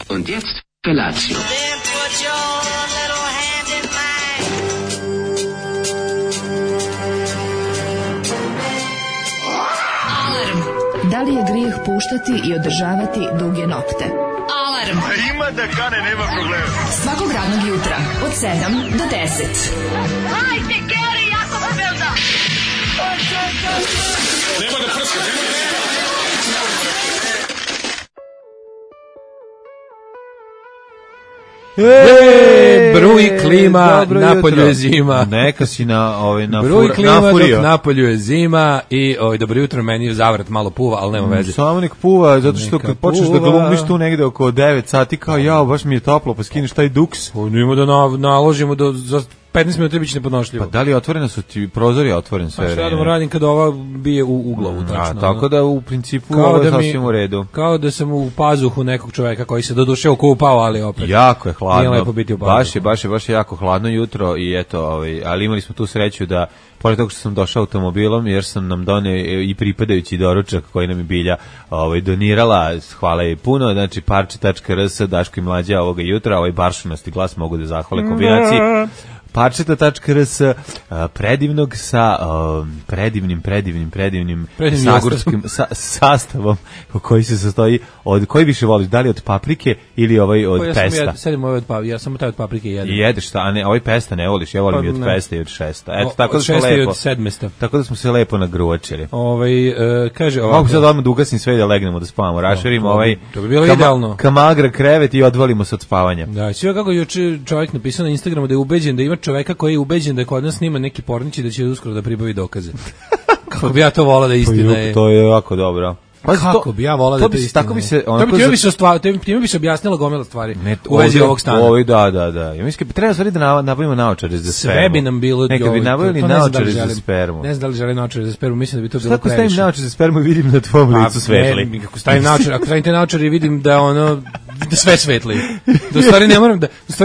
Und jetzt Felatio. Then put your little hand in mine. Alarm. Da li je grijeh puštati i održavati duge nokte? Alarm. Ima da kane, nema problema. Svakog radnog jutra od 7 do 10. Hajde, Geri, jako se velda. Nema da prska, Bruji klima, napolju je zima. Neka si na Bruji klima, nafurio. dok napolju je zima i dobro jutro, meni je zavrat malo puva, ali nema veze. Samo nek puva, zato što Neka kad počneš da puva. glumiš tu negde oko 9 sati, kao jao, baš mi je toplo, pa skineš taj duks. Nimo da naložimo za 15 minuta biće nepodnošljivo. Pa da li otvorene su ti prozori otvoren sve Pa šta da vreme? radim kada ova bije u glavu, tačno. Tako da u principu Kao ovo je da mi- sasvim u redu. Kao da sam u pazuhu nekog čoveka koji se doduše okupao, ali opet. Jako je hladno. Nije lepo biti u pazuhu. Baš je jako hladno jutro i eto, ali imali smo tu sreću da pored toga što sam došao automobilom, jer sam nam doneo i pripadajući doručak koji nam je Bilja donirala, hvala jej puno, znači parče.rs, Daško i Mlađa ovoga jutra, ovaj baršunasti glas mogu da zahvale kombinaciji. Parčeta.rs, predivnog sa predivnim sagorskim sastavom koji se sastoji od, koji više voliš, da li od paprike ili ovaj od pesta? Ja sam taj od paprike jedem. I jedeš šta, a ne, ovaj pesta ne voliš, ja volim Pa i od ne. pesta i od šesta. Eto, Od tako da smo šesta i lepo. od sedmesta. Tako da smo se lepo nagruvačili. Kaže ovako. Mogu sad odmah da ugasim sve i da legnemo, da spavamo, raširimo to bi bilo idealno. kamagra krevet i odvalimo se od spavanja. Da, sve kako juče čovjek napisao na Instagramu da je ubeđen, da ima čoveka koji je ubeđen da kod nas snima neki pornić i da će uskoro da pribavi dokaze. Kako bi ja to volao da istina je. To je jako dobro. Kako bi ja volao da to to bi istina. tako bi se To bi onako time bi se objasnila gomila stvari u vezi ovog stana. Ovo da. Ja mislim treba stvari da nabavimo naočare za spermu. Sve bi nam bilo. Nekad bi nabavili to ne znam da li naočare za želim. spermu. Ne znam da li želim naočare za spermu, mislim da bi to bilo Šta ako previše. stavim naočare za spermu i vidim na tvom licu svetli? Ako stavim naočare, ako stavim te naočare i vidim da ono da sve svetli. Da u stvari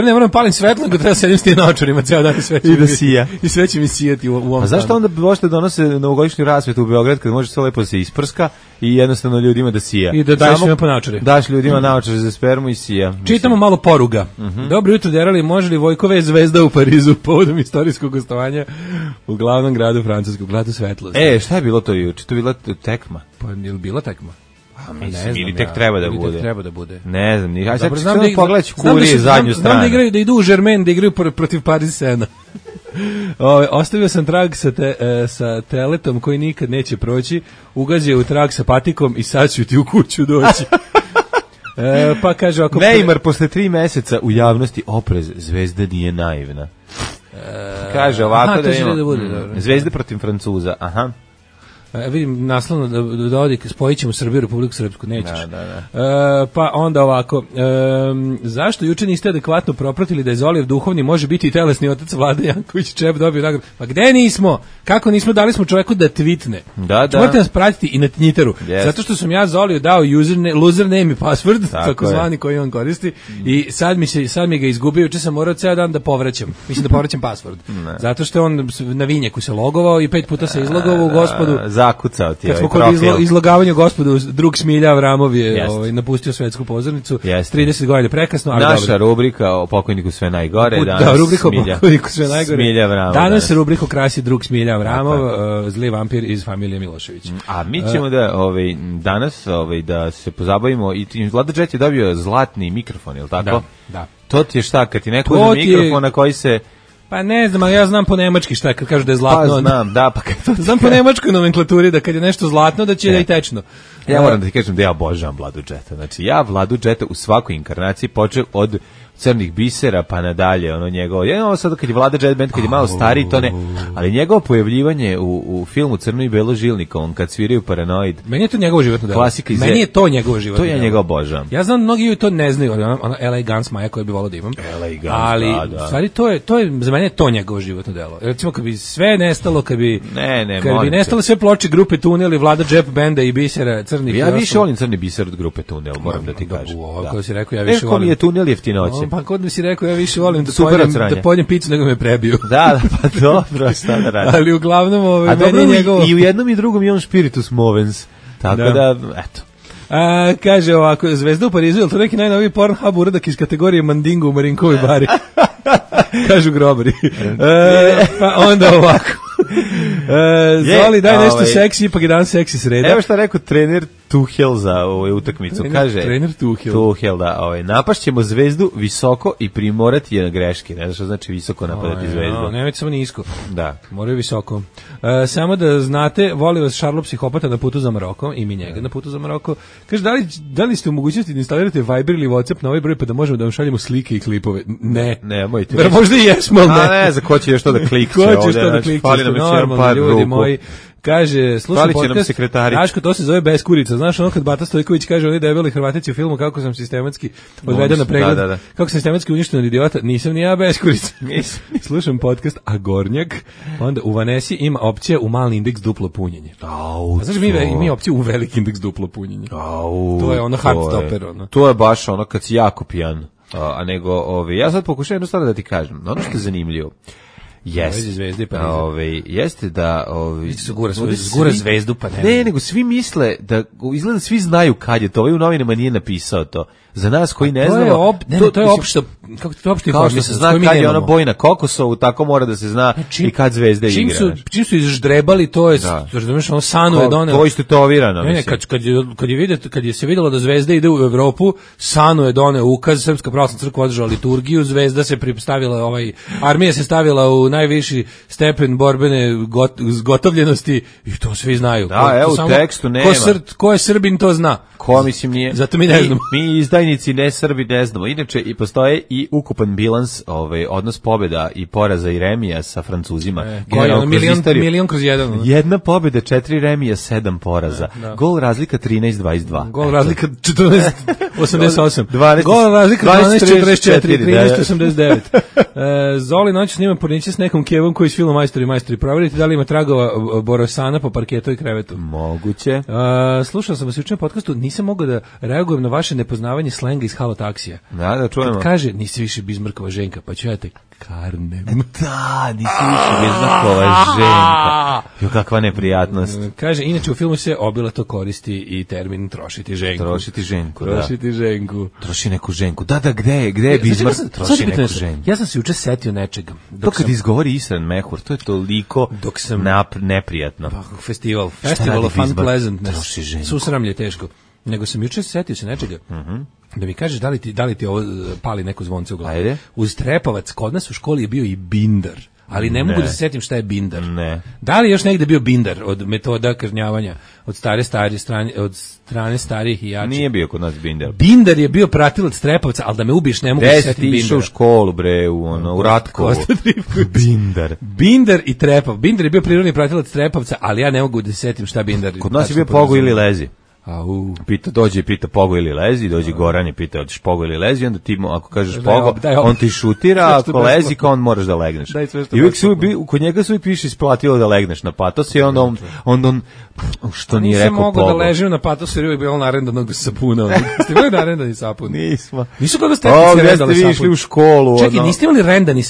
ne moram palim svetlo, nego treba sedim s tim naočarima ceo dan i sve će I da mi- sija. I sve će mi sijati u ovom A zašto stanu. onda možete donose novogodišnju rasvetu u Beograd kad može sve lepo da se isprska i jednostavno ljudima da sija? I da daješ Samo njima po naočare. Daš ljudima naočare za spermu i sija. Čitamo malo poruga. Dobro jutro, derali, može li Vojkove zvezda u Parizu povodom istorijskog gostovanja u glavnom gradu Francuskog, gradu svetlosti? Šta je bilo to juče? To je bila tekma. Pa je li bila tekma? Mislim, ili tek treba da bude. Treba da bude. Ne znam, ni. Aj sad Dobro, ću pogledati znam da Kurije su- zadnju znam da stranu. igraju, da idu u Germain, da igraju protiv Paris Sena. Ostavio sam trag sa teletom koji nikad neće proći, ugazio u trag sa patikom i sad ću ti u kuću doći. Pa kaže ako Neymar posle 3 meseca u javnosti oprez, zvezda nije naivna. Kaže ovako aha, da to će ima da bude, dobro. Zvezda protiv Francuza, aha. Vidim naslovno da odi, spojit ćemo Srbiju, Republiku Srpsku, nećeš. Da. Pa onda ovako, zašto juče niste adekvatno propratili da je Zolijev duhovni može biti i telesni otac Vlade Janković, Čep dobio nagradu? Pa gde nismo? Kako nismo? Dali smo čoveku da tweetne. Da. Morate nas pratiti i na Twitteru. Yes. Zato što sam ja Zoliju dao username i password, Tako takozvani koji on koristi, i sad mi ga izgubio, juče sam morao ceo dan da povraćam. Mislim da povraćam password. Zato što on na vinjeku se logovao i 5 puta se izlogovao u Gospodu. Zakucao ti Kad smo ovaj kod profil. izlogavanja Gospodu, drug Smilja Avramov je Jest. napustio svetsku pozornicu. Jest. 30 godina prekasno, ali Naša dobro. rubrika o pokojniku sve najgore. Danas Da, rubrika o pokojniku sve najgore. Smilja Avramov. Danas rubriku krasi drug Smilja Avramov, zli vampir iz familije Milošević. A mi ćemo da danas da se pozabavimo i Vlada Džet je dobio zlatni mikrofon, je li tako? Da. To ti je šta, kad ti neko To uzme ti je- mikrofon na koji se... Pa ne znam, ali ja znam po nemački šta kad kažu da je Pa zlatno. znam, da, pa kad to... Znam po nemačkoj nomenklaturi da kad je nešto zlatno da će da je i tečno. Ja moram da ti kažem da ja obožavam Vladu Džeta. Znači, ja Vladu Džeta u svakoj inkarnaciji počeo od Crnih bisera pa nadalje, ono njegovo. Ja ovo sad kad je Vlada Džet band, kad je malo stariji, to ne, ali njegovo pojavljivanje u filmu Crno i belo žilnika, on kad sviraju Paranoid. Meni je to njegovo životno delo. Klasika iz Meni je to njegovo životno To ja delo. njega obožavam. Ja znam mnogi to ne znaju, ali ona LA Guns Maja koju bi volao da imam. LA Guns, ali da. u stvari to je za mene je to njegovo životno delo. Recimo kad bi sve nestalo, kad bi kad bi nestale sve ploče grupe Tunel i Vlada Džep benda i Bisera Crnih. Ja više volim Crni biser od grupe Tunel, moram da ti kažem. Kako si rekao, ja više volim. Ko mi je Tunel jeftinoće. Pa kod mi si rekao, ja više volim da pojedem picu nego me prebiju. Da, pa dobro, šta da radim. Ali uglavnom A meni je njegovo... i u jednom i drugom je on spiritus movens. Tako da eto. Kaže ovako, Zvezda u Parizu, je li to neki najnoviji Pornhub uradak iz kategorije Mandingo u Marinkovoj bari? Kažu grobari. Pa onda ovako. Zoli, daj nešto seksi, ipak je dan seksi sreda. Evo šta rekao trener Tuchel za ovu utakmicu. Kaže, trener Tuchel. Tuchel, da, napašćemo Zvezdu visoko i primorati je na greške. Ne znaš što znači visoko napadati Zvezdu. Nemojte samo nisko. Da. Moraju visoko. Samo da znate, voli vas Šarlo psihopata na putu za Maroko i mi njega na putu za Maroko. Kaže, da li ste u mogućnosti da instalirate Viber ili WhatsApp na ovaj broj pa da možemo da vam šaljemo slike i klipove? Ne. Nemojte. Možda i jesmo, ali ne. A ne, za ko će još to da klikće ovdje. Ko će još to da klikće, normalni ljudi moji. Kaže, slušam podcast, Daško, to se zove Beskurica. Znaš ono kad Bata Stojković kaže, oni debeli Hrvatici u filmu, kako sam sistematski odveden na pregled, kako sam sistematski uništen od idiota, nisam ni ja Beskurica. Slušam podcast Agornjak, onda u Vanesi ima opcija u mali indeks duplo punjenje. A znaš, mi opciju u veliki indeks duplo punjenje. To je ono hard stopper. To je baš ono kad si jako pijan. A nego, ja sad pokušam jednu stvar da ti kažem. Ono što je zanimljivo. Jeste da zgura Zvezdu pa ne, nego svi misle da izgleda svi znaju kad je to, ovaj u novinama nije napisao to. Za nas koji ne znamo, to je opšte, kako to opšte kao što se zna kad je ona bojna Kokosovu, tako mora da se zna i kad Zvezda igra. Čim su izždrebali, to je, razumiješ, ono Sanu je doneo. To je istetovirano. Ne, kad je se vidjelo da Zvezda ide u Evropu, Sanu je doneo ukaz, Srpska pravoslavna crkva održala liturgiju, Zvezda se pristavila, armija se stavila u najviši stepen borbene zgotovljenosti i to svi znaju. Da, evo u tekstu nema. Ko je Srbin, to zna. Ko mislim nije. Zato mi ne znamo. Mi izdajnici ne Srbi ne znamo. Inače i postoje i ukupan bilans, odnos pobjeda i poraza i remija sa Francuzima. Milion kroz jedan. Jedna pobjeda, 4 remija, 7 poraza. Gol razlika 13-22. Gol razlika 14-88. Gol razlika 12-44, 13-89. Zoli noć snima porniče s nekom kevom koji s filmom Majstori. Proverite da li ima tragova Borosana po parketu i krevetu. Moguće. Slušao sam vas jučer na podcastu, nisam mogao da reagujem na vaše nepoznavanje slenga iz Halo taksija. Da čujemo. Kad kaže, nisi više Bizmarkova Ženka, pa ću ja te karnem. Da, nisi više Bizmarkova Ženka. Jo, kakva neprijatnost. Kaže, inače u filmu se obilato koristi i termin trošiti Ženku. Trošiti Ženku. Troši neku Ženku. Da, gde je Bizmark? Troši neku Ženku. Ja sam se juče setio nečega. To kad izgovori Isran Mehur, to je toliko neprijatno. Festival of Fun Pleasantness. Susramlje teško. Nego sam juče setio se nečega. Da mi kažeš da li ti ovo pali neko zvonce u glavu. Ajde. Uz Trepavac kod nas u školi je bio i bindar. Ali ne mogu da se setim šta je bindar. Ne. Da li još negde bio bindar od metoda kažnjavanja od strane starijih i jačih? Nije bio kod nas bindar. Bindar je bio pratilac Trepavca, ali da me ubiš ne mogu da se setim bindara. Išao u školu bre u Ratkovu. Bindar. Bindar i Trepav. Bindar je bio prirodni pratilac Trepavca, ali ja ne mogu da se setim šta bindar. Kod nas je bio Pogo ili Lezi. Pita Pogo ili lezi, dođe Goran i pita hoćeš Pogo ili lezi, onda ti ako kažeš Pogo, on ti šutira, ako lezi kao on moraš da legneš. I uvijek kod njega se piše isplatilo da legneš na patos i onda on što nije rekao Pogo. Nisam mogao da ležim na patos jer uvijek bilo narendanog sapuna. Ste imali narendani sapun? Nismo. Nisu kod vas tehnici rendali sapun? Išli u školu. Čekaj, niste imali rendani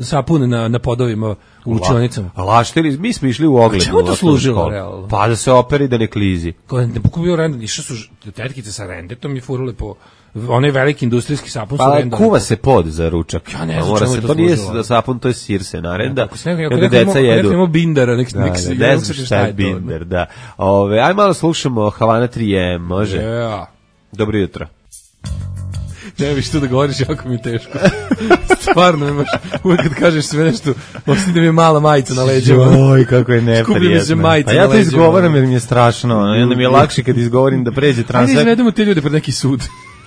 sapun na podovima u učionicama? Laštili, mi smo išli u ogled. Čemu to služilo, realno? Pa da se operi da ne klizi. Ne bio rendan, išli su tetkice sa rendetom i furule po onaj veliki industrijski sapun su rendali. Pa kuva se pod za ručak. Ja ne znam čemu je to služilo. To nije sapun, to je sir se narenda. Kada deca jedu. Ako imamo bindara, nek se ne znam šta je bindar, da. Aj malo slušamo Havana 3M, može? Dobro jutro. Ne viš tu da govoriš, jako mi je teško. Stvarno imaš, uvijek kad kažeš sve nešto, ostane mi je mala majica na leđima. Oj, kako je neprijatno. Skupi mi se majica na leđima. A ja to izgovaram jer mi je strašno, onda mi je lakše kad izgovorim da pređe transfer. Ajde, izvedemo te ljude pred neki sud.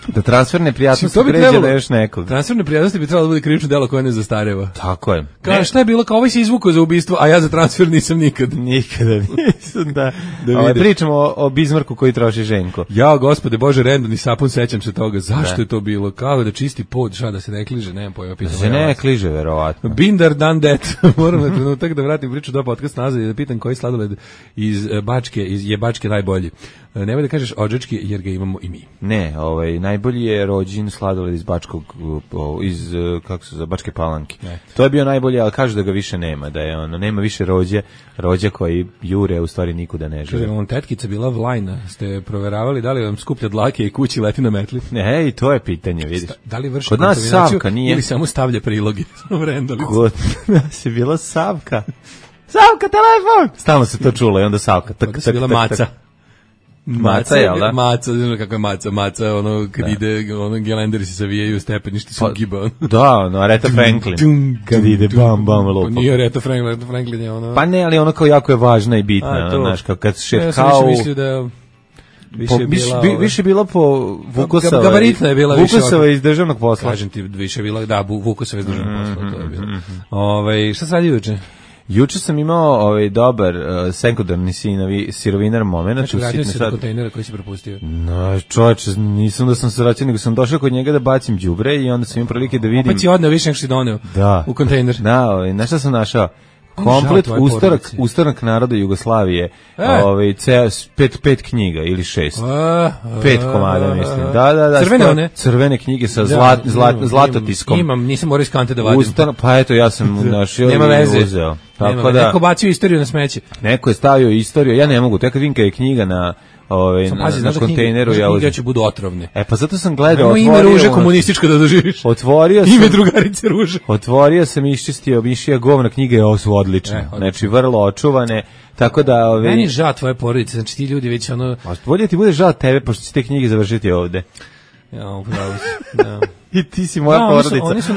Da transferne prijatnosti pređe na još nekog. Transferne prijatnosti bi trebalo da bude krivično delo koje ne zastareva. Tako je. Kao šta je bilo, kao ovaj se izvukao za ubistvo, a ja za transfer nisam nikad. Nikada nisam, da. Pričamo o Bizmarku koji troši Ženko. Ja, gospode Bože, rendani sapun, sećam se toga. Zašto je to bilo? Kao da čisti pod, šta da se ne kliže, nemam pojma. Da se ne kliže, verovatno. Bindar dan det. Moram na trenutak da vratim priču do podcast nazad i da pitam koji sladoled iz Bačke je Bačke najbolji. Nemoj da kažeš odžački jer ga imamo i mi. Ne, najbolji je rođin sladoled iz Bačke Palanke. To je bio najbolji, ali kažu da ga više nema, da je nema više rođa koji jure, u stvari nikuda ne žive. Kaže, tetkica bila Vlajna, ste proveravali da li vam skuplja dlake i kući leti na metli? Ne, i to je pitanje, vidiš. Da li vrši kod nas Savka nije ili samo stavlja priloge? Kod nas je bila Savka. Savka, telefon! Stalno se to čulo i onda Savka. Kod nas je bila Maca. Maca, jel da? Maca, znaš kako je Maca, kad ide, gelenderi se savijaju, stepeništi su giba. Da, Aretha Franklin. Kad ide bam, lupa. Nije Aretha Franklin je ono... Pa ne, ali ono kao jako je važna i bitna, znaš, kad šetkao... Ja sam više mislio da... Više bila po Vukosava. Gabaritna je bila više. Vukosava iz državnog posla. Kažem ti, više bila, da, Vukosava iz državnog posla, to je bilo. Šta sad juče? Juče sam imao dobar sekundarni sirovinar moment. Znači, vratio se do kontejnera koji si propustio. No, čovječe, nisam da sam se vraćao, nego sam došao kod njega da bacim đubre i onda sam imao prilike da vidim... Opet si odneo više nego što si doneo u kontejner. Da, znaš šta sam našao? Komplet ustanak naroda Jugoslavije, pet knjiga ili 6. 5 komada, mislim. Da. Crvene one? Crvene knjige sa zlatotiskom. Imam, nisam morao iz kante da vadim. Pa eto, ja sam našao i uzeo. Neko bacio istoriju na smeće. Neko je stavio istoriju, ja ne mogu, tek kad vidim kad je knjiga na kontejneru, ja knjige će budu otrovne. Pa zato sam gledao, ime Ruže komunističko da doživiš. Ime drugarice Ruže. Otvorio sam i iščistio mišija govna, knjige su odlične. Znači vrlo očuvane. Tako da meni žao tvoje porodice, znači ti ljudi već bolje ti bude žao tebe pošto će te knjige završiti ovde. Ja, upravo si. Da. I ti si moja porodica. Oni su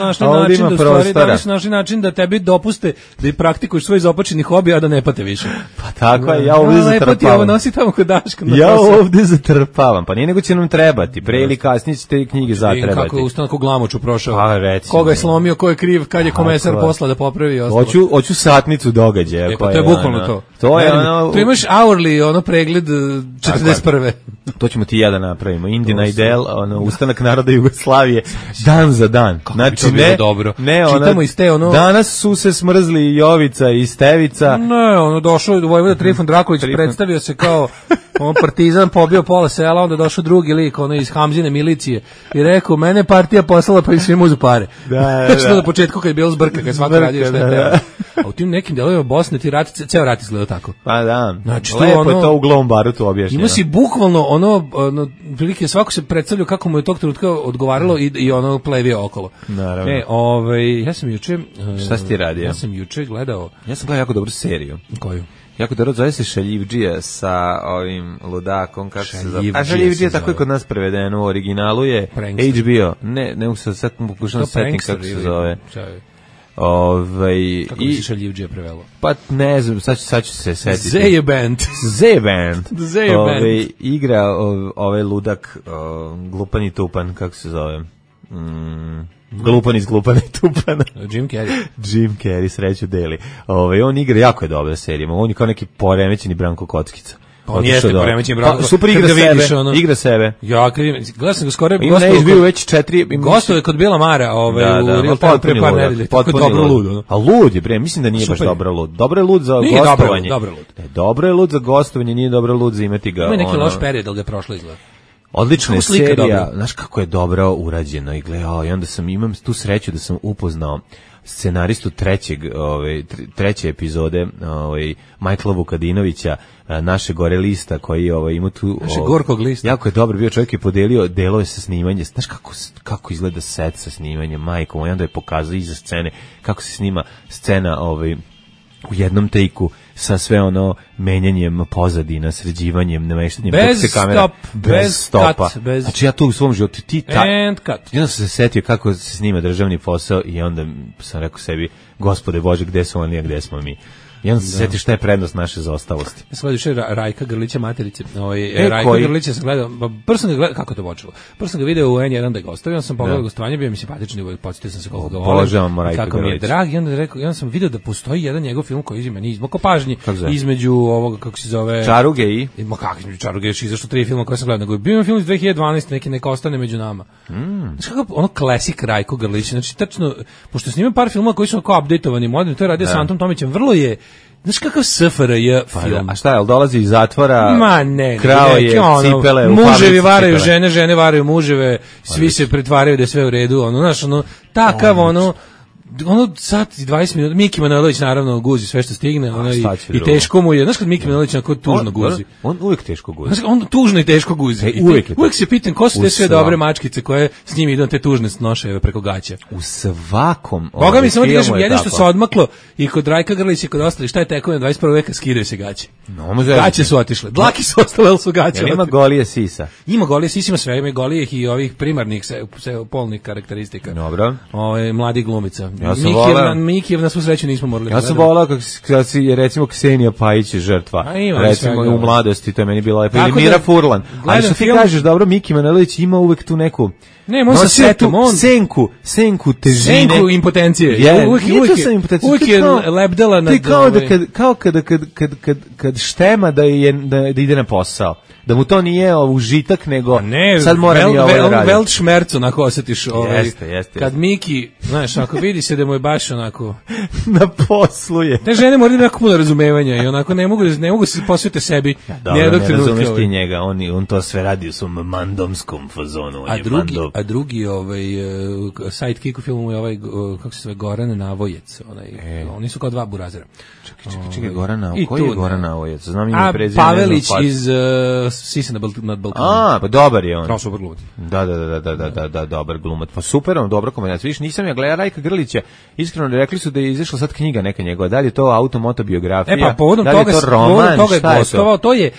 našli način da tebi dopuste da praktikuješ svoj izopačeni hobi, a da ne pate više. Pa tako je, ja ovdje zatrpavam. Nosi tamo kod Daška. Ja ovdje zatrpavam, pa nije nego će nam trebati. Pre ili kasnije će te knjige zatrebati. Kako je ustanak u Glamoču prošao. Pa recimo. Koga je slomio, ko je kriv, kad je komesar posla da popravi. Hoću satnicu događaja. Pa to je bukvalno to. To je ono... Tu imaš hourly, pregled 41. To ćemo ti i ja da napravimo. Indina Idel, ustanak naroda Jugoslavije, dan za dan. Znači, ne, čitamo iz te, danas su se smrzli Jovica i Stevica. Ne, došao je Vojvoda Trifun Draković, predstavio se kao partizan, pobio pola sela, onda došao drugi lik, iz Hamzine milicije i rekao, mene partija poslala pa im svim uzu pare. Znači, na početku kad je bilo zbrka, kad je svako radio što je teo. A u tim nekim delovima Bosne ti ceo rat izgleda tako. Pa da, znači, lepo je to u Glom barutu objašnjeno. Ima si bukvalno prilike svako se predstavljao kako mu je tog trenutka odgovaralo i plevio okolo. Naravno. Ja sam juče... Šta si ti radio? Ja sam juče gledao... Ja sam gledao jako dobru seriju. Koju? Jako dobro, zove se Šaljivdžija sa ovim ludakom, kako se zove. A Šaljivdžija tako je kod nas prevedeno, u originalu je HBO. Ne mogu se sad pokušam setim kako se zove. Kako bi se Šaljivdžija prevelo? Pa ne znam, sad ću se setiti. Zeje Band. Igra ovaj ludak, glupan i tupan, kako se zove? Glupan iz glupana i tupana. Jim Carrey, sreću deli. On igra, jako je dobra serija. On je kao neki poremećeni Branko Kockica. On jeste poremećeni Branko. Super igra sebe. Ja, gledao sam ga skoro. Ima ne izbio već 4. Gostuje kod Bila Mara u Real Time pre par nedelje. Tako je dobro lud. A lud je, bre, mislim da nije baš dobro lud. Dobro je lud za gostovanje. Dobro je lud za gostovanje, nije dobro lud za imati ga. Ima neki loš period, ali ga je prošlo izgleda. Odlična je serija, znaš kako je dobro urađeno i gledao, i onda imam tu sreću da sam upoznao scenaristu treće epizode, Majkla Vukadinovića, naše gore lista koji ima tu... Naše gorkog lista. Jako je dobro bio, čovjek je podelio delove sa snimanje, znaš kako izgleda set sa snimanjem, majkom, i onda je pokazao iza scene kako se snima scena u jednom tejku sa sve menjanjem pozadina, sređivanjem, nameštanjem bez stopa. Znači ja to u svom životu i onda sam se setio kako se snima državni posao i onda sam rekao sebi, Gospode Bože, gde su oni, a gde smo mi? I onda se seti šta je prednost naše zaostalosti. Ja sam gledao še Rajka Grlića materice. Rajka Grlića sam gledao, prvo sam ga gledao, kako to počelo? Prvo sam ga video u N1 da je gostavio, onda sam pogledao gostovanje, bio mi simpatični, podsjetio sam se koliko ga volim. Obožavam Rajka Grlića. Kako mi je drag, i onda sam video da postoji jedan njegov film koji je meni izmoko pažnji između ovoga, kako se zove... Čaruge i? Kako između Čaruge, još izašlo 3 filma koje sam gledao, nego je bio film iz 2012, neki neka ostane među nama. Znači kako klasik Rajko Grlić, znači tačno, pošto snimam par filmova koji su kao updateovani, moderni, to je radio sa Antom Tomićem, vrlo je Znaš kakav SFRJ film? A šta je, dolazi iz zatvora, Ma ne, krao je cipele u fabrici muževi varaju cipele. žene, žene varaju muževe, svi se pretvaraju da je sve u redu, ono, znaš, ono, takav, ono sat i 20 minuta, Miki Manojlović naravno guzi sve što stigne, ono, i teško mu je, znaš kad Miki Manojlović onako tužno guzi. On uvijek teško guzi. Znaš, on tužno i teško guzi. Uvijek se pitam ko su te sve dobre mačkice koje s njim idu te tužne noševe preko gaća. U svakom Boga mi samo ti kažem, jedino što se odmaklo i kod Rajka Grlića i kod ostali, šta je tekovina 21. veka, skidaju se gaće. Gaće su otišle, dlaki su ostale, ali su gaće. Ima golije sisa? Ima golije sisa, ima sve, ima golijih i ovih primarnih polnih karakteristika. Dobro. Mladi glumica. Mikijev na svu sreću nismo morali. Ja sam volao kad si, recimo, Ksenija Pajić je žrtva. Recimo, u mladosti, to je meni bila lepa. Ili Mira Furlan. Ali što ti kažeš, dobro, Miki Manojlović ima uvek tu neku... Ne, on sa setom, on... Senku težine. Senku impotencije. Uvijek je lebdela nad... Kao kad štema da ide na posao. Da mu to nije užitak, nego sad moram i ovo da radim. Velt šmerc, onako osjetiš. Jeste. Kad Miki, znaš, ako vidi se da mu je baš onako... na poslu je. Te žene moraju jako puno razumevanja i onako ne mogu se posvetiti sebi. Dobro, ne razumeš ti njega, on to sve radi u svom mandomskom fazonu. A drugi sidekick u filmu je kako se zove, Goran Navojec. Oni su kao dva burazera. Čekaj, koji je Goran Navojec? Znam ime prezime. Pavelić iz Sise nad Balkanom. Pa dobar je on. Kao super glumac. Da, dobar glumac. Pa super, on dobra kombinacija. Viš, nisam ja gledao Rajka Grlića. Iskreno rekli su da je izašla sad knjiga neka njegova. Da li je to automotobiografija? Pa povodom toga je gostovao. To je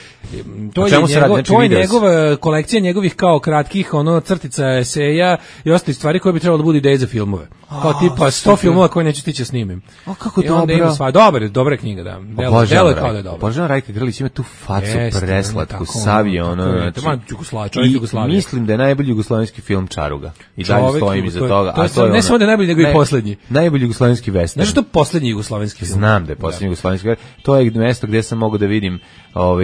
njegova kolekcija njegovih kao kratkih crtica, eseja i ostali stvari koje bi trebalo da budu ideje za filmove. Kao tipa 100 filmova koje neću stići snimim. Kako dobro. Dobra knjiga, da. Delo je kao da je dobro. Božan Rajka Grlić ima tu facu preslatku, savio, i mislim da je najbolji jugoslovenski film Čaruga. I dalje stojim iza toga. Ne samo da je najbolji, nego i poslednji. Najbolji jugoslovenski western. Znaš što je poslednji jugoslovenski film? Znam da je poslednji jugoslovenski western. To je mesto gdje sam mogao da vidim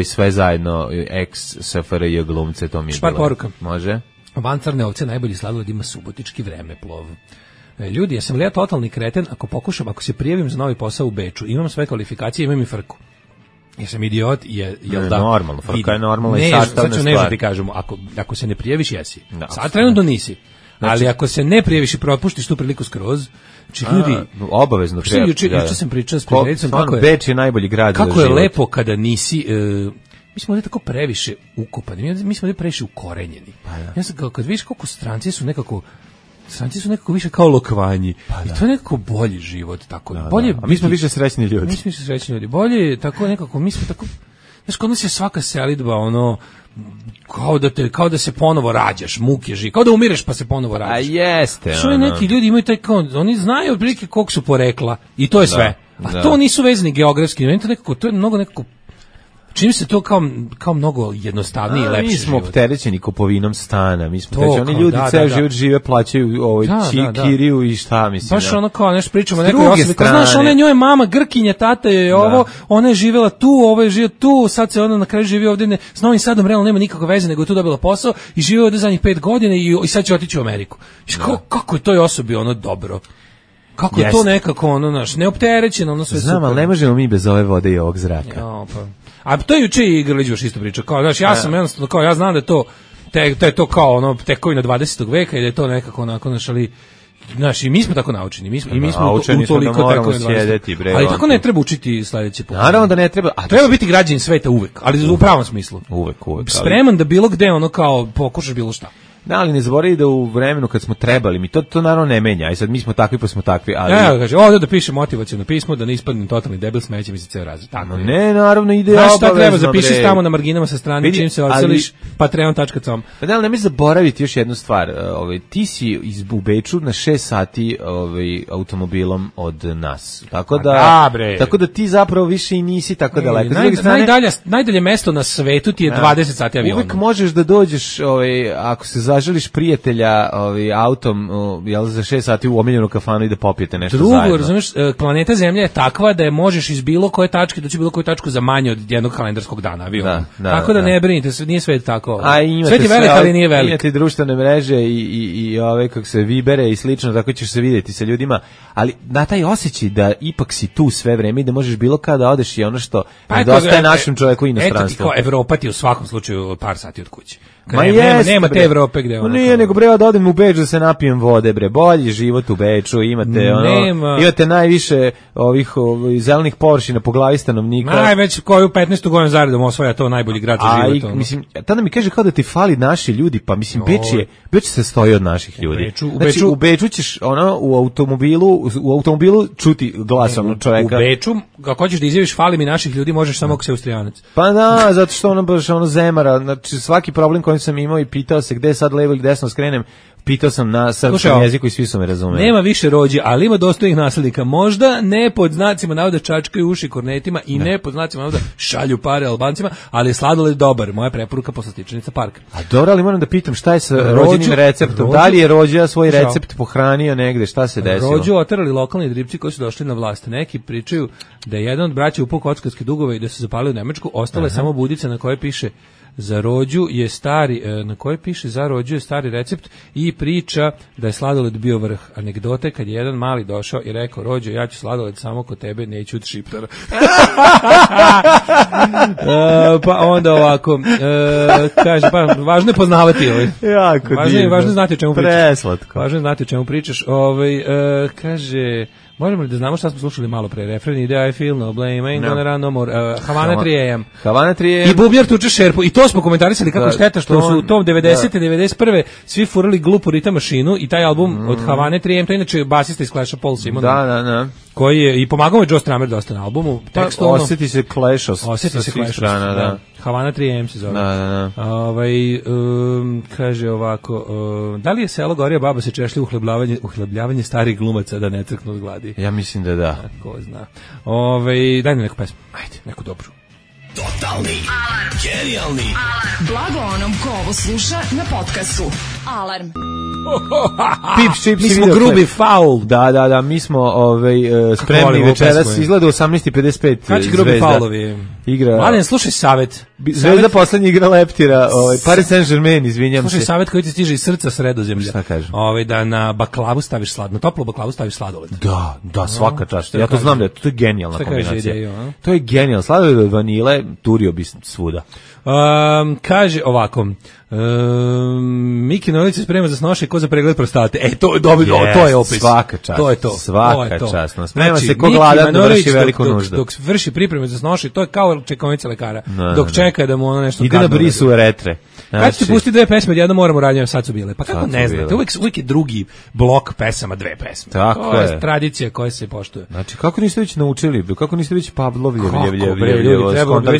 sve zajedno, ex-SFRJ glumce, to mi je bilo. Špar poruka. Može? Van Crne ovce najbolji sladoled ima subotički vremeplov. Ljudi, ja sam li ja totalni kreten ako se prijavim za novi posao u Beču, imam sve kvalifikacije, imam i frku. Ja sam idiot, jel da? Normalno, frka je normalna i sastavna stvar. Ne, ti kažemo, ako se ne prijaviš, jesi. Sad trenutno nisi. Ali ako se ne prijaviš i propuštiš tu priliku skroz, ljudi... Obavezno prijaviš. Juče sam pričao s prijateljicom kako je... Beč je najbolji grad za život. Kako je lepo kada nisi... Mi smo ovdje tako previše ukopani, mi smo ovdje previše ukorenjeni. Ja sam kao, kad vidiš koliko stranci su nekako više kao lokvanji. I to je nekako bolji život. Tako. Bolje a mi smo više srećni ljudi. Mi smo više srećni ljudi. Bolje je tako nekako, mi smo tako... Znaš, kod nas je svaka selidba, kao da se ponovo rađaš, muke živi, kao da umireš pa se ponovo rađaš. A jeste. Što neki ljudi imaju taj oni znaju otprilike koliko su porekla i to je sve. A to nisu vezani geografski, to je mnogo nekako čini se to kao mnogo jednostavniji i lepši život. Mi smo opterećeni kupovinom stana, mi smo oni ljudi ceo život žive, plaćaju kiriju i šta mislim. Baš ono kao nešto pričamo o nekoj osobi, kao znaš, ona je njoj mama, Grkinja, tata je ovo, ona je živjela tu, ovo je živjela tu, sad se ona na kraju živi ovdje, s Novim Sadom realno nema nikakve veze, nego je tu dobila posao i živi ovdje zadnjih 5 godina i sad će otići u Ameriku. Kako je toj osobi dobro? Kako je to nekako neopterećeno, sve super. Znam, ali ne možemo mi bez ove vode i ovog zraka. A to je juče i Grlić baš isto pričao. Kao, znaš, ja sam jednostavno, kao, ja znam da je to kao tekovina 20. veka i da je to nekako onako, znaš, i mi smo tako naučeni. Mi smo utoliko tako sjedeti, ali tako ne treba učiti sledeće put. Naravno da ne treba. Treba biti građanin sveta uvek, ali u pravom smislu. Uvek. Spreman da bilo gde kao pokušaš bilo šta. Da, ali ne zaboravi da u vremenu kad smo trebali, mi to naravno ne menja, i sad mi smo takvi pa smo takvi, ali... Ja, kaže, ovdje da pišem motivaciono pismo, da ne ispadnem totalni debil, smeće mi se ceo razred. Tako ne, naravno ide obavezno. Znaš šta treba, zapiši tamo na marginama sa strane, čim se odseliš, patreon.com. Pa da, ali nemoj zaboraviti još jednu stvar, ti si u Beču na 6 sati automobilom od nas, tako da ti zapravo više i nisi tako daleko. Najdalje mesto na svetu ti je 20 sati avionom. Uvijek možeš da dođeš, ako se zaželiš prijatelja autom jel, za 6 sati u omiljenu kafanu i da popijete nešto Drugo, zajedno. razumeš, planeta Zemlja je takva da je možeš iz bilo koje tačke doći bilo koju tačku za manje od jednog kalendarskog dana avionom. Tako da ne brinite, nije svet tako. Svet je velik, ali nije velik. Imate društvene mreže i ove kako se vibere i slično, tako ćeš se vidjeti sa ljudima, ali na taj osjećaj da ipak si tu sve vreme i da možeš bilo kada odeš i ono što nedostaje našem čovjeku u inostranstvu. Eto ti kao Evropa ti u svakom slučaju par sati od kuće. Nema te Evrope gde ono. Nije, nego bre da odem u Beč da se napijem vode, bre. Bolji život u Beču, imate imate najviše ovih zelenih površina po glavi stanovnika. Najveć koju 15. godinu zaredom osvaja to najbolji grad za život. Mislim, tada mi kaže kao da ti fali naši ljudi, pa mislim Beč se stoji od naših ljudi. U Beču ćeš u automobilu čuti glas onog čoveka. U Beču, kako hoćeš da izjaviš fali mi naših ljudi, možeš samo ako si Austrijanac. Pa da, zato što ono baš zemara, znači svaki problem koji sam imao i pitao se gde sad levo ili desno skrenem, pitao sam na srpskom jeziku i svi su me razumeli. Nema više rođi, ali ima dostojnih naslednika. Možda ne pod znacima navoda čačkaju uši kornetima i ne pod znacima navoda šalju pare Albancima, ali je sladoled dobar. Moja preporuka poslastičanica Parka. A dobro, ali moram da pitam šta je sa rođenim receptom? Da li je rođa svoj recept pohranio negde? Šta se desilo? Rođu oterali lokalni dripci koji su došli na vlast. Neki pričaju da je jedan od braća upao kockarske dugove i da se zapalio u Nemačku. Ostala je samo budica na kojoj piše za rođu je stari, na kojoj piše za rođu je stari recept i priča da je sladoled bio vrh. Anegdote kad je jedan mali došao i rekao, rođo, ja ću sladoled samo kod tebe, neću od Šiptara. Pa onda ovako, kaže, pa važno je poznavati ovaj. Jako važno je znati o čemu pričaš. Preslatko. Važno je znati o čemu pričaš. Kaže, možemo li da znamo šta smo slušali malo pre? Refren ide I feel no blame, ain't gonna run no more. Havana 3 AM. Havana 3 AM. I Bubnjar tuče šerpu. I to smo komentarisali kako šteta što su u tom 90. 91. svi furali glupu ritam mašinu i taj album od Havane 3 AM, to je inače basista iz Clash-a Paul Simon. Da. Koji je, i pomagao je Joe Strummer dosta na albumu. Osjeti se Clash da. Havana 3 AM se zove. Da. Kaže ovako, da li je selo Gorija baba se češlja uhlebljavanje starih glumaca da ne crknu od gladi? Ja mislim da da. Ko zna. Daj mi neku pesmu. Ajde, neku dobru. Totalni alarm. Genijalni alarm. Blago onom ko ovo sluša na podcastu. Alarm. Pips, čips, mi smo grubi faul. Da, mi smo spremni večeras, izgleda 18:55. Kad će grubi faulovi? Igra. Mladen, slušaj savet. Zvezda poslednji igra Leptira, Paris Saint-Germain, izvinjam se. Slušaj savet koji ti stiže iz srca Sredozemlja. Šta kažem? Da na baklavu staviš sladno, toplu baklavu staviš sladoled. Da, svaka čast. Ja to znam da je to genijalna kombinacija. To je genijalno. Sladoled od vanile, turio bi svuda. Kaže ovako, Miki Nović se sprema za snoše ko za pregled prostate. To je dobro, to je opis. Svaka čast. To je to. Svaka čast. Sprema se ko gladan da vrši veliku nuždu. Dok vrši pripreme za snoše, to je kao čekaonica lekara. Dok čeka da mu ono nešto ide na brisu retre. Kad ćete pustiti dve pesme, jedno moramo raditi, sad su bile. Pa kako ne znate, uvijek je drugi blok pesama, dve pesme. Tako to je tradicija koja se poštuje. Znači, kako niste već naučili, kako niste već Pavlovljev,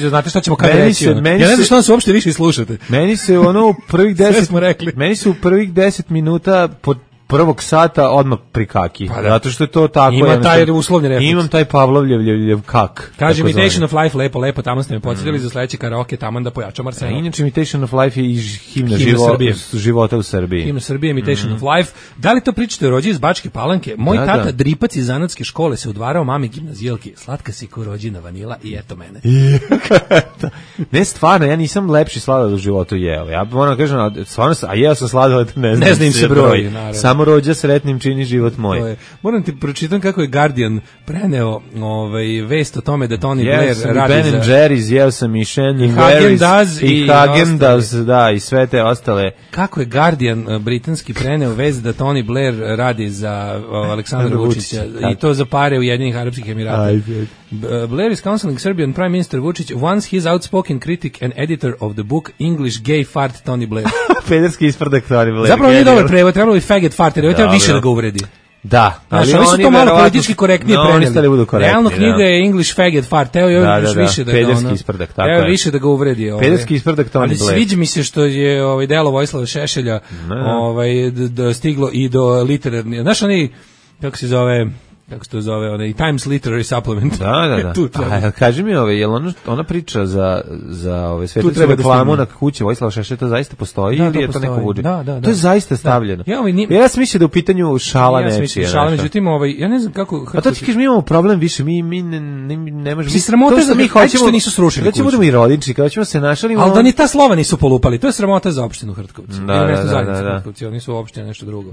znate šta ćemo kada reći? Ja ne znam što nas uopšte više slušate. Meni se ono u prvih 10 minuta pod prvog sata odmah prikaki. Zato što je to tako. Ima taj uslovni refleks. Imam taj Pavlovljev kak. Kaže Imitation of Life, lepo, tamo ste me podsjetili za sledeći karaoke, tamo da pojačam Arsena. Inače Imitation of Life je i himna života u Srbiji. Himna Srbije, Imitation of Life. Da li to pričate o rođi iz Bačke Palanke? Moj tata Dripac iz zanatske škole se udvarao mami gimnazijalki. Slatka si ko rođina vanila i eto mene. Ne, stvarno, ja nisam lepši sladoled u životu jeo. Ja moram kažem, stvarno, a jeo sam sladoled, ne znam se broj. Samo rođa sretnim čini život moj. Moram ti pročitam kako je Guardian preneo vest o tome da Tony Blair radi Ben za... Ben & Jerry's, jeo sam i Shannon Harris i Häagen-Dazs, da, i sve te ostale. Kako je Guardian britanski preneo vest da Tony Blair radi za Aleksandra Vučića i to za pare Ujedinjenih Arapskih Emirata. Blair is counseling Serbian Prime Minister Vučić once his outspoken critic and editor of the book English Gay Fart Tony Blair. Pederski isprdak Tony Blair. Zapravo nije dobar prevod, trebalo bi faggot fart, jer treba više da ga uvredi. Da, ali oni su to malo politički korektnije preneli. Realno knjiga je English faggot fart, teo je još više da ga pederski isprdak, tako je. Teo više da ga uvredi. Pederski isprdak Tony Blair. Ali sviđa mi se što je delo Vojislava Šešelja stiglo i do literarni. Znaš oni, kako se zove... kako se to zove, onaj Times Literary Supplement. Da. Tu treba. A kaži mi, jel ona priča za svetu treba da reklamu stigne. na kući Vojislava Šešelja, to zaista postoji Da, ili to je to neko postoji. vuđe? Da. To je zaista stavljeno. Ja, sam mislio da je u pitanju šala ja sam nečija. mislio šala, nešto. međutim, ja ne znam kako... A to ti kažeš, mi imamo problem više, mi ne možemo... Mislim, sramota je da ajde što nisu srušili Kada ćemo kuću. budemo i rodinči, kada ćemo se našalimo... Ali da ni ta slova nisu polupali, to je sramota za opštinu Hrtkovci. Da, Ili mesto da, zajednice da. Hrtkovci, oni su opština nešto drugo.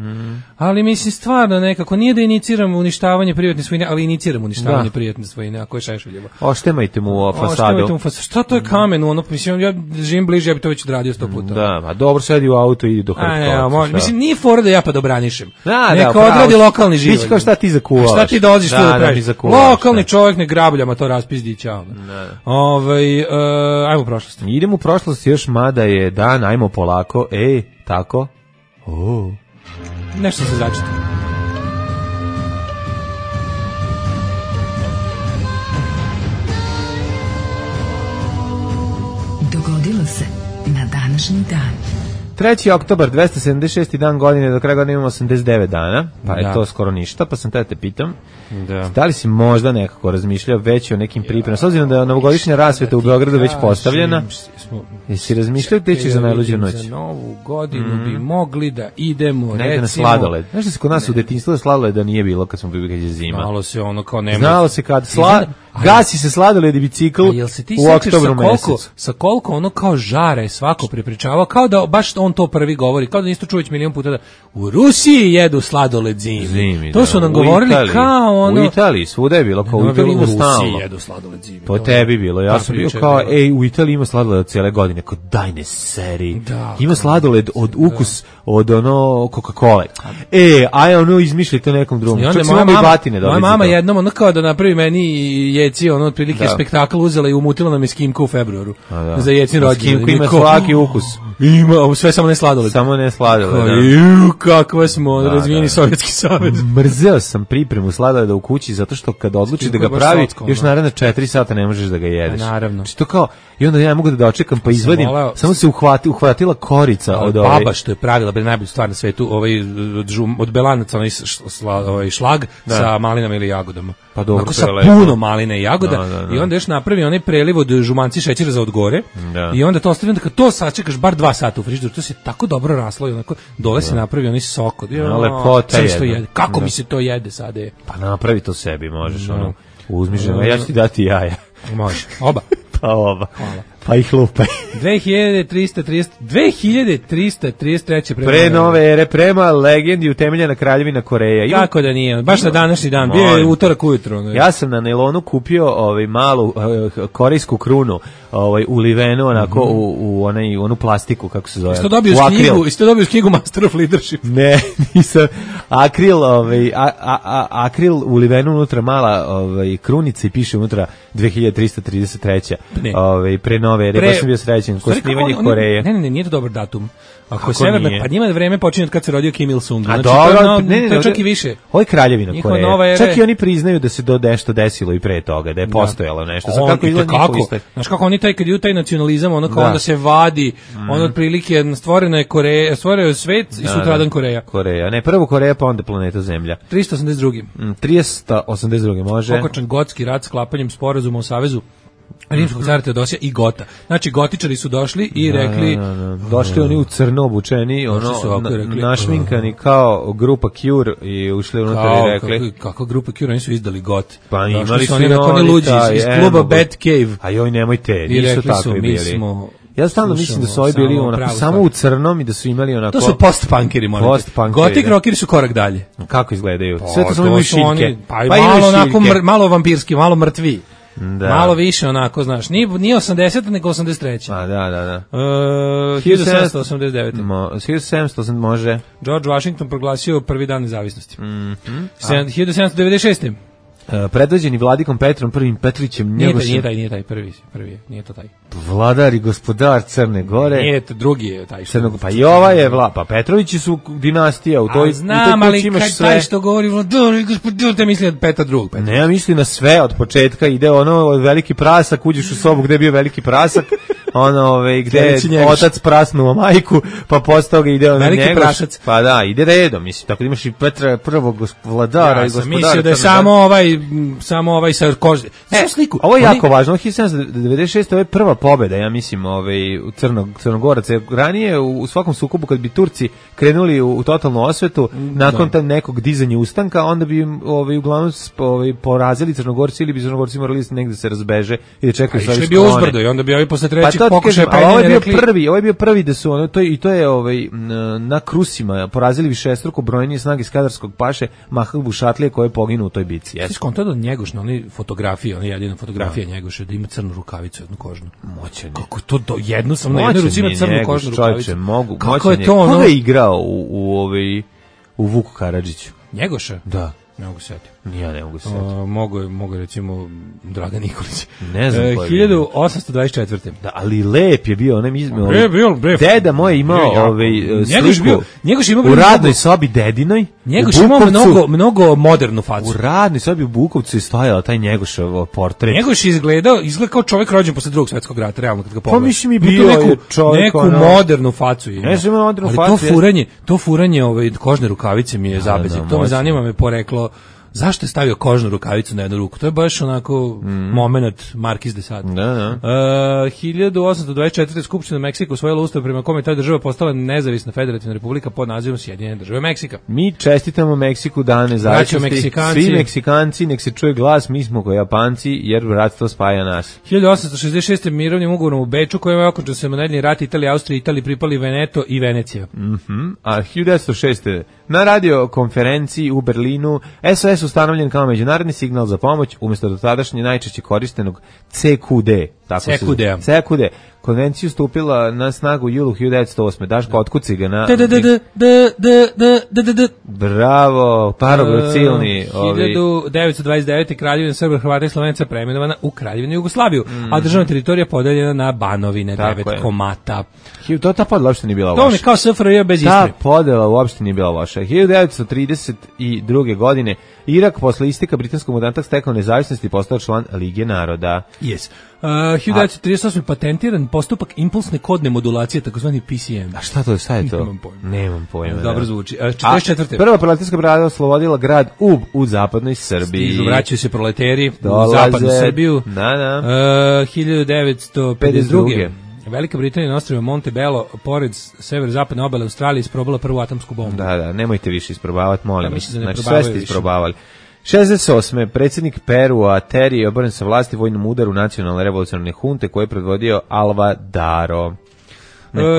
Ali mislim, stvarno nekako, nije da iniciramo uništavanje privatne svojine, ali iniciramo uništavanje privatne svojine, ako je Šešeljevo. Oštemajte mu fasadu. Šta to je kamen, ono, mislim, ja živim bliže, ja bi to već odradio 100 puta. Da, a dobro, sedi u auto i ide do Hrtkovca. Mislim, nije fora da ja pa dobranišem. Neka pravo. odradi lokalni život. Biće kao šta ti zakuvaš. Šta ti dolaziš tu da mi praviš? zakuvaš, Lokalni čovjek ne grabljama to raspizdi, čao. Ajmo u prošlost. Idemo u prošlost još, mada je dan, ajmo polako. Tako. Nešto se začeti. Dogodilo se na današnji dan. 3. oktobar, 276. dan godine, do kraja godine imamo 89 dana, pa je to skoro ništa, pa sam te pitam, da li si možda nekako razmišljao već o nekim pripremama, s obzirom da je novogodišnja rasveta u Beogradu već postavljena, jesi razmišljao gde ćeš za najluđu noć? Za novu godinu bi mogli da idemo, negde na sladoled. Znaš da se kod nas u detinjstvu sladoleda nije bilo kad smo bili kad je zima? Znalo se ono kao nema. Znalo se kad gasi se sladoled i bicikl u oktobru mesecu. Sa koliko ono kao žare svako prepričavao, kao da baš on to prvi govori, kao da Nisto Čuvić milion puta da u Rusiji jedu sladoled zimi. To su nam govorili kao ono... U Italiji, svuda je bilo, kao u Italiji ima stalno. U Rusiji jedu sladoled zimi. Po tebi bilo, ja sam bio kao, u Italiji ima sladoled cijele godine, kao daj ne seri. Ima sladoled od ukus, od ono Coca-Cola. Aj ono izmišljite nekom drugom. Čak se moja batine dobiti. Moja mama jednom ono kao da napravi meni jeci, ono otprilike spektakl uzela i umutila nam je skimku u februaru. Za jecin rođendan. Skimku ima svaki ukus. Ima, sve samo ne sladoled. Samo ne sladoled, kakva smo razvijeni Sovjetski savez. Mrzeo sam pripremu sladoleda u kući zato što kad odluči da ga pravi, još naravno 4 sata ne možeš da ga jedeš. Naravno. Znači to kao, i onda ja mogu da dočekam pa izvadim, samo se uhvatila korica od ove. Baba što je pravila najbolju stvar na svetu, od belanaca, onaj šlag sa malinama ili jagodama. Pa dobro, onako sa puno maline i jagoda i onda još napravi onaj preliv od žumanci šećera za odgore i onda to ostavi, onda kad to sačekaš bar 2 sata u frižideru, to se tako dobro raslo i onako dole se napravi onaj sok. Lepota je. Kako mi se to jede sada je? Pa napravi to sebi, možeš ono, uzmi žena, ja ću ti dati jaja. Može, oba. Pa oba. Hvala. Pa ih lupaj. 2333 pre nove ere, prema legendi utemeljena kraljevina Koreja. Kako da nije, baš na današnji dan, bio je utorak ujutro. Ja sam na nailonu kupio malu korejsku krunu, ulivenu onako u onu plastiku, kako se zove. Isto dobio knjigu Master of Leadership. Ne, nisam. Akril ulivenu unutra mala krunica i piše unutra 2333. Pre nove ere, baš sam bio srećen, ko snimanje Koreje. Ne, nije to dobar datum. Ako je severna, pa njima vreme počinje od kad se rodio Kim Il-sung. Znači, to je čak i više. Ovo je kraljevina Koreje. Čak i oni priznaju da se nešto desilo i pre toga, da je postojalo nešto. Znaš kako oni kad idu taj nacionalizam, ono kao onda se vadi, ono otprilike stvorena je Koreja, stvorio je svet i sutradan Koreja. Koreja, ne, prvo Koreja, pa onda planeta Zemlja. 382. 382, može. Okončan Gotski rat sklapanjem sporazuma o savezu Rimskog cara Teodosija i Gota. Znači, gotičari su došli i rekli... Došli oni u crno obučeni, našminkani kao grupa Cure i ušli unutra i rekli... Kako grupa Cure, oni su izdali Got. Pa imali su oni luđi iz kluba Bad Cave. A joj, nemojte, nisu takvi bili. Ja stalno mislim da su ovi bili samo u crnom i da su imali onako... To su post-punkeri, moram. Gotik rockeri su korak dalje. Kako izgledaju? Sve to samo imaju šiljke. Pa malo onako, malo vampirski, malo mrtvi. Malo više onako, znaš, nije 80, nego 83. A, da. 1789. 1780 može. George Washington proglasio prvi dan nezavisnosti. 1796. Predvođeni vladikom Petrom I Petrićem. Nije taj prvi je, nije to taj. Vladar i gospodar Crne Gore. Nije, drugi je taj. Pa i ova je pa Petrovići su dinastija u toj. Znam, ali kad taj što govori vladar i gospodar, te misli od Petra II. Ne, ja mislim na sve od početka, ide ono veliki prasak, uđeš u sobu gde je bio veliki prasak, gde Sledeći je Njegoš. otac prasnuo majku, pa posle toga ide Veliki Njegoš. prašac. Pa da, ide redom, mislim, tako da imaš i Petra prvog vladara Ja i sam gospodara. mislio da je samo ovaj sa kože. Sliku. Ovo je jako važno, 1796. ovo je prva pobeda, ja mislim, u Crnogoraca. Ranije u svakom sukobu kad bi Turci krenuli u totalnu osvetu, nakon nekog dizanja ustanka, onda bi uglavnom porazili Crnogorci ili bi Crnogorci morali negde se razbeže i da čekaju Išli bi uzbrdo i onda bi ovi posle trećeg pokušaja ovo je penjanja bio prvi, prvi da su to je na Krusima porazili višestruko brojnije snage Skadarskog paše Mahmuda Šatlije koji je poginuo u toj bici. Jesi konto da Njegoš na onoj fotografiji, ona jedina fotografija Njegoša da ima crnu rukavicu, jednu kožnu. Moćan je. Kako to jednu sam na jednoj ruci ima crnu kožnu rukavicu. Kako je to ono? Koga je igrao u Vuku Karadžiću? Njegoša? Da. Ne mogu setiti. Ja ne mogu setiti. Mogu recimo Dragan Nikolić. Ne znam ko je 1824. Da, ali lep je bio, bio. Deda moj imao sliku. Njegoš imao u radnoj sobi dedinoj. Njegoš imao mnogo modernu facu. U radnoj sobi u Bukovcu je stajao taj Njegošov portret. Njegoš izgleda kao čovjek rođen posle Drugog svjetskog rata, realno kad ga pogledaš. Pa mislim i bio čovjek neku modernu facu ima. Ne znam modernu facu. Ali to furanje kožne rukavice mi je zabezik. To me zanima, me poreklo. Zašto je stavio kožnu rukavicu na jednu ruku? To je baš onako moment Markiz de Sade. 1824. Skupština Meksika usvojila ustav prema kome ta država postala nezavisna federativna republika pod nazivom Sjedinjene države Meksika. Mi čestitamo Meksiku dan nezavisnosti. Svi Meksikanci, nek se čuje glas, mi smo kao Japanci, jer bratstvo spaja nas. 1866. mirovnim ugovorom u Beču kojim je okončan semenadni rat Italije, Austrije, Italiji pripali Veneto i Venecija. A 1906. na radio konferenciji u Berlinu SOS ustanovljen kao međunarodni signal za pomoć umjesto dotadašnje najčešće korištenog CQD. CQD. Konvenciju stupila na snagu u julu 1908. Daško, otkuci ga na... Bravo, parogrocilni. 1929. Kraljevina Srba, Hrvata i Slovenaca preimenovana u Kraljevinu Jugoslaviju, a državna teritorija podeljena na Banovine, 9 komata. Ta podela uopšte nije bila loša. To je kao SFRJ bez istorije. Ta podela uopšte nije bila loša. 1932. godine Irak posle isteka britanskog mandata stekao nezavisnost i postao član Lige naroda. Yes. 1938. patentiran postupak impulsne kodne modulacije, takozvani PCM. A šta to je to? Nemam pojma. Dobro zvuči. 44. Prva proletarska brigada oslobodila grad Ub u zapadnoj Srbiji. Vraćaju se proleteri u zapadnu Srbiju. 1952. Velika Britanija na ostrvu Montebello, pored severozapadne obale Australije, isprobala prvu atomsku bombu. Da, nemojte više isprobavati, molim vas. Znači, sve ste isprobavali. 68. predsjednik Perua Terry je oboren sa vlasti vojnom udaru nacionalne revolucionarne hunte koje je predvodio Alvarado.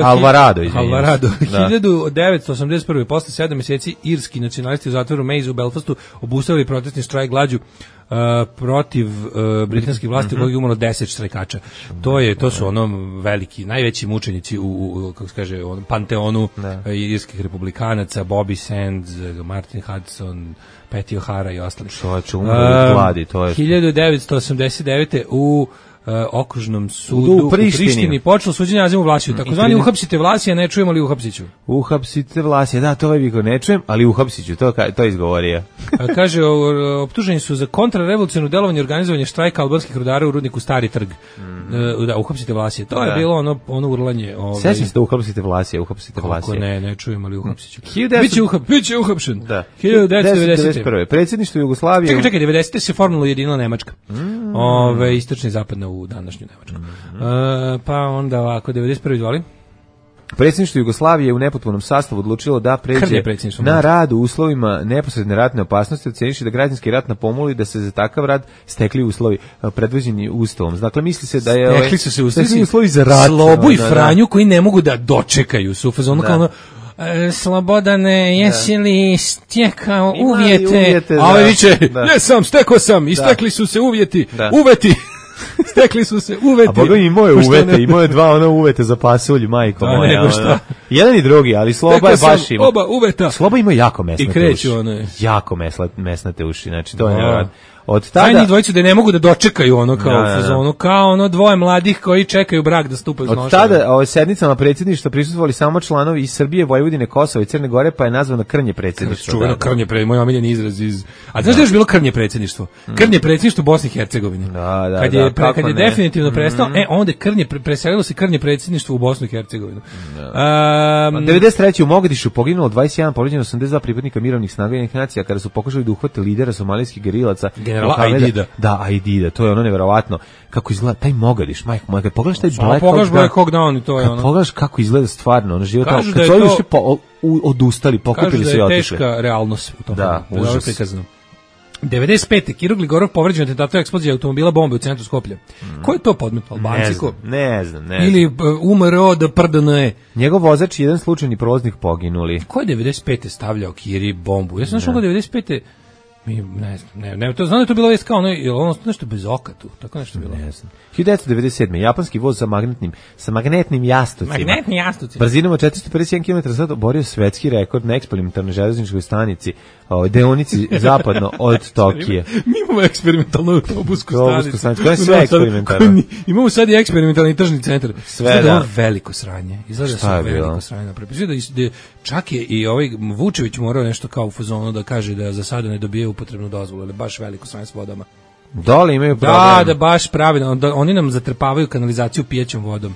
Alvarado. 1981. posle 7 mjeseci irski nacionalisti u zatvoru Maze u Belfastu obustavili protestni štrajk glađu protiv britanskih vlasti u kojeg je umrlo 10 štrajkača. To su veliki, najveći mučenici u kako se kaže, panteonu irskih republikanaca, Bobby Sands, Martin Hudson, Petty O'Hara i ostali. Gladi, to je 1989. u okružnom sudu u Prištini počelo suđenje Azimu Vlasiju. Takozvani uhapsite Vlasija, ne čujemo li uhapsiću? Uhapsite Vlasija, da, to ovaj biko ne čujem, ali uhapsiću, to izgovorio. Kaže, optuženi su za kontrarevolucionarno delovanje i organizovanje štrajka albanskih rudara u rudniku Stari trg. Da, uhapsite Vlasija. To je bilo ono urlanje. Sećam se da uhapsite Vlasija. Kako ne čujemo li uhapsiću? Biće uhapšen. Da. 1991. Predsjedništvo Jugoslavije. Čekaj, 90. se formalno ujedinila Nemačka. Istočna i zapadna u današnju Nemačku. Pa onda ovako, 91. izvoli. Predsjedništvo Jugoslavije u nepotpunom sastavu odlučilo da pređe na rad u uslovima neposredne ratne opasnosti, oceniši da građanski rat na pomolu da se za takav rad stekli uslovi predviđeni ustavom. Dakle, misli se da je stekli su se uslovi za rat. Slobu i Franju koji ne mogu da dočekaju su u fazonu kao Slobodane, jesi li stekao uvjete? A ovaj viče, jesam, stekao sam, istekli su se uvjeti, uvjeti. Stekli su se uveti. A Boga i moje uvete, i moje dva uvete za pasulj, majko moja. Jedan i drugi, ali Sloba je baš ima. Oba uveta. Sloba ima jako mesnate uši. I kreću jako mesnate uši, znači to je nevjerojatno. Od Taj tada njih dvojicu da ne mogu da dočekaju ono kao u fazonu, kao ono dvoje mladih koji čekaju brak da stupaju iz noša. Od tada sednicama predsjedništva prisustvovali samo članovi iz Srbije, Vojvodine, Kosova i Crne Gore, pa je nazvano krnje predsjedništvo. Čuveno krnje predsjedništvo, moj omiljeni izraz iz... A znaš da je još bilo krnje predsjedništvo? Krnje predsjedništvo u Bosni i Hercegovini. Kad je definitivno prestao, onda preselilo se krnje predsjedništvo u Bosnu i Hercegovinu. 93. u Mogadišu poginulo 21, povređeno 82 pripadnika mirovnih snaga Ujedinjenih nacija kada su pokušali da uhvate lidera somalijskih gerilaca. Generala Aidida. Da, Aidida, to je ono neverovatno. Kako izgleda taj Mogadiš, majko moja, kad pogledaš taj Black Hawk Down i to je ono. Pogledaš kako izgleda stvarno, ono život tamo. Kad su odustali, pokupili se i otišli. Kažu da je teška realnost u tom. Da, užas. 95. Kirurg Ligorov povređen atentatom eksplozije automobila bombe u centru Skoplja. Ko je to podmet? Albanci? Ne znam. Ili umro da prdane. Njegov vozač i jedan slučajni prolaznik poginuli. Ko je 95. stavljao Kiri bombu? Ja sam našao 95. Ne, to znam da je to bilo već kao ono nešto bez oka tu, tako nešto bilo. Ne znam. 1997. japanski voz sa magnetnim jastucima. Magnetni jastuci. Brzinom od 451 km/h oborio svetski rekord na eksperimentalnoj železničkoj stanici, deonici zapadno od Tokije. Mi imamo eksperimentalnu autobusku stanicu. To je sve eksperimentalno. Imamo sad i eksperimentalni tržni centar. Sve da. Veliko sranje. Izgleda se veliko sranje napravio. Čak je i ovaj Vučević morao nešto kao u fazonu da kaže da za sada ne dobije upotrebnu dozvolu, ali baš veliko sranje s vodama. Dole imaju problem. Da, baš pravilno. Oni nam zatrpavaju kanalizaciju pijećom vodom.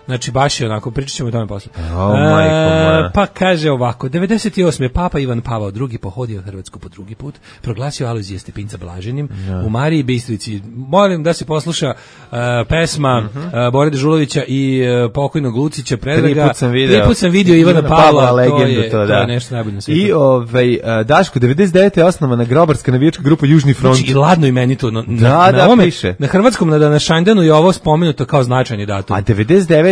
Znači, baš je onako, pričat ćemo o tome posle. Pa kaže ovako, 98. Papa Ivan Pavao II pohodio Hrvatsku po drugi put, proglasio Alojzija Stepinca blaženim u Mariji Bistrici. Molim da se posluša pesma Bore Dežulovića i pokojnog Lucića Predraga. Prvi put sam video Ivana Pavla, legendu, to je nešto najbolje na svijetu. I Daško, 99. je osnovana grobarska navijačka grupa Južni front. Znači, i ladno imenito. Na hrvatskom, na Šanjdanu je ovo spomenuto kao značajni datum. A 99.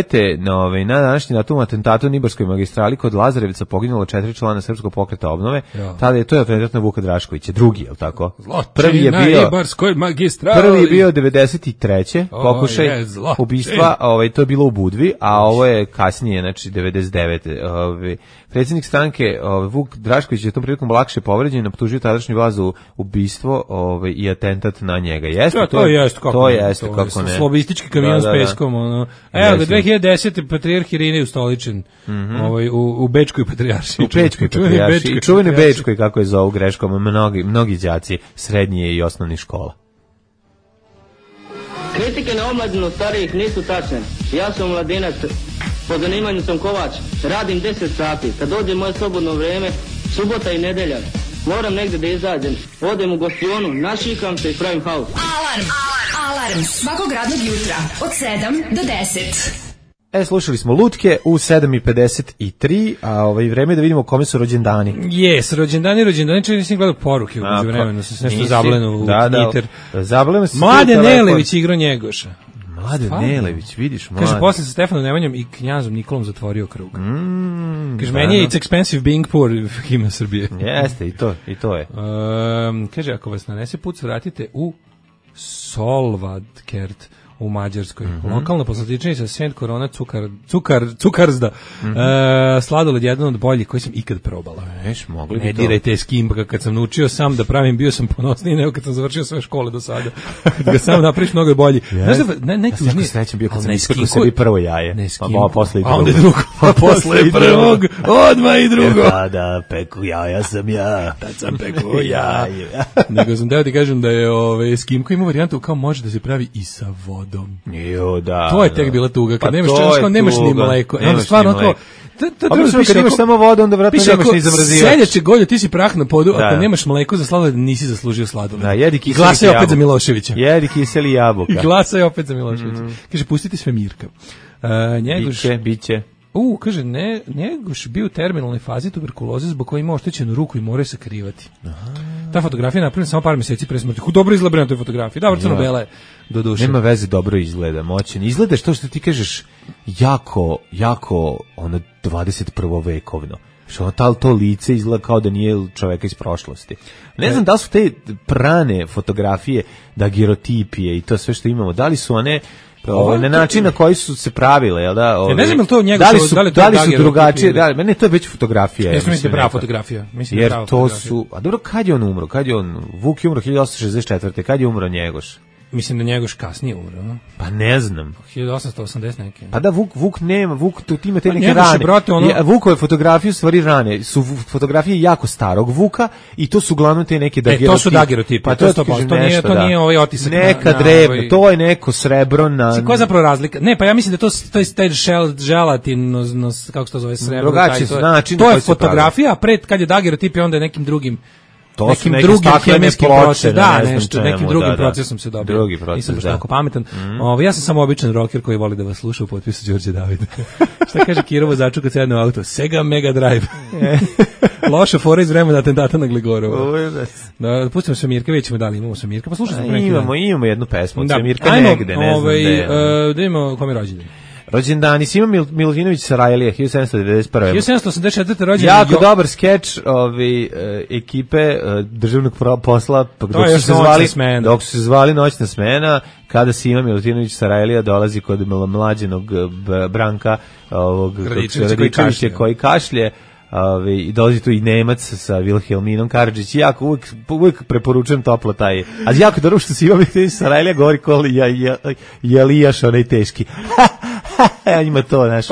na današnji datum atentatu na Ibarskoj magistrali kod Lazarevca poginulo 4 člana Srpskog pokreta obnove. Tada je to atentat na Vuka Draškovića, drugi, je li tako? Prvi je bio Ibarskoj magistrali. Prvi je bio 93. pokušaj ubistva, to je bilo u Budvi, a ovo je kasnije, znači 99. Predsjednik stranke Vuk Drašković je tom prilikom lakše povređen, optužio tadašnju vlast za ubistvo i atentat na njega. Jeste to jeste kako ne. Slobistički kamion s peskom, ono. Evo ga 2010. patrijarh Irinej ustoličen u Bečkoj patrijaršiji. U Bečkoj patrijaršiji. Čuvene Bečkoj, kako je zovu greškom, mnogi đaci srednje i osnovnih škola. Kritike na omladinu starijih nisu tačne. Ja sam mladinac, po zanimanju sam kovač, radim 10 sati. Kad dođe moje slobodno vrijeme, subota i nedelja, moram negdje da izađem. Odem u gostionu, našikam se i pravim haos. Alarm svakog radnog jutra od 7 do 10. Slušali smo Lutke u 7:53, a vreme da vidimo kome su rođendani. Rođendani, čak nisam gledao poruke u međuvremenu, sam se nešto zablenu u Twitter. Zablenu se. Mladen Nelević igra Njegoša. Mladen Nelević, vidiš, mladen. Kaže, posle sa Stefanom Nemanjom i knjazom Nikolom zatvorio krug. Kaže, meni je It's Expensive Being Poor himna Srbije. Jeste, i to je. Kaže, ako vas nanese put, vratite u Solvadkert u Mađarskoj. Lokalna poslastičnica Saint Corona Cukarzda. Sladoled jedan od boljih koji sam ikad probala. Ne dirajte skimba, kad sam naučio sam da pravim, bio sam ponosniji nego kad sam završio sve škole do sada. Kad ga sam napraviš, mnogo je bolji. Znaš da, najtužnije... Ja sam srećan bio kad sam isprkao sebi prvo jaje. Ne skimba. Pa posle i drugo. A onda je drugo. Pa posle i prvog. Odmah i drugo. Da, peku jaja sam ja. Tad sam peku jaje. Nego sam teo ti kažem da je skimko ima varijantu kao može da se pravi i sa vodom. To je tek bila tuga, kad nemaš ni mleko. Stvarno kao, kad nemaš samo vodu, onda vratno nemaš ni zamrzivač. Seljače goljo, ti si prah na podu, ako nemaš mleko za sladoled, nisi zaslužio sladoled. Da, jedi kiseli jabuka. Glasaj opet za Miloševića. Jedi kiseli jabuka. Glasaj opet za Miloševića. Kaže, pustite sve Mirka. Biće. Kaže, Njegoš bio u terminalnoj fazi tuberkuloze zbog koje ima oštećenu ruku i mora je sakrivati. Ta fotografija je napravljena samo par mjeseci pre smrti. Dobro izgleda na toj fotografiji. Da, crno-bela je do duše. Nema veze, dobro izgleda, moćan. Izgleda što ti kažeš jako 21. vekovno. Što to lice izgleda kao da nije čoveka iz prošlosti. Ne znam da su te prane fotografije, dagerotipije i to sve što imamo, da li su one na način na koji su se pravile, jel da? Ne znam to njega, da li su drugačije, meni to je već fotografija. Mislim da je prava fotografija. Jer to su, a dobro, kad je on umro? Vuk je umro 1864. Kad je umro Njegoš? Mislim da Njegoš kasnije umro, no? Pa ne znam. 1880 neke. Pa da, Vuk nema, Vuk tu ima te neke Njegoš rane. Brate, Vukove fotografije u stvari rane, su fotografije jako starog Vuka i to su uglavnom te neke dagerotipi. To su dagerotipi, pa to nije ovaj otisak. Neka drevna, to je neko srebro na... Koja je zapravo razlika? Ne, pa ja mislim da to je taj želatin, kako se to zove, srebro. To je fotografija, a pred kad je dagerotip onda je nekim drugim nekim drugim hemijskim procesom, nekim drugim procesom se dobio. Drugi proces, nisam baš tako pametan. Ja sam samo običan rocker koji voli da vas sluša u potpisu Đorđe Davida. Šta kaže Kirovo začu kad sedne u auto? Sega Mega Drive. Loša fora iz vremena atentata na Gligorova. Da, pustimo Svemirka, vidjet ćemo da li imamo Svemirka, pa slušaj sam neki dan. Imamo jednu pesmu od Svemirka negde, ne znam gde. Da imamo kom je rođendan. Rođendani, Sima Milutinović Sarajlija, 1791. 1784. rođendan. Jako dobar skeč ekipe državnog posla, dok su se zvali Noćna smena, kada Sima Milutinović Sarajlija dolazi kod mlađenog Branka Radičevića koji kašlje, i dolazi tu i Nemac sa Vilhelminom Karadžić, jako uvijek preporučujem toplo taj, a jako dobro što Sima Milutinović Sarajlija govori koli Jelijaš onaj teški. Ima to, znaš,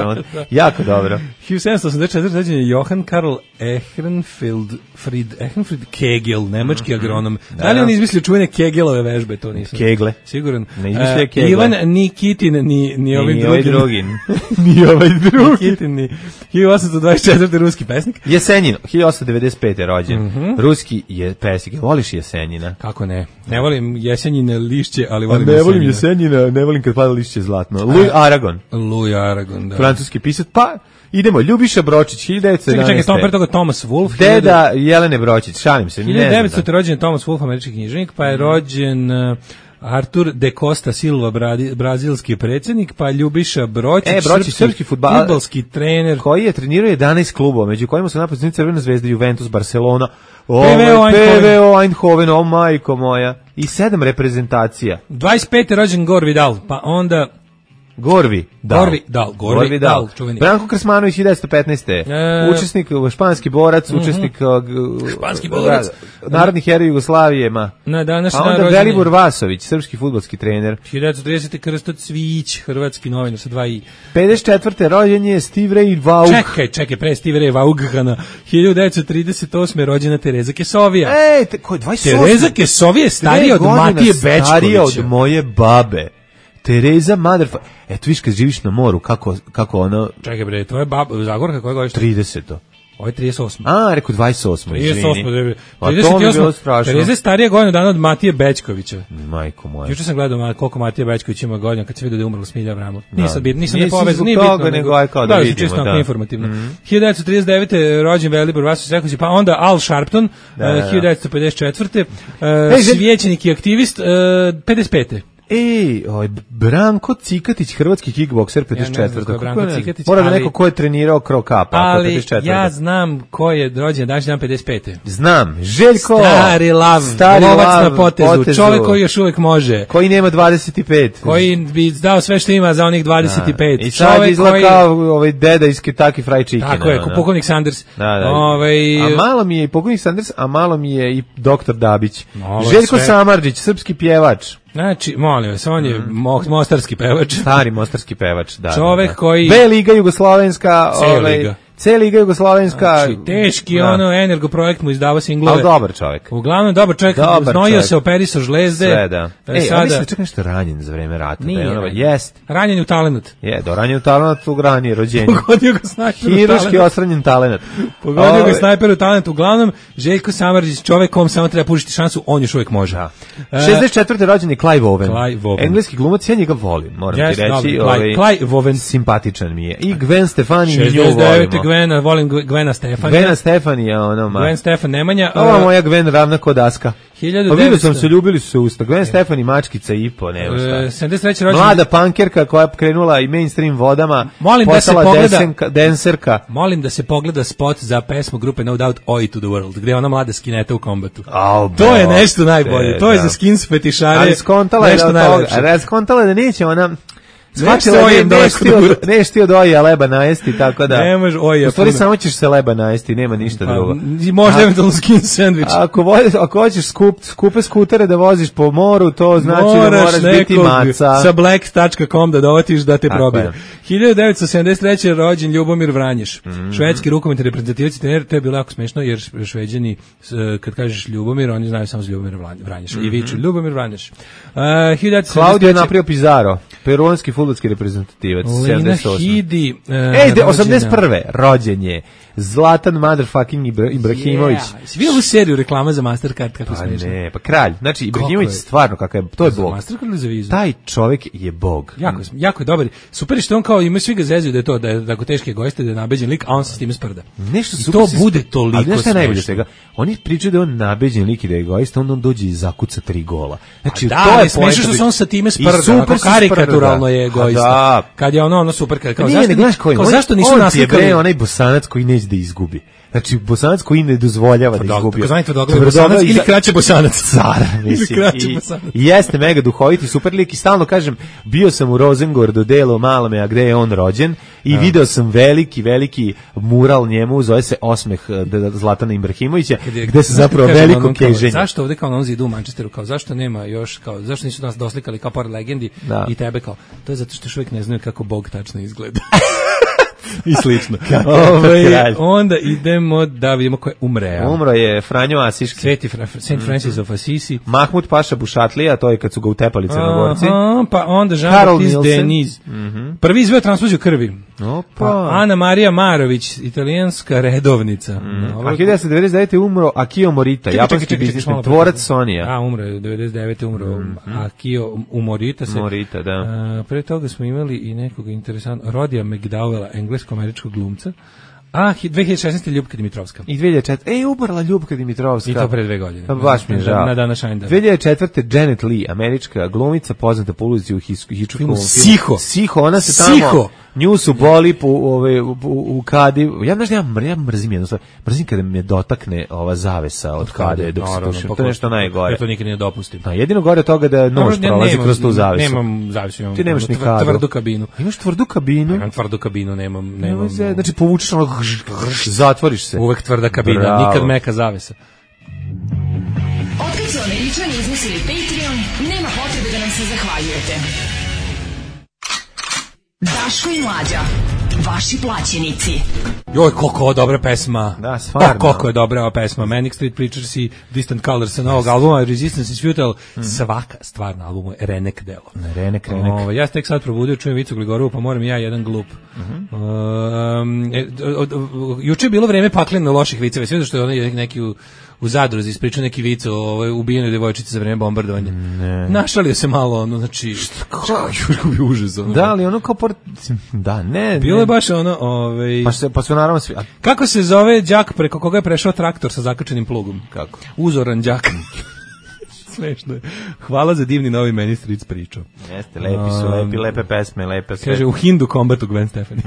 jako dobro. 1784. rođen je Johann Karl Ehrenfried Kegel, nemački agronom. Da li on izmislio čuvene Kegelove vežbe, to nisam. Kegle. Siguran. Ne izmislio Kegle. Ivan Nikitin, ni ovaj drugi. Ni ovaj drugi. Nikitin, ni 1824. ruski pesnik. Jesenjin, 1895. rođen. Ruski je pesnik. Voliš Jesenjina? Kako ne? Ne volim Jesenjine lišće, ali volim Jesenjina. Ne volim Jesenjina, ne volim kad pada lišće zlatno. Louis Aragon, da. Francuski pisac, pa idemo, Ljubiša Bročić, 1911. Čekaj, pre toga Thomas Wolfe. Deda Jelene Bročić, šalim se. 1900. rođen Thomas Wolfe, američki književnik, pa je rođen Artur de Costa Silva, brazilski predsjednik, pa Ljubiša Bročić, srpski fudbalski trener. Koji je trenirao 11 klubova, među kojima su naposljednji Crvena zvezda, Juventus, Barcelona, PVO Eindhoven, o majko moja, i 7 reprezentacija. 25. rođen Gore Vidal, pa onda... Gorvi Dal. Branko Krsmanović, 1915. Učesnik, španski borac, učesnik narodnih heroja Jugoslavije. A onda Velibor Vasović, srpski fudbalski trener. 1930. Krsto Cvić, hrvatski novinar sa 2 i. 54. rođen je Steve Ray Vaughan. Čekaj, pre Steve Ray Vaughana. 1938. rođena Tereza Kesovija. Ko je 28? Tereza Kesovija je starija od Matije Bečkovića. Starija od moje babe. Tereza Motherfucker. Eto viš kad živiš na moru, kako ono... Čekaj bre, to je Zagorka koja godište? 30. Ovo je 38. Rekao 28. 38. 38. Tereza je starija godinu dana od Matije Bečkovića. Majko moja. Juče sam gledao koliko Matija Bečković ima godina kad se vidio da je umrla Smilja Avramov. Nisam ne povezan, nije bitno. Nego aj kao da vidimo. Čisto informativno. 1939. rođen Velibor Vasović Reković, pa onda Al Sharpton, 1954. Svećenik i aktivist, 55. Branko Cikatić, hrvatski kickbokser, 54. Branko Cikatić, mora da neko ko je trenirao Krokapa, ali ja znam ko je rođen danas dan 55. Znam, Željko, stari lav, lovac na potezu, čovjek koji još uvijek može, koji nema 25, koji bi dao sve što ima za onih 25. I sad izgleda kao ovaj deda iz Kentucky Fried Chicken. Tako je, pukovnik Sanders. A malo mi je i pukovnik Sanders, a malo mi je i doktor Dabić. Željko Samardžić, srpski pjevač. Znači, molim vas, on je mostarski pevač. Stari mostarski pevač, da. Čovek koji... B Liga Jugoslovenska. C Liga Jugoslovenska. Znači, teški energoprojekt mu izdava singlove. Ali dobar čovjek. Uglavnom, dobar čovjek, znojio se, operisao žlezde. Sve, da. On mislim da čak nešto ranjen za vreme rata. Nije. Jest. Ranjen u talenat. Ranjen u talenat u ranije rođenje. Pogodio ga snajper u talenat. Hiruški osranjen talenat. Pogodio ga snajper u talenat. Uglavnom, Željko Samardžić, čovjek kom samo treba pušiti šansu, on još uvijek može. 64. rođen je Clive Owen. Engleski glumac, ja njega volim, moram ti reći. Clive Owen. Simpatičan mi je. I Gwen Stefani, mi nju volimo. Volim Gwena Stefanija. Gwen Stefanija, Gwen Stefan Nemanja. Ova moja Gwen ravna kod Aska. Vidio sam se, ljubili su se usta. Gwen Stefani, mačkica i po, nema šta. 73. rođen. Mlada pankerka koja je krenula i mainstream vodama, postala denserka. Molim da se pogleda spot za pesmu grupe No Doubt Oi to the World, gde je ona mlada skineta u kombatu. To je nešto najbolje. To je za skins fetišare. Ali skontala je da neće ona... Shvatila neš ti od oja leba najesti, tako da... Ne može oja. U stvari samo ćeš se leba najesti, nema ništa drugo. Možda eventualno skin sandvič. Ako hoćeš skupe skutere da voziš po moru, to znači da moraš biti maca. Sa blacks.com da dovatiš da te probije. 1973. rođen Ljubomir Vranješ. Švedski rukometni reprezentativac trener, to je bilo jako smešno jer Šveđani kad kažeš Ljubomir, oni znaju samo za Ljubomir Vranješa. I viču Ljubomir Vranješ. Claudio Naprio Pizarro, peruanski fudbalski reprezentativac. Lina Hidi. 81. rođen je Zlatan motherfucking Ibrahimović. Si vidio ovu seriju reklama za Mastercard kako smiješno? Ne, pa kralj. Znači Ibrahimović stvarno kakav je, to je bog. Mastercard ili za vizu? Taj čovjek je bog. Jako je dobar. Super je što on kao ima svi ga zezuju da je to da je tako teški egoista, da je nabeđen lik, a on se s time sprda. Nešto i to bude toliko smešno. Ali najbolje svega, oni pričaju da je on nabeđen lik i da je egoista, on dođe i zakuca 3 gola. Znači to je smešno što se on sa time sprda, kako karikaturalno je egoista. Kad je ono super, kao zašto nisu naslikali onaj Bosanac koji neće da izgubi. Znači, Bosanac koji ne dozvoljava da izgubi. Bosanac ili kraće Bosanac. Car, mislim. I jeste mega duhoviti, super lik i stalno kažem, bio sam u Rosengordu delu Malome, a gde je on rođen i video sam veliki mural njemu, zove se Osmeh Zlatana Ibrahimovića, gde se zapravo veliko keženje. Zašto ovde kao na on zidu u Manchesteru, kao zašto nema još, kao zašto nisu nas doslikali kao pored legendi i tebe kao, to je zato što još uvijek ne znaju kako Bog tačno izgleda. I slično. Onda idemo da vidimo ko je umre. Umro je Franjo Asiški. Sveti Saint Francis of Assisi. Mahmud Paša Bušatlija, to je kad su ga utepali Crnogorci. Pa onda Jean-Baptiste Denis. Prvi izveo transfuziju krvi. Pa Ana Marija Marović, italijanska redovnica. A 1999. umro Akio Morita, japanski biznismen, tvorac Sonija. Umro je 99. umro Akio Morita. Morita, da. Pre toga smo imali i nekog interesantnog, Rodija McDowella, englesko-američkog glumca. 2016. Ljubka Dimitrovska. I 2004. Umrla Ljubka Dimitrovska. I to pre 2 godine. Pa baš mi je žao. Na dana Shinedown. 2004. Janet Leigh, američka glumica, poznata po ulici u Hitchcockovom filmu. Siho, ona se tamo... Nju su boli u kadi. Ja mrzim jednu stvar. Mrzim kada me dotakne ova zavesa od kade dok se tušim. To je nešto najgore. Ja to nikad ne dopustim. Jedino gore od toga da nož prolazi kroz tu zavesu. Nemam zavesu. Ti nemaš ni kadu. Tvrdu kabinu. Imaš tvrdu kabinu? Imam tvrdu kabinu, nemam. Znači povučeš ono, zatvoriš se. Uvek tvrda kabina, nikad meka zavesa. Otkad su Američani izmislili Patreon, nema potrebe da nam se zahvaljujete. Daško i Mlađa, vaši plaćenici. Joj, koliko je dobra pesma. Da, stvarno. Koliko je dobra ova pesma. Manic Street Preachers i Distant Colors sa novog albuma, Resistance is Futile. Svaka stvar na albumu je renek delo. Renek. Ja se tek sad probudio, čujem Vicu Gligorovu, pa moram ja jedan glup. Juče je bilo vreme pakleno loših viceva. Sve što je onaj neki u Zadruzi ispričao neki vic o ubijenoj devojčici za vreme bombardovanja. Našalio se malo, ono, znači... Jurko bi užas, ono. Da, ali ono kao Da, ne. Bilo je baš ono... Pa su naravno svi... Kako se zove đak preko koga je prešao traktor sa zakačenim plugom? Kako? Uzoran đak. Smešno je. Hvala za divni novi Meni Street pričao. Jeste, lepe pesme, lepe sve. Kaže, u Hindu kombatu Gwen Stefani.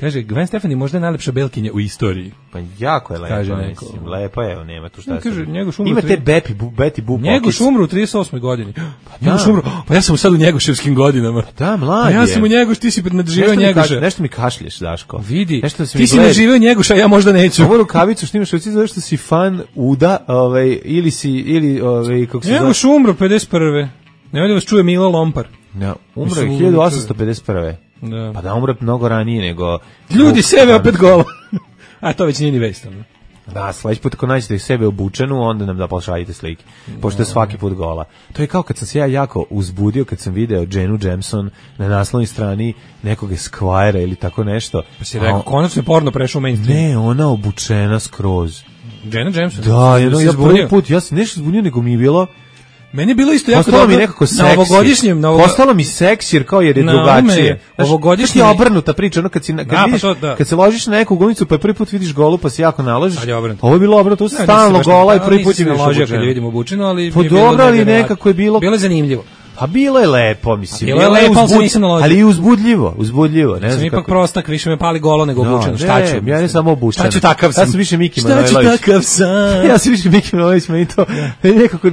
Kaže, Gwen Stefani možda je najlepša belkinja u istoriji. Pa jako je lepo, kaže mislim. Lepo je, nema tu šta. Kaže, ima te Betty Boop. Njegoš umro u 38. godini. Pa ja sam sad u njegoševskim godinama. Da, mlad je. Ja sam u Njegoš, ti si nadživeo Njegoša. Nešto mi kašlješ, Daško. Vidi, ti si nadživeo Njegoša, ja možda neću. Ovu rukavicu što imaš, zato što si fan Uda, ili kako se Njegoš umro 51. Nemoj da vas čuje Milo Lompar. Ja, umro je 1851. Da. Pa da umro mnogo ranije nego... Ljudi, sebe opet gola. A to već nije ni vest. Da, sledeći put ako nađete sebe obučenu, onda nam da pošaljite slike. Pošto je svaki put gola. To je kao kad sam se ja jako uzbudio, kad sam video Jenu Jameson na naslovnoj strani nekog Esquire ili tako nešto. Pa si rekao, konačno je porno prešao u mainstream. Ne, ona obučena skroz. Jena Jameson? Da, ja prvi put, ja se nešto zbunio, nego mi je bilo... Meni je bilo isto jako dobro. Mi nekako seksi. Na ovogodišnjem... Postalo mi seksi, jer kao jer je drugačije. Ovogodišnji... je obrnuta priča, ono kad se ložiš na neku golicu, pa prvi put vidiš golu, pa se jako naložiš. Ovo je bilo obrnuto, stalno gola i prvi put je vidiš obučeno. Kad je vidimo obučeno, ali... Pa dobro, ali nekako je bilo... Bilo je zanimljivo. Pa bilo je lepo, mislim. Bilo je lepo, ali se nisam naložio. Ali i uzbudljivo, ne znam. Sam ipak prostak, više me pali golo nego obučeno. Šta ću? Ja ne samo obučeno. Šta ću takav sam? Ja sam više Miki Manojlović. Šta ću takav sam? Ja sam više Miki Manojlović, meni to nekako...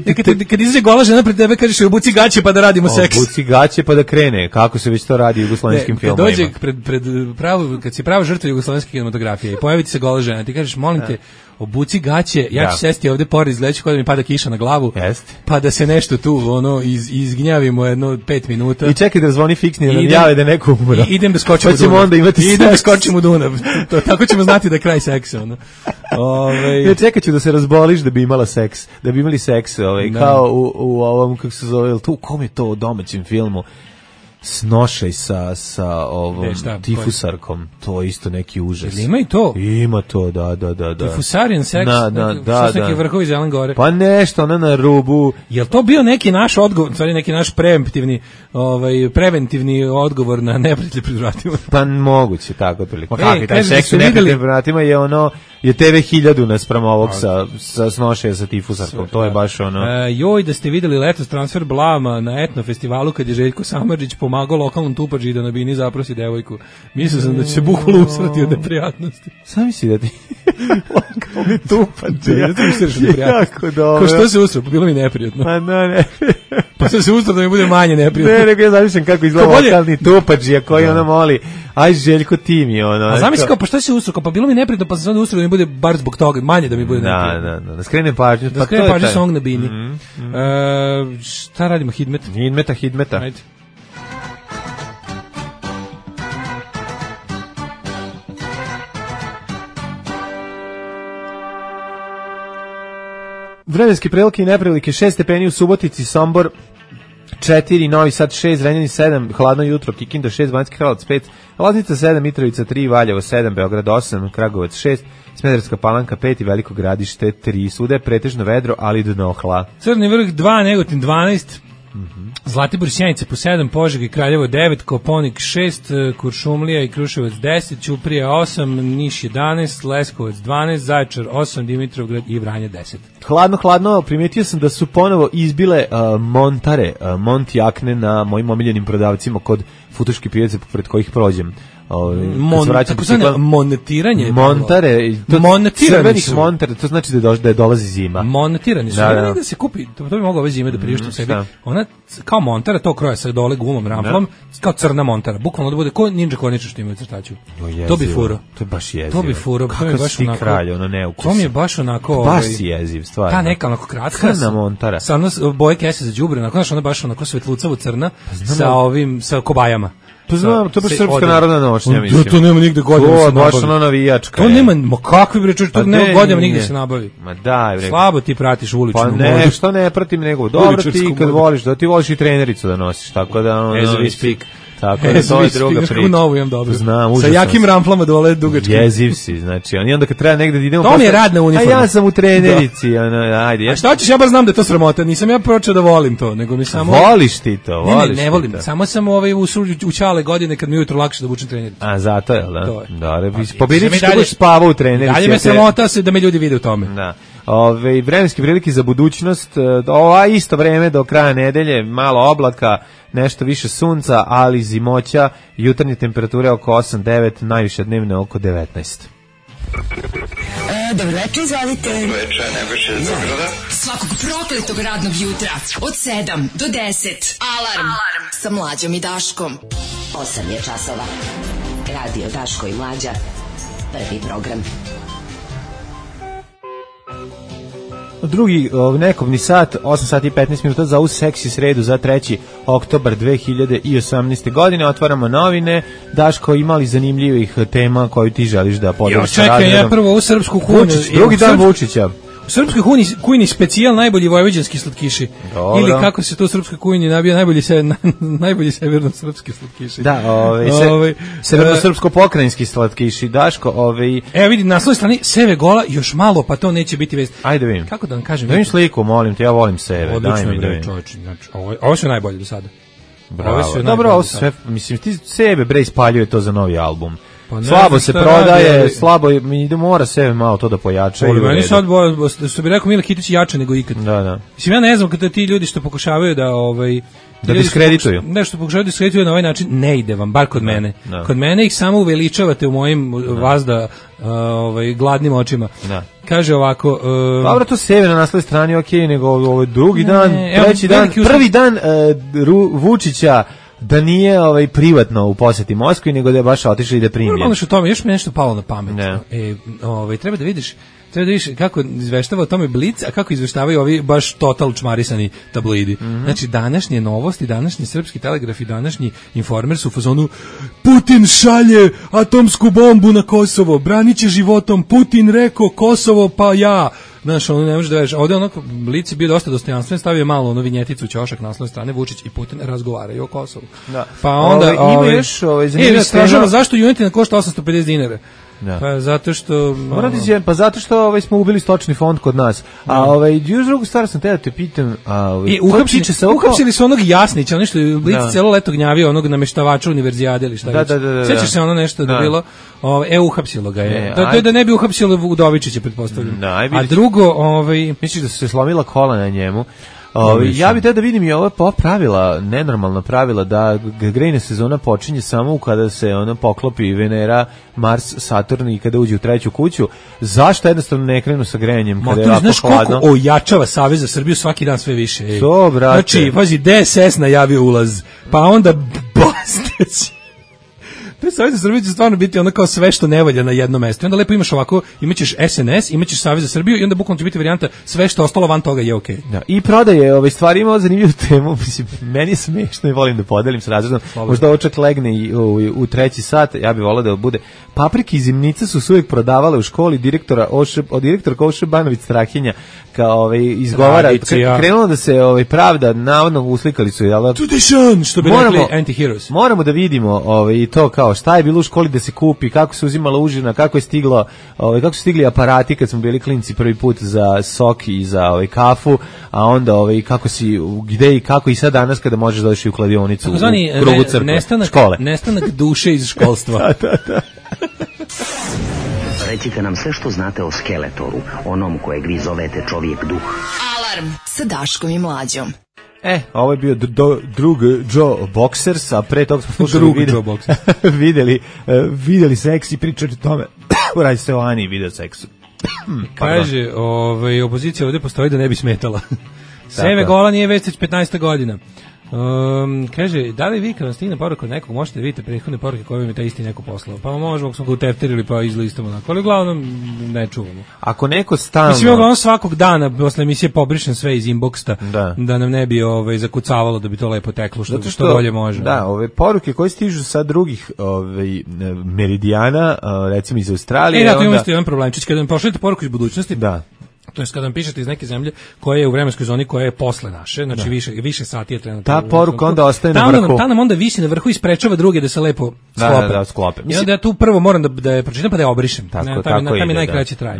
Kad izađe gola žena pred tebe, kažeš obuci gaće pa da radimo seks. Obuci gaće pa da krene, kako se već to radi u jugoslovenskim filmovima. Kad dođe kad si prava žrtva jugoslovenske kinematografije i pojavi ti se gola žena, ti kažeš molim te, obuci gaće, ja ću sesti ovde pored, izgledaću kao da mi pada kiša na glavu, pa da se nešto tu izgnjavimo jedno 5 minuta. I čekaj da zvoni fiksni, da nam jave da neko umro. Idem da skočim u Dunav. Onda imati idem da skočim u Dunav. Tako ćemo znati da je kraj seksa. Ja čekat ću da se razboliš da bi imala seks, da bi imali seks, kao u ovom, kako se zove, u kom je to domaćem filmu? Snošaj sa ovom tifusarkom, to je isto neki užas. Ili ima i to? Ima to, da. Tifusarijan seks? Što su neki vrhovi Zelen Gore? Pa nešto, ona na rubu. Jel to bio neki naš odgovor, neki naš preventivni odgovor na neprijatelje pred vratima? Pa moguće, tako otprilike. Kakvi taj seks u neprijatelje pred vratima je ono, je TV 1000 naspram ovog sa snošaja sa tifusarkom, to je baš ono... Joj, da ste videli letos transfer blama na etno festivalu kad je Željko Samardžić pomagao lokalnom tupađi da na bini zaprosi devojku. Mislio sam da će se bukvalno usrati od neprijatnosti. Sam misli da ti lokalni tupađi. Ja ti misliš od neprijatnosti. Jako dobro. Ko što se usrao, pa bilo mi neprijatno. Pa ne. Pa sam se usrao da mi bude manje neprijatno. Ne, nego ja zamišljam kako izgleda lokalni tupađi, koji ono moli, aj Željko ti mi ono. A zamisli kao, pa šta se usrao, pa bilo mi neprijatno, pa sam se onda usrao da mi bude bar zbog toga, manje da mi bude neprijatno. Da skrenem pažnju. Da skrenem pažnju song na bini. Šta radimo, Hidmeta? Ajde. Vremenske prilike i neprilike, 6 stepeni u Subotici, Sombor 4, Novi Sad 6, Zrenjanin 7, hladno jutro, Kikinda 6, Banjski Karlovac 5, Loznica 7, Mitrovica 3, Valjevo 7, Beograd 8, Kragujevac 6, Smederevska Palanka 5 i Veliko Gradište 3. Svuda je pretežno vedro, ali dno hla. Crni vrh 2, Negotin 12, Zlatibor Sjenica po 7, Požega i Kraljevo 9, Koponik 6, Kuršumlija i Kruševac 10, Ćuprija 8, Niš 11, Leskovac 12, Zaječar 8, Dimitrovgrad i Vranje 10. Hladno, primetio sam da su ponovo izbile montare, Montijakne na mojim omiljenim prodavcima kod futoške pijace pred kojih prođem. Monetiranje. Montare, crvenih montare, to znači da dolazi zima. Monetirani su. Da se kupi, to bi mogao ove zime da priuštim sebi. Ona kao montara to kroja sa dole gumom, ramplom, kao crna montara. Bukvalno da bude ko ninja korničar što imaju crtaču. To bi furo. To je baš jezivo. To bi furo. Kako si ti kralj, ono neukusno. To mi je baš onako... Baš si jeziv, stvarno. Ta neka onako kratka. Crna montara. Sa boje kese za đubre, onako ona baš onako svetlucavo crna sa kobajama. To znam, to je baš srpska narodna nošnja, mislim. To nema nigde godina da se nabavi. To je baš ono navijačka. To nema, ma kakvi bre čuči, to nema godina nigde se nabavi. Ma daj bre. Slabo ti pratiš uličnu modu. Pa ne, što ne pratim nego. Dobro ti kad voliš, da ti voliš i trenericu da nosiš, tako da ono... As we speak. Tako da to je druga priča. Novu imam dobro. Znam, sa jakim ramplama dole dugačkim. Jeziv si, znači. I onda kad treba negde da idemo... To mi je radna uniforma. A ja sam u trenerici. Ajde. A šta hoćeš, ja baš znam da je to sramota. Nisam ja počeo da volim to, nego mi samo... Voliš ti to, voliš ne volim. Samo sam u čale godine kad mi ujutro lakše da obučem trenericu. A zato je, da? Da, pobedit ćeš da budeš spavao u trenerici. Dalje me sramota da me ljudi vide u tome. Da. Vremenske prilike za budućnost, isto vreme do kraja nedelje, malo oblaka, nešto više sunca, ali zimoća, jutarnje temperature oko 8-9, najviše dnevne oko 19. Dobro večer, izvalite. Dobro večer, Nebojša iz Beograda. Svakog prokletog radnog jutra od 7 do 10. Alarm sa Mlađom i Daškom. 8 je časova. Radio Daško i Mlađa. Prvi program. Drugi nekovni sat, 8 sati i 15 minuta za ovu seksi sredu za 3. oktobar 2018. godine. Otvaramo novine. Daško, imali zanimljivih tema koju ti želiš da podeliš sa radijom? Čekaj, ja prvo u srpsku kujnu. Drugi dan Vučića. U srpskoj kujni specijal najbolji vojvođanski slatkiši. Dobro. Ili kako se to u srpskoj kujni nabija najbolji severno-srpski slatkiši. Da, severno-srpsko-pokrajinski slatkiši. Daško, Evo vidi, na svoj strani Seve gola, još malo, pa to neće biti vest. Ajde vidim. Kako da vam kažem? Da vidim sliku, molim te, ja volim Seve. Odlično je, čovječ. Znači, ovo su najbolje do sada. Bravo. Dobro, ovo sve, mislim, ti Sebe bre ispaljuje to za novi album. Pa slabo se prodaje, slabo ide, mora se malo to da pojača. Meni sad, što bi rekao Mile Kitić, jače nego ikad. Da. Mislim, ja ne znam kada ti ljudi što pokušavaju da diskredituju. Nešto pokušavaju da diskredituju na ovaj način, ne ide vam, bar kod mene. Da. Kod mene ih samo uveličavate u mojim vazda gladnim očima. Da. Kaže ovako... Dobro, to sebe na naslovnoj strani, okej, nego ovo drugi dan, treći dan, prvi dan Vučića da nije privatno u poseti Moskvi, nego da je baš otišao i da primljen. Normalno što tome, još mi nešto palo na pamet. Treba da vidiš kako izveštava o tome Blic, a kako izveštavaju ovi baš total čmarisani tabloidi. Znači, današnje novosti, današnji Srpski telegraf i današnji Informer su u fazonu Putin šalje atomsku bombu na Kosovo, branit će životom, Putin rekao Kosovo pa ja. Znaš, ono ne može da veriš. Ovde onako Blic je bio dosta dostojanstven, stavio malo ono vinjeticu ćošak naslovne strane, Vučić i Putin razgovaraju o Kosovu. Da. Pa onda ima još zanimljivo zašto Junetina košta 850 dinara. Da. Pa zato što zato što smo ubili stočni fond kod nas. A još drugu stvar sam te da te pitam, uhapsili su onog Jasnića, ono što je Blic celo leto gnjavio onog nameštavača univerzijade ili šta već. Sećaš se ono nešto da bilo? Uhapsilo ga je. Da ne bi uhapsilo Udovičića, pretpostavljam. A drugo, misliš da su se slomila kola na njemu? Ja bih da vidim i ova pravila, nenormalna pravila, da grejna sezona počinje samo kada se ona poklopi Venera, Mars, Saturn i kada uđe u treću kuću. Zašto jednostavno ne krenu sa grejanjem kada je ovako hladno? Znaš koliko ojačava Savez za Srbiju svaki dan sve više? To, brate. Znači, pazi, DSS najavio ulaz, pa onda Bastać. Taj Savez za Srbiju će stvarno biti ono kao sve što ne valja na jednom mestu. I onda lepo imaš ovako, imaćeš SNS, imaćeš Savez za Srbiju i onda bukvalno će biti varijanta sve što ostalo van toga je okej. Da, i prodaje stvari, imao zanimljivu temu, mislim, meni je smešno i volim da podelim s razredom. Možda ovo čak legne i u treći sat, ja bih volao da bude. Paprike i zimnice su uvijek prodavale u školi direktorka Oše Banović Strahinja kao izgovara, krenulo da se pravda, navodno uslikali su, jel? Tradition, što bi rekli anti-heroes. Moramo da vidimo i to kao šta je bilo u školi da se kupi, kako se uzimala užina, kako su stigli aparati kad smo bili klinci prvi put za sok i za kafu, a onda kako si, gde i kako i sad danas kada možeš doći u kladionicu u krugu crkve, škole. Nestanak duše iz školstva. Da. Recite nam sve što znate o Skeletoru, onom kojeg vi zovete čovjek duh. Alarm sa Daškom i Mlađom. Ovo je bio drug Joe Boxers, a pre toga smo slušali videli seks i pričali o tome. Radi se o Ani i video seksu. Kaže, opozicija ovdje postoji da ne bi smetala. Seve gola nije već 15 godina. Kaže, da li vi kad vam stigne poruka od nekog, možete da vidite prethodne poruke koje vam je taj isti neko poslao? Pa možemo, ako smo ga utefterili pa izlistamo onako, ali uglavnom ne čuvamo. Ako neko stalno... Mislim, uglavnom svakog dana posle emisije pobrišem sve iz inboxa, da nam ne bi zakucavalo, da bi to lepo teklo, što bolje može. Da, ove poruke koje stižu sa drugih meridijana, recimo iz Australije... Ja tu imam isto jedan problemčić, kada vam pošaljete poruku iz budućnosti, da. To je kada vam pišete iz neke zemlje koja je u vremenskoj zoni koja je posle naše, znači više sati je trenutno. Ta poruka onda ostaje na vrhu. Ta nam onda visi na vrhu i sprečava druge da se lepo sklope. Da, sklope. I onda ja tu prvo moram da je pročitam pa da je obrišem. Tako je najkraće traje.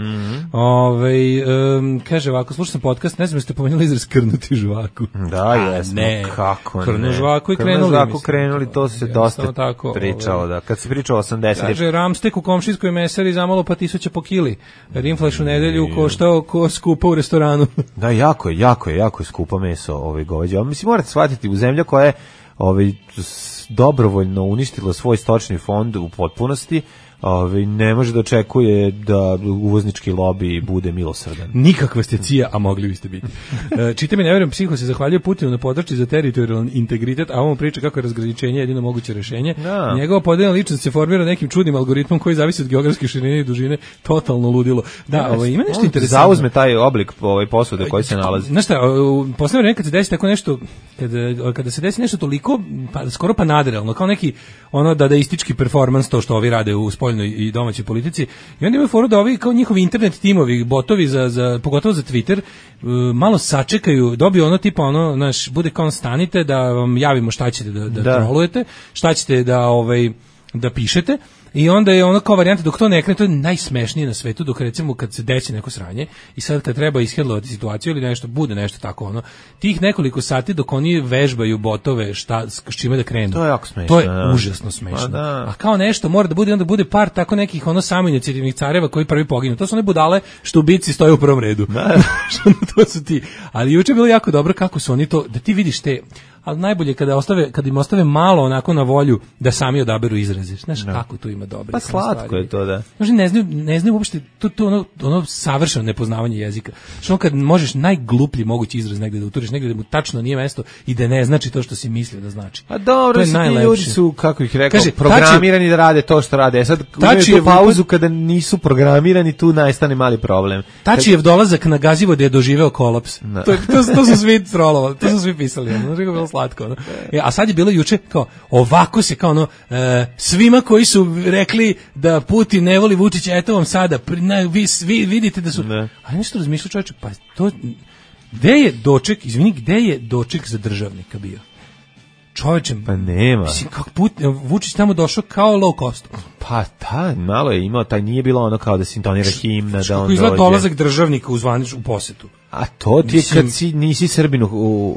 Kaže ovako, slušao sam podcast, ne znam jeste pomenuli izraz krnuti žvaku. Da, jesmo. Kako ne? Krnu žvaku i krenuli, to se dosta pričalo, da. Kad se pričao 80. Kaže, ramstek u komšijskoj mesari zamalo pa 1000 po kili. Rimflaš u nedelju koštao skupa u restoranu. Da, jako je skupa meso goveđe. Mislim, morate shvatiti, u zemlja koja je dobrovoljno uništila svoj stočni fond u potpunosti, ne može da očekuje da uvoznički lobi bude milosrdan. Nikakva ste cija, a mogli biste biti. Čita mi, ne verujem, psiho se zahvaljuje Putinu na podršci za teritorijalni integritet, a on priča kako je razgraničenje jedino moguće rešenje. Da. Njegova podeljena ličnost se formira nekim čudnim algoritmom koji zavisi od geografske širine i dužine, totalno ludilo. Da, ima nešto interesantno. Zauzme taj oblik posude koji se nalazi. Znaš šta, u poslednje vreme kad se desi tako nešto, kada se desi nešto toliko, skoro pa nadrealno, kao neki dadaistički performans, to što ovi rade u i domaćoj politici, i onda imaju foru da ovi kao njihovi internet timovi, botovi pogotovo za Twitter, malo sačekaju, dobiju ono tipa bude kao stanite da vam javimo šta ćete da trolujete, šta ćete da da pišete i onda je ono kao varijanta dok to ne krene, to je najsmešnije na svetu, dok recimo kad se desi neko sranje i sad kad treba ishendlovati situaciju ili nešto, bude nešto tako ono, tih nekoliko sati dok oni vežbaju botove s čime da krenu. To je jako smešno. To je užasno smešno. A kao nešto mora da bude, onda bude par tako nekih ono samoinicijativnih careva koji prvi poginu. To su one budale što u bici stoje u prvom redu. To su ti. Ali juče je bilo jako dobro kako su oni to, da ti vidiš te, ali najbolje kad im ostave malo onako na volju da sami odaberu izraze. Znaš kako tu ima dobro. Pa slatko je to, da. Znači ne znaju uopšte to ono savršeno nepoznavanje jezika. Što kad možeš najgluplji mogući izraz negde da uturiš, negde da mu tačno nije mesto i da ne znači to što si mislio da znači. A dobro, ti ljudi su, kako ih rekao, programirani da rade to što rade. Sad uzmeš pauzu kada nisu programirani, tu nastane mali problem. Tačijev dolazak na Gazivode je doživeo kolaps. To su svi trolovali, to su svi pisali. Ono, slatko, no? A sad je bilo juče kao ovako se kao ono svima koji su rekli da Putin ne voli Vučića, eto vam sada vi vidite da su a nešto razmišljao čovječe, pa to gde je doček za državnika bio? Čovječem, pa nema. Mislim, kako Vučić tamo došao kao low cost. Pa malo je imao, taj nije bilo ono kao da se intonira himna, da on dođe. Izgleda dolazak državnika u posetu. A to ti je kad nisi Srbin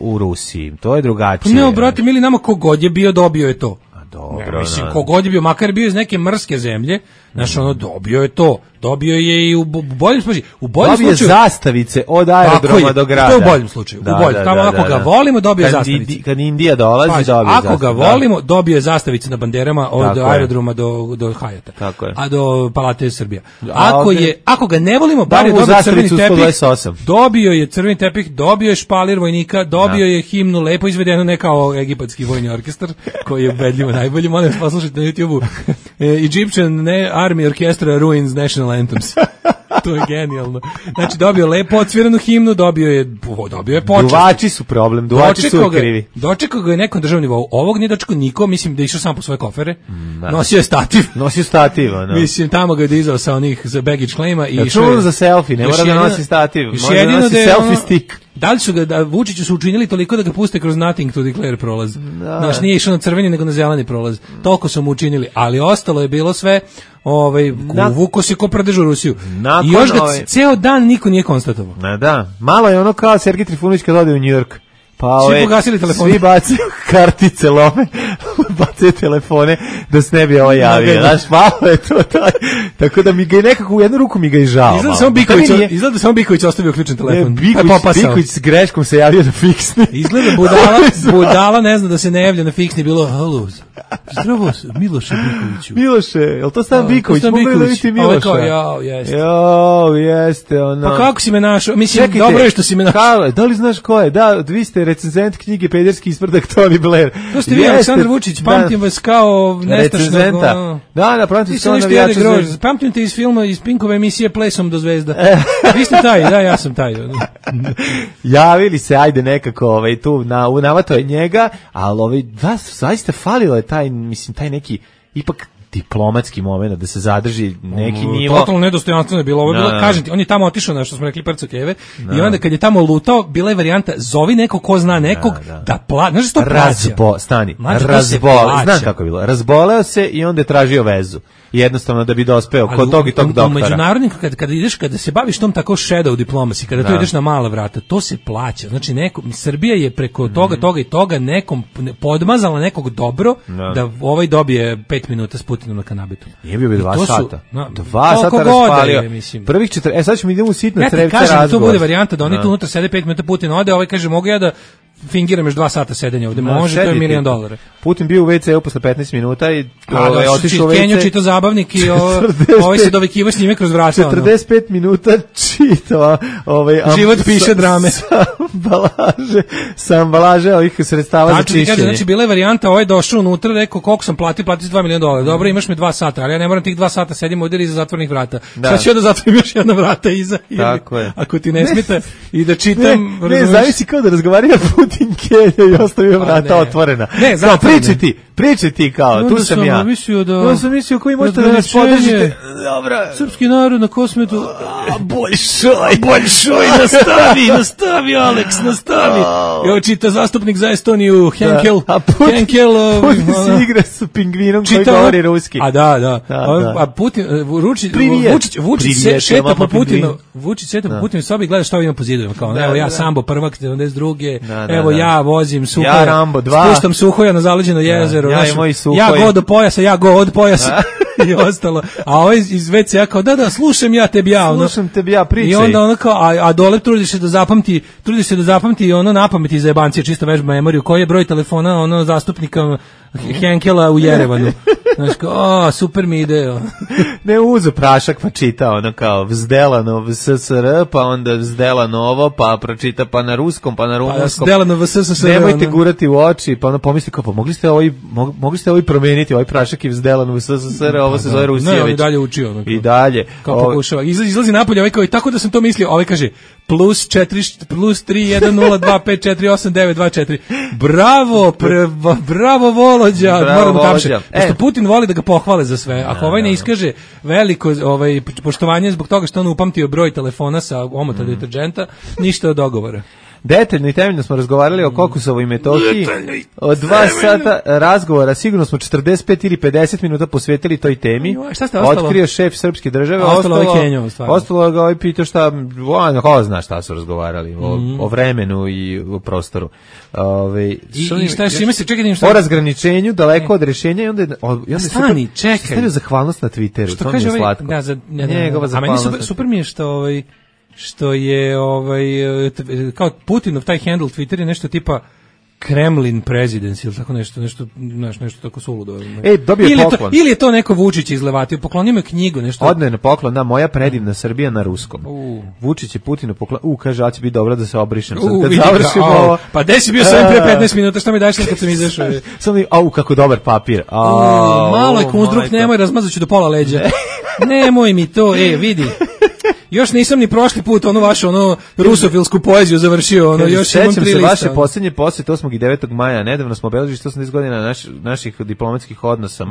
u Rusiji, to je drugačije. Ne, brate, mili nama kogod je bio, dobio je to. Dobro, mislim, kogod je bio, makar bio iz neke mrske zemlje, znaš, ono, dobio je to. Dobio je i u boljem slučaju. Dobio zastavice od aerodroma do grada. To je u boljem slučaju. Tamo ako ga volimo, dobio je zastavice. Kad Indija dolazi, dobio je zastavice. Ako ga volimo, dobio je zastavice na banderama od aerodroma do Hajata. A do Palate Srbija. Ako ga ne volimo, bar je dobio crveni tepih. Dobio je crveni tepih, dobio je špalir vojnika, dobio je himnu, lepo izvedeno, ne kao egipatski vojni orkestar, koji je ubedljivo najbolji. Molim vas poslušajte na YouTube-u. Egyptian Army Orchestra Ruins National Anthems. To je genijalno. Znači dobio lepo odsviranu himnu, dobio je počast. Duvači su problem, duvači su krivi. Dočekao ga je nekom državnom nivou. Ovog nije dočekao niko, mislim da je išao sam po svoje kofere. Nosio je stativ. No. Mislim tamo ga je dizao sa onih za baggage claima i išao za selfie, ne mora da nosi stativ, može da nosi selfie stick. Da li su ga Vučiću su učinili toliko da ga puste kroz nothing to declare prolaz. Znaš, nije išao na crveni nego na zeleni prolaz. Toliko su mu učinili, ali ostalo je bilo sve vuko se ko pradežu Rusiju. I još ga ceo dan niko nije konstatovao. Da, malo je ono kao Sergej Trifunović kad ode u New York. Pa svi pogasili telefone. Svi bacaju kartice, lome, bacaju telefone da se ne bi ovo javio. Znaš, malo je to taj. Tako da mi ga je nekako u jednu ruku mi ga i žao. Izgleda samo Biković ostavio ključan telefon. Biković s greškom se javio na fiksni. Izgleda budala ne zna da se ne javlja na fiksni, bilo halo. Zdravo, Miloše Bikoviću. Miloše, je li to Stan Biković? Mogu da vidite Miloša? Jeste. Ono. Pa kako si me našao? Mislim, dobro je što si me našao. Da li znaš ko je? Da, vi ste recenzent knjige Pederski isprdak Tony Blair. To ste vi, Aleksandar Vučić, pamtim vas kao nestašnog. Da, pamtim se kao navijača. Pamtim te iz filma, iz Pinkove emisije Plesom do zvezda. Vi ste taj, da, ja sam taj. Javili se, ajde nekako, tu navato je njega, ali zaista falilo je taj neki, ipak diplomatski moment da se zadrži neki nivo. Totalno nedostojanstveno je bilo. Ovo je bilo, kažem ti, on je tamo otišao na što smo rekli Prco Keve i onda kad je tamo lutao, bila je varijanta zovi nekog ko zna nekog da plaća. Znaš što plaća? Znam kako je bilo. Razboleo se i onda je tražio vezu. Jednostavno da bi dospeo kod tog i tog doktora. U međunarodnim, kada se baviš tom tako shadow diplomacy, kada tu ideš na mala vrata, to se plaća. Znači, Srbija je preko toga i toga nekom podmazala nekog dobro da ovaj dobije 5 minuta s Putinom na kanabetu. Nije bio 2 sata. 2 sata raspalio. Prvih 4, sad ćemo idemo u sitno trevce razgovor. Ja ti kažem, to bude varijanta da oni tu unutra sede 5 minuta, Putin ode, ovaj kaže, mogu ja da fingiram još 2 sata sedenja ovde, može, to je $1 milion. Putin bio u WC-u posle 15 minuta i otišao u WC. Kenju čitao zabavnik i ovaj se dovikivao s njime kroz vrata. 45 minuta čitao život piše drame. Sa ambalaže ovih sredstava za čišćenje. Znači, bila je varijanta, ovaj došao unutra, rekao koliko sam platio $2 miliona. Dobro, imaš mi 2 sata, ali ja ne moram tih 2 sata sedim ovdje iza zatvornih vrata. Sad ću ja da zatvorim još jedna vrata iza. Ako ti ne smeta i da čitam. Ne, zavisi kao da razgovaraju Putin Kelja i ostavio vrata otvorena. Ne, pričaj ti. Pričaj ti kao, tu sam ja. Ja sam mislio koji možete da nas podržite. Dobro. Srpski narod na Kosmetu. Boljšoj, nastavi, Alex, nastavi. Evo čita zastupnik za Estoniju, Henkel. Putin se igra sa pingvinom koji govori ruski. A da. A Putin, Vučić šeta po Putinu. Vučić šeta po Putinu, sobi gleda šta ima po zidovima. Kao, evo ja Sambo prvak, 92. Evo ja vozim Suhoja. Ja Rambo 2. Spuštam Suhoja na zaleđeno jezero. Ja go do pojasa, ja go od pojasa. I ostalo. A ovaj iz WC-a kao, da, slušam ja tebi ja. Slušam tebi ja, pričaj. I onda ono kao, a dole trudiš se da zapamti ono napameti za jebancije, čisto vežba memoriju, koji je broj telefona ono zastupnika Henkela u Jerevanu. Znaš kao, super mi ide. Ne uzo prašak pa čita ono kao vzdelano SSR, pa onda vzdelano ovo, pa pročita pa na ruskom, pa na rumunskom. Vzdelano SSR. Nemojte gurati u oči, pa onda pomisli kao, pa mogli ste ovaj promeniti, ovaj prašak je vzdelan u SSR, ovo se zove Rusijević. Ne, on i dalje uči ono. I dalje. Kao pokušava. Izlazi napolje, ovaj kao, i tako da sam to mislio, ovaj kaže, plus 31025489224. Bravo Volođa. Moramo tapšati. Pošto Putin voli da ga pohvale za sve. Ako ovaj ne iskaže veliko poštovanje zbog toga što on upamtio broj telefona sa omota deterdženta, ništa od dogovora. Detaljno i temeljno smo razgovarali o Kokosovoj Metohiji. Od 2 sata razgovora sigurno smo 45 ili 50 minuta posvetili toj temi. Šta ste ostalo? Otkrio šef srpske države. Ostalo ga ovaj pitao šta, ko zna šta su razgovarali o vremenu i o prostoru. I šta još ima se, čekaj, o razgraničenju, daleko od rješenja i onda stani, čekaj. Stavio zahvalnost na Twitteru, to mi je slatko. A meni super mi je što je kao Putinov taj handle Twitter je nešto tipa Kremlin Presidency ili tako nešto tako suludo. Dobio je poklon. Ili je to neko Vučić izlevatio, poklonio me knjigu, nešto. Odne na poklon, da, moja predivna Srbija na ruskom. Vučić je Putinu poklon. Kaže, će biti dobro da se obrišem. Sad kad završimo ovo. Pa gde si bio sam pre 15 minuta, šta mi daješ kad sam izašao? Samo kako dobar papir. Malo je konstruk, nemoj, razmazaću do pola leđa. Nemoj mi to, vidi. Još nisam ni prošli put vašu rusofilsku poeziju završio, još imam 3 lista. Sećam se vaše posljednje posjete 8. i 9. maja, nedavno smo obeležili 180 godina naših diplomatskih odnosa,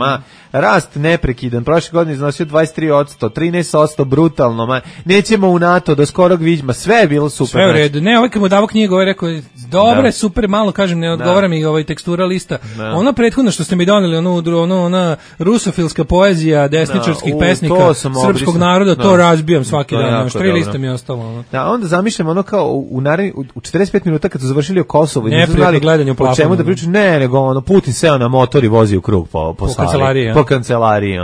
rast neprekidan, prošle godine iznosio 23%, 13% brutalno, nećemo u NATO do skorog viđma, sve je bilo super. Sve u redu, ne, kad mu davo knjigu, rekao, dobro je, super, malo kažem, ne odgovara mi tekstura lista, ona prethodna što ste mi doneli, ona rusofilska poezija desničarskih pesnika srpskog naroda, to razbijam svaki dan. 3 lista mi je ostalo. Da, onda zamišljam kao u 45 minuta kad su završili o Kosovu i nisu znali gledanje u plafonu. O čemu da pričaju, nego Putin seo na motor i vozi u krug po kancelariji. Po kancelariji,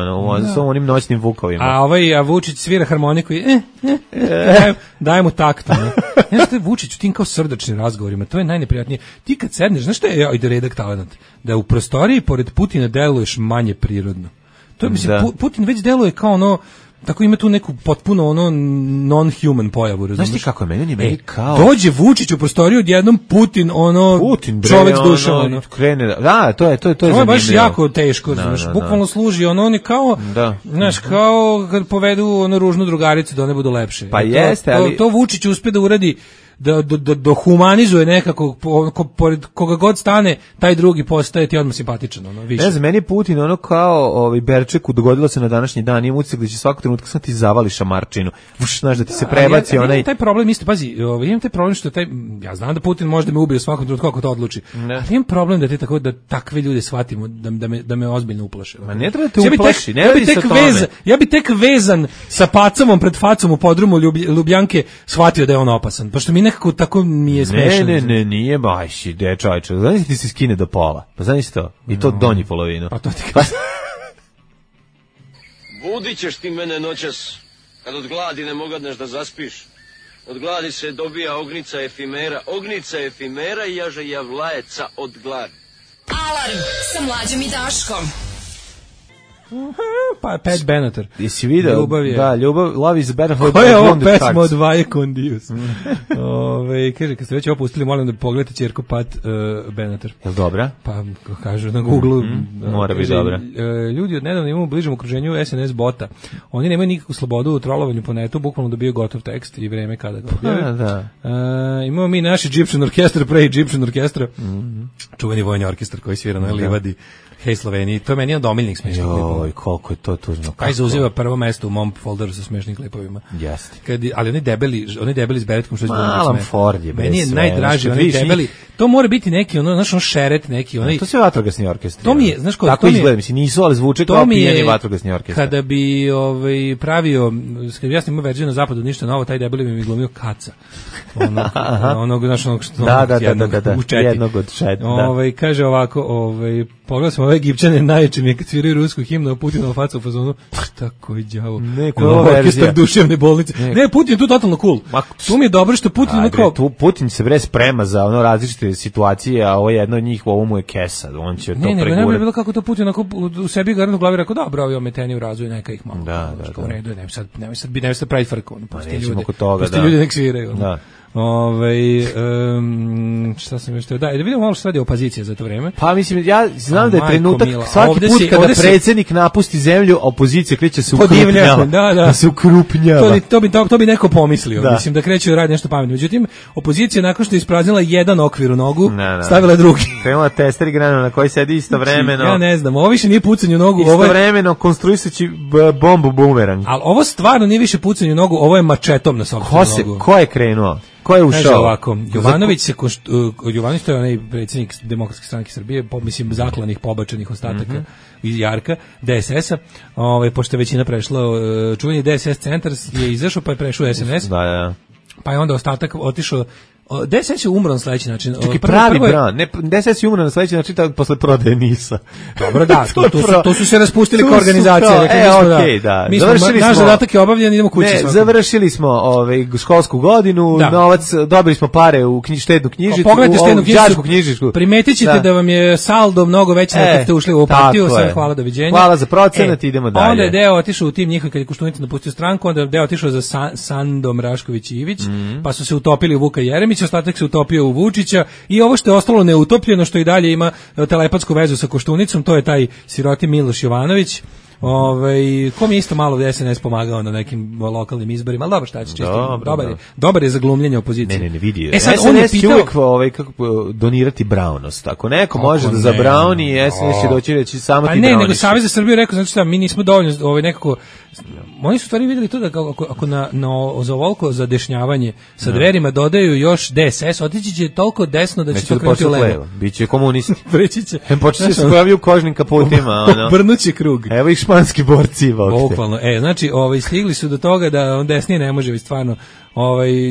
sa onim noćnim vukovima. A Vučić svira harmoniku i daj mu takt. Znaš što je Vučić u tim kao srdačnim razgovorima, to je najneprijatnije. Ti kad sedneš, znaš što je redak talent? Da u prostoriji pored Putina deluješ manje prirodno. To je, mislim, Putin već deluje kao tako ima tu neku potpuno non-human pojavu, razumiješ? Znaš ti kako je meni kao... Dođe Vučić u prostoriju, odjednom Putin čovjek s dušom, krene, da, to je zanimljivo. To je baš jako teško, znaš, bukvalno služi, oni kao, znaš, kao kad povedu ružnu drugaricu da one budu lepše. Pa jeste, ali... To Vučić uspe da uradi, da humanizuje nekako, pored koga god stane, taj drugi postaje ti odmah simpatičan, više. Ne znam, meni je Putin kao Berčeku dogodilo se na današnji dan, imam utisak da će svakog trenutka sam ti zavali šamarčinu, znaš, da ti se prebaci onaj... Taj problem isto, pazi, imam taj problem što ja znam da Putin može da me ubije svakom trenutku kako to odluči, ali imam problem da takve ljude shvatimo, da me ozbiljno uplaše. Ma ne treba te uplaši, ne radi se o tome. Ja bi tek vezan sa pacamom pred facom u podrumu Ljubljanke shvatio da je on opasan, pošto mi nekako tako mi je smešno. Ne, nije baš, čovječe. Znaš ti se skine do pola. Pa znaš to? I to donji polovinu. Pa to ti kaže. Budit ćeš ti mene noćas, kad od gladi ne mogadneš da zaspiš. Od gladi se dobija ognica efimera i jaže javlajeca od gladi. Alarm sa Mlađom i Daškom. Pa Pat Benatar. Jesi vidio? Love is better for Koja je ovo pesma od Vaje Kondius? Kaže, kad ste već opustili, molim da pogledate ćerku Pat Benatar. Je li dobra? Pa, kažu na Google. Mora biti dobra. Ljudi od nedavno imamo u bližem okruženju SNS bota. Oni nemaju nikakvu slobodu u trolovanju po netu, bukvalno dobiju gotov tekst i vreme kada ga objave. Imamo mi naš Egyptian orkestar, pre Egyptian orkestra, čuveni vojni orkestar koji svira na livadi. Hej Sloveniji, to je meni jedan od omiljenih smešnih klipova. Joj, koliko je to tužno. Kaj zauziva prvo mesto u mom folderu sa smešnim klipovima. Jeste. Ali oni debeli s beretkom što je zbogom Alan Ford je meni je najdraži, oni debeli. To mora biti neki, znaš, šeret neki. To se vatrogasni orkestri. To mi je, znaš ko, tako izgleda, mislim, nisu, ali zvuče kao pijeni vatrogasni orkestri. Kada bi pravio, kad ja snimao verziju na zapadu, ništa novo, taj debeli mi glumio Kaca. Onog što jednog od šet. Kaže ovako, pogledao sam ove Egipćane najjače mi je kad sviraju rusku himnu, a Putinovu facu u fazonu, šta koji đavo? Orkestar duševne bolnice. Ne, Putin je tu totalno cool. Tu mi je dobro što Putin Putin se bre sprema za različite situacije, a ovo je jedno od njih, ovo mu je kesa, on će to pregurati. Ne bi bilo kako to Putin u sebi garant u glavi rekao, dobro, ovi ometeni u razvoju, neka ih malo. Da. U redu, nemoj sad pravi frku, pusti ljudi nek sviraju. Da. Šta sam još teo? Da vidimo malo što radi opozicija za to vreme. Pa mislim, ja znam da je trenutak svaki put kada predsjednik napusti zemlju, opozicija kreće se ukrupnjava. Da se ukrupnjava. To bi neko pomislio. Mislim da kreće radi nešto pametno. Međutim, opozicija nakon što je ispraznila jedan okvir u nogu, stavila drugi. Krenula testeri granu na koji sedi istovremeno. Ja ne znam, ovo više nije pucanje u nogu. Istovremeno konstruisajući bombu bumerang. Ali ovo stvarno nije više pucanje u nogu, ovo je mačetom na sopstvenu nogu. Ko je krenuo? Ko je ušao? Kaže ovako, Jovanović to je onaj predsjednik Demokratske stranke Srbije, mislim zaklanih pobačenih ostataka iz Jarka, DSS-a, pošto je većina prešla, čuveni DSS centar je izašao pa je prešao SNS, pa je onda ostatak otišao. DSS je umro na sledeći način. Čekaj, pravi bran. Ne, DSS je umro na sledeći način tako posle prodaje NIS-a. Dobro, da, to su se raspustili kao organizacija. Okej, da. Naš zadatak je obavljen, idemo kući. Ne, završili smo školsku godinu, novac, dobili smo pare u štednu knjižicu, pogledajte štednu knjižicu. Primetit ćete da vam je saldo mnogo veći nego kad ste ušli u ovu partiju, sve hvala, doviđenja. Hvala za procenat, idemo dalje. Onda je deo otišao u tim njihov kad je Koštunica napustio stranku, onda je deo otišao za Sandom Rašković Ivić, pa su se utopili u Vuka Jeremića, ostatak se utopio u Vučića i ovo što je ostalo neutopljeno, što i dalje ima telepatsku vezu sa Koštunicom, to je taj siroti Miloš Jovanović. Kom je isto malo SNS pomagao na nekim lokalnim izborima, ali dobro, šta će čisto, dobar je za glumljenje opozicije. Ne, vidi. SNS će uvijek donirati brownost. Ako neko može da zabrauni, SNS će doći reći samo ti browniš. Ne, nego Savez za Srbiju rekao, znači šta, mi nismo dovoljno nekako, oni su stvari vidjeli to da ako za ovoliko zadešnjavanje sa Dverima dodaju još DSS, otići će toliko desno da će to krenuti u levo. Biće komunisti. Preći će. Počet će se pojavljaju u kožnim kaputima. Obrnuće krug. Evo ih španski borci. Bukvalno. Znači, stigli su do toga da on desnije ne može, stvarno,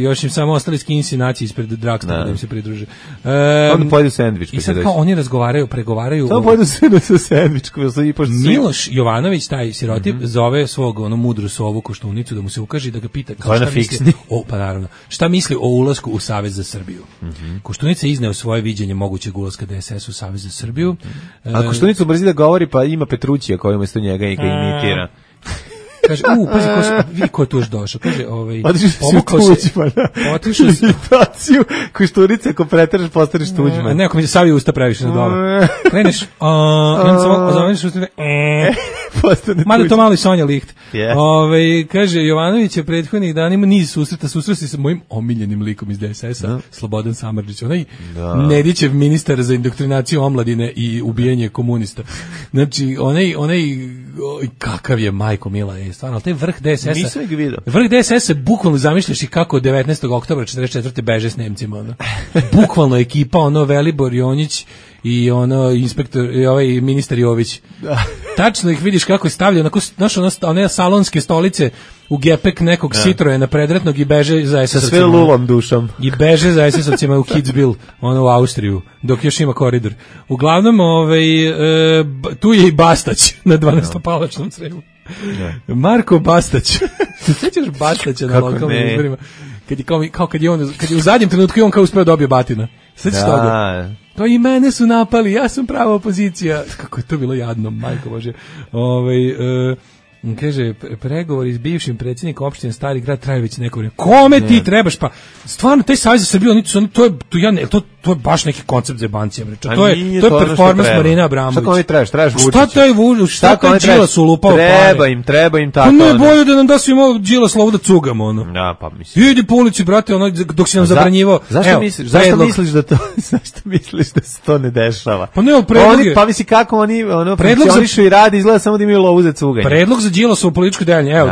još im samo ostali skinsi naći ispred Dragstora da im se pridruže. Onda pojedu sendvič. I sad kao oni pregovaraju. Samo pojedu sa sendvičkom. Miloš Jovanović, taj siroti, zove svog mudru sovu Koštunicu da mu se ukaže i da ga pita šta misli. Pa naravno. Šta misli o ulasku u Savez za Srbiju? Koštunica izneo svoje viđenje mogućeg ulaska DSS u Savez za Srbiju. A Koštunica brzi da govori, pa ima Petrućija koji umjesto njega i ga imitira. Kaže, pazi, vidi ko je tu još došao. Kaže, pomukao se. Otišao se. Imitaciju Koštunice, ako preteraš, postaneš Tuđman. Ne, ako mi se savio usta previše na dole. Kreneš, i onda samo ozoveniš usta, mada to malo i Sonja Licht. Kaže, Jovanović je prethodnih dana ima niz susreta se sa mojim omiljenim likom iz DSS-a, Slobodan Samardžić, onaj Nedićev ministar za indoktrinaciju omladine i ubijanje komunista. Znači, onaj kakav je majko mila, stvarno, taj vrh DSS-a. Nisam ih vidio. Vrh DSS-a bukvalno zamišljaš i kako 19. oktobra 44. beže s Nemcima. Bukvalno ekipa, Velibor Jonjić i inspektor, i ministar Jović. Tačno ih vidiš kako je stavljaju, one salonske stolice u gepek nekog Citroena predretnog i beže za SS-ovcima. Sa sve lulom dušom. I beže za SS-ovcima u Kitzbühel, u Austriju, dok još ima koridor. Uglavnom, tu je i Bastać na 12-palačnom Sremu. Marko Bastać. Sećaš Bastaća na lokalnim izborima? Kad je u zadnjem trenutku i on kao uspeo dobio batina. Sećaš toga? To i mene su napali, ja sam prava opozicija. Kako je to bilo jadno, majko Bože. Kaže, pregovori s bivšim predsjednikom opštine Stari Grad traju već neko vrijeme. Kome ti trebaš? Pa stvarno, taj Savez za Srbiju, to je baš neki koncept zebancija, bre. To je performans Marina Abramović. Šta oni trebaš Vučića? Šta taj Vučić, šta taj Đilas ulupao pare? Treba im tako. Ne bolje da nam da svima Đilas lovu da cugamo, ono. Ja, pa mislim. Idi po ulici, brate, ono, dok si nam zabranjivao. Zašto misliš da se to ne dešava? Pa ne, predlog je. Pa misli kako oni funkcionišu i radi, izgleda samo da imaju lovu za cuganje. Predlog za Đilasovo političko delovanje. Evo,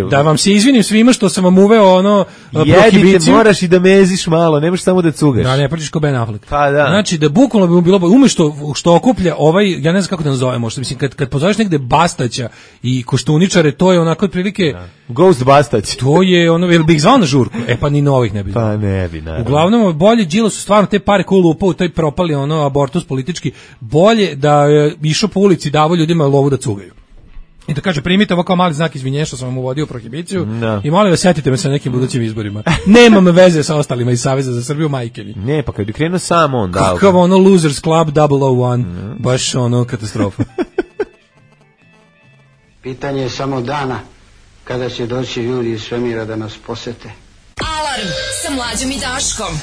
da vam se izvinim svima što sam vam uveo ono prohibiciju. Jedite, moraš i da meziš malo, nemaš samo da cugaš. Da, ne pričaš kao Ben Affleck. Pa da. Znači da bukvalno bi mu bilo što okuplja ja ne znam kako da nazovemo, što mislim kad pozoveš negde Bastaća i Koštuničare, to je onako otprilike Ghost Bastać. To je ono, jel bih zvao na žurku? Pa ni novih ne bi. Pa ne bi, naravno. Uglavnom, bolje Đilas su stvarno te pare koje lupa u toj propali ono abortus politički, bolje da je išao po ulici, davao ljudima lovu da cugaju. I da kaže, primite ovo kao mali znak izvinjenja što sam vam uvodio prohibiciju i molim vas, setite me sa nekim budućim izborima. Nemam veze sa ostalima iz Saveza za Srbiju, majke mi. Ne, pa kad bi krenuo sam on. Kakav ono Losers Club 001, baš ono katastrofa. Pitanje je samo dana kada će doći ljudi iz svemira da nas posete. Alarm sa Mlađom i Daškom.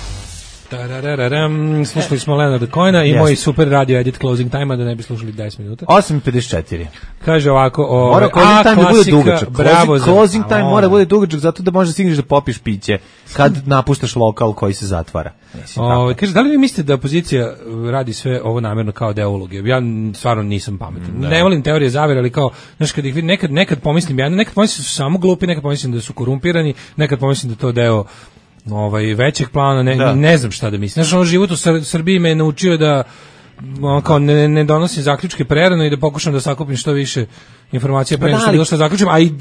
Slušali smo Leonarda Cohena i moj super radio edit closing time, da ne bi slušali 10 minuta. 8:54. Kaže ovako, mora closing time da bude dugačak. Bravo, closing time mora bude dugačak zato da možeš stigneš da popiš piće kad napuštaš lokal koji se zatvara. Kaže, da li vi mislite da opozicija radi sve ovo namjerno kao deo uloge? Ja stvarno nisam pametan. Ne volim teorije zavere, ali kao, znaš, kad ih vidim, nekad pomislim, nekad pomislim da su samo glupi, nekad pomislim da su korumpirani, nekad pomislim da to deo većeg plana, ne znam šta da mislim. Znaš, život u Srbiji me je naučio da kao ne donosim zaključke prerano i da pokušam da sakupim što više informacija pre nego što bilo što zaključim, a i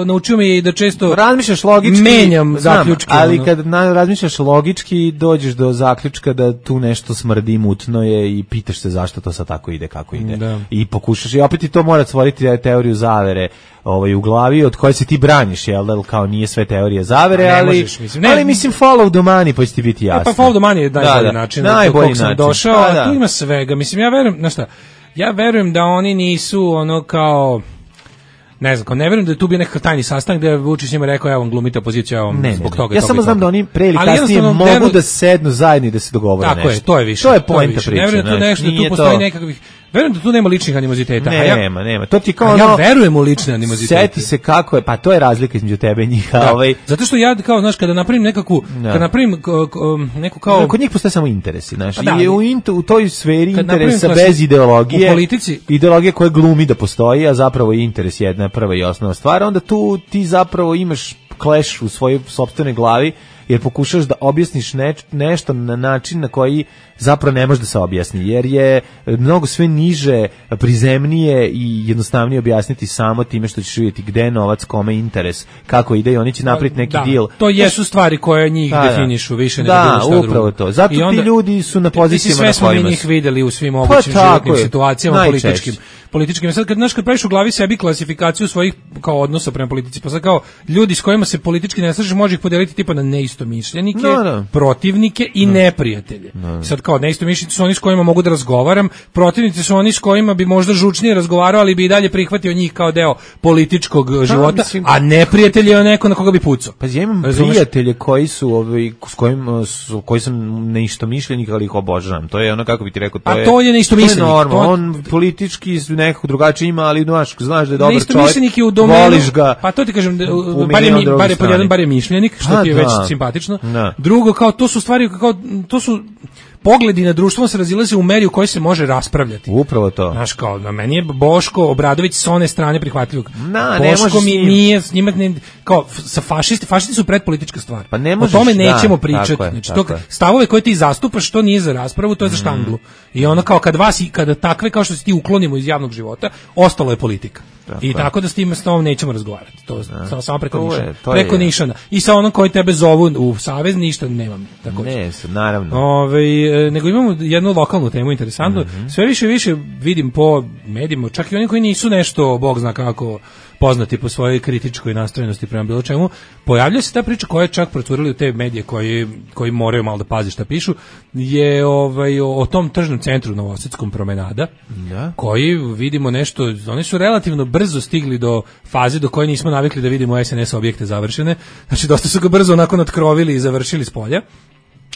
naučio me je i da često razmišljaš logički, menjam zaključke. Ali kad razmišljaš logički, dođeš do zaključka da tu nešto smrdi, mutno je i pitaš se zašto to sad tako ide, kako ide. I pokušaš, i opet i to mora stvoriti teoriju zavere u glavi od koje se ti braniš, jel da, kao nije sve teorija zavere, ali mislim follow the money, pa će ti biti jasno. Pa follow the money je najbolji način na kog sam došao, a tu ima svega. Mislim, ja verujem, znaš šta, ja verujem da oni nisu ono kao, ne znam, ne verujem da je tu bio nekakav tajni sastanak gde je Vučić njima rekao, evo vam glumite opoziciju, evo vam zbog toga. Ja samo znam da oni pre ili kasnije mogu da sednu zajedno i da se dogovore nešto. Tako je, to je više. To je poenta priče. Ne verujem da tu nešto, da tu postoji nekakvih, verujem da tu nema ličnih animoziteta. Nema. To ti kao ja verujem u lične animozitete. Seti se kako je, pa to je razlika između tebe i njih. Zato što ja, kao, znaš, kada napravim neku neku kao... Kod njih postoje samo interesi, znaš, i u toj sferi interesa bez ideologije, u politici, ideologija koja glumi da postoji, a zapravo je interes jedna prva i osnovna stvar, onda tu ti zapravo imaš clash u svojoj sopstvenoj glavi, jer pokušaš da objasniš nešto na način na koji zapravo ne može da se objasni, jer je mnogo sve niže, prizemnije i jednostavnije objasniti samo time što ćeš vidjeti gde je novac, kome je interes, kako ide i oni će napraviti neki deal. To jesu stvari koje njih definišu više nego bilo šta drugo. Da, upravo to. Zato ti ljudi su na pozicijama na kojima su. Sve smo mi njih videli u svim mogućim životnim situacijama političkim. Sad kad praviš u glavi sebi klasifikaciju svojih kao odnosa prema politici, pa sad kao ljudi s kojima se politički ne slažeš, može ih podeliti tipa na neistomišljenike, protivnike i neprijatelje. Sad kao neistomišljenici su oni s kojima mogu da razgovaram, protivnici su oni s kojima bi možda žučnije razgovarao, ali bi i dalje prihvatio njih kao deo političkog života, a neprijatelj je neko na koga bi pucao. Pa ja imam prijatelje koji su koji sam neistomišljenik, ali ih obožavam. To je ono, kako bi ti rekao, to je neistomišljenik. On politički nekako drugačije ima, ali znaš da je dobar čovjek, voliš ga. Pa to ti kažem, bar je mišljenik, što ti je već simpatično. Drugo, kao to su stvari, kao to su pogledi na društvo se razilaze u meri u kojoj se može Upravo to. Znaš, kao, na meni je Boško Obradović s one strane prihvatljivog. Boško mi nije, s njima, kao, sa fašisti su predpolitička stvar. Pa ne možeš, o tome nećemo pričati. Znači, stavove koje ti zastupaš, to nije za raspravu, to je za štanglu. I ono, kao, kada takve, kao što se ti uklonimo iz javnog života, ostalo je politika. I tako da s tom nećemo razgovarati. To samo preko nišana. I sa onom koji tebe zovu u savez, ništa nemam. Ne, naravno. Nego imamo jednu lokalnu temu interesantnu. Sve više vidim po medijima, čak i oni koji nisu nešto, Bog zna kako, poznati po svojoj kritičkoj nastrojenosti prema bilo čemu, pojavlja se ta priča koja je čak procurila u te medije koji moraju malo da pazi šta pišu, je o tom tržnom centru Novosavskom promenada, koji vidimo nešto, oni su relativno brzo stigli do faze do koje nismo navikli da vidimo SNS objekte završene, znači dosta su ga brzo onako natkrovili i završili s polja.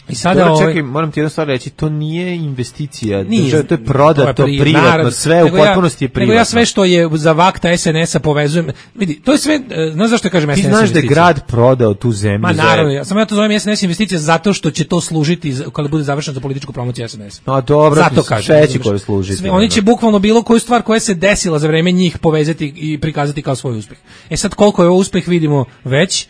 I sada Dobro, čekaj, moram ti jednu stvar reći, to nije investicija, nije, to je prodato, privatno, sve u potpunosti je privatno. Nego ja sve što je za vakta SNS-a povezujem, vidi, to je sve, znaš zašto ja kažem SNS investicija? Ti znaš da je grad prodao tu zemlju? Ma naravno, samo ja to zovem SNS investicija zato što će to služiti kada bude završeno za političku promociju SNS. No dobro, zato kažem, koje služiti. Oni će bukvalno bilo koju stvar koja se desila za vreme njih povezati i prikazati kao svoj uspeh. Sad koliko je ovo uspeh vidimo već.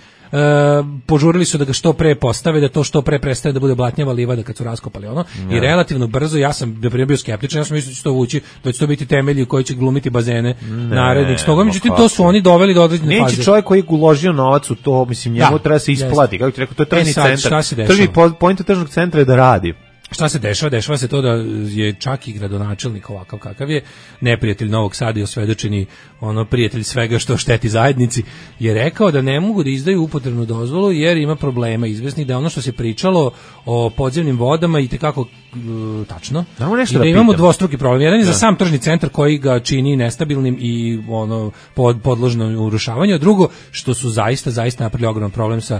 Požurili su da ga što pre postave, da to što pre prestaje da bude blatnjava livada kad su raskopali ono. I relativno brzo, ja sam bio skeptičan, ja sam mislio da će to vući, da će to biti temelji koji će glumiti bazene narednih stoga, međutim to su oni doveli do određene faze. Neće čovjek koji je uložio novac u to, mislim, njemu treba se isplati, kako ti rekao, to je tržni centar. Poenta tržnog centra je da radi. Šta se dešava? Dešava se to da je čak i gradonačelnik ovakav kakav je, neprijatelj Novog Sada i osvedočeni prijatelj svega što šteti zajednici, je rekao da ne mogu da izdaju upotrebnu dozvolu jer ima problema izvesnih, da ono što se pričalo o podzemnim vodama i tekako tačno. I da imamo dvostruki problem. Jedan je za sam tržni centar koji ga čini nestabilnim i podložno urušavanju, a drugo što su zaista napravili ogroman problem sa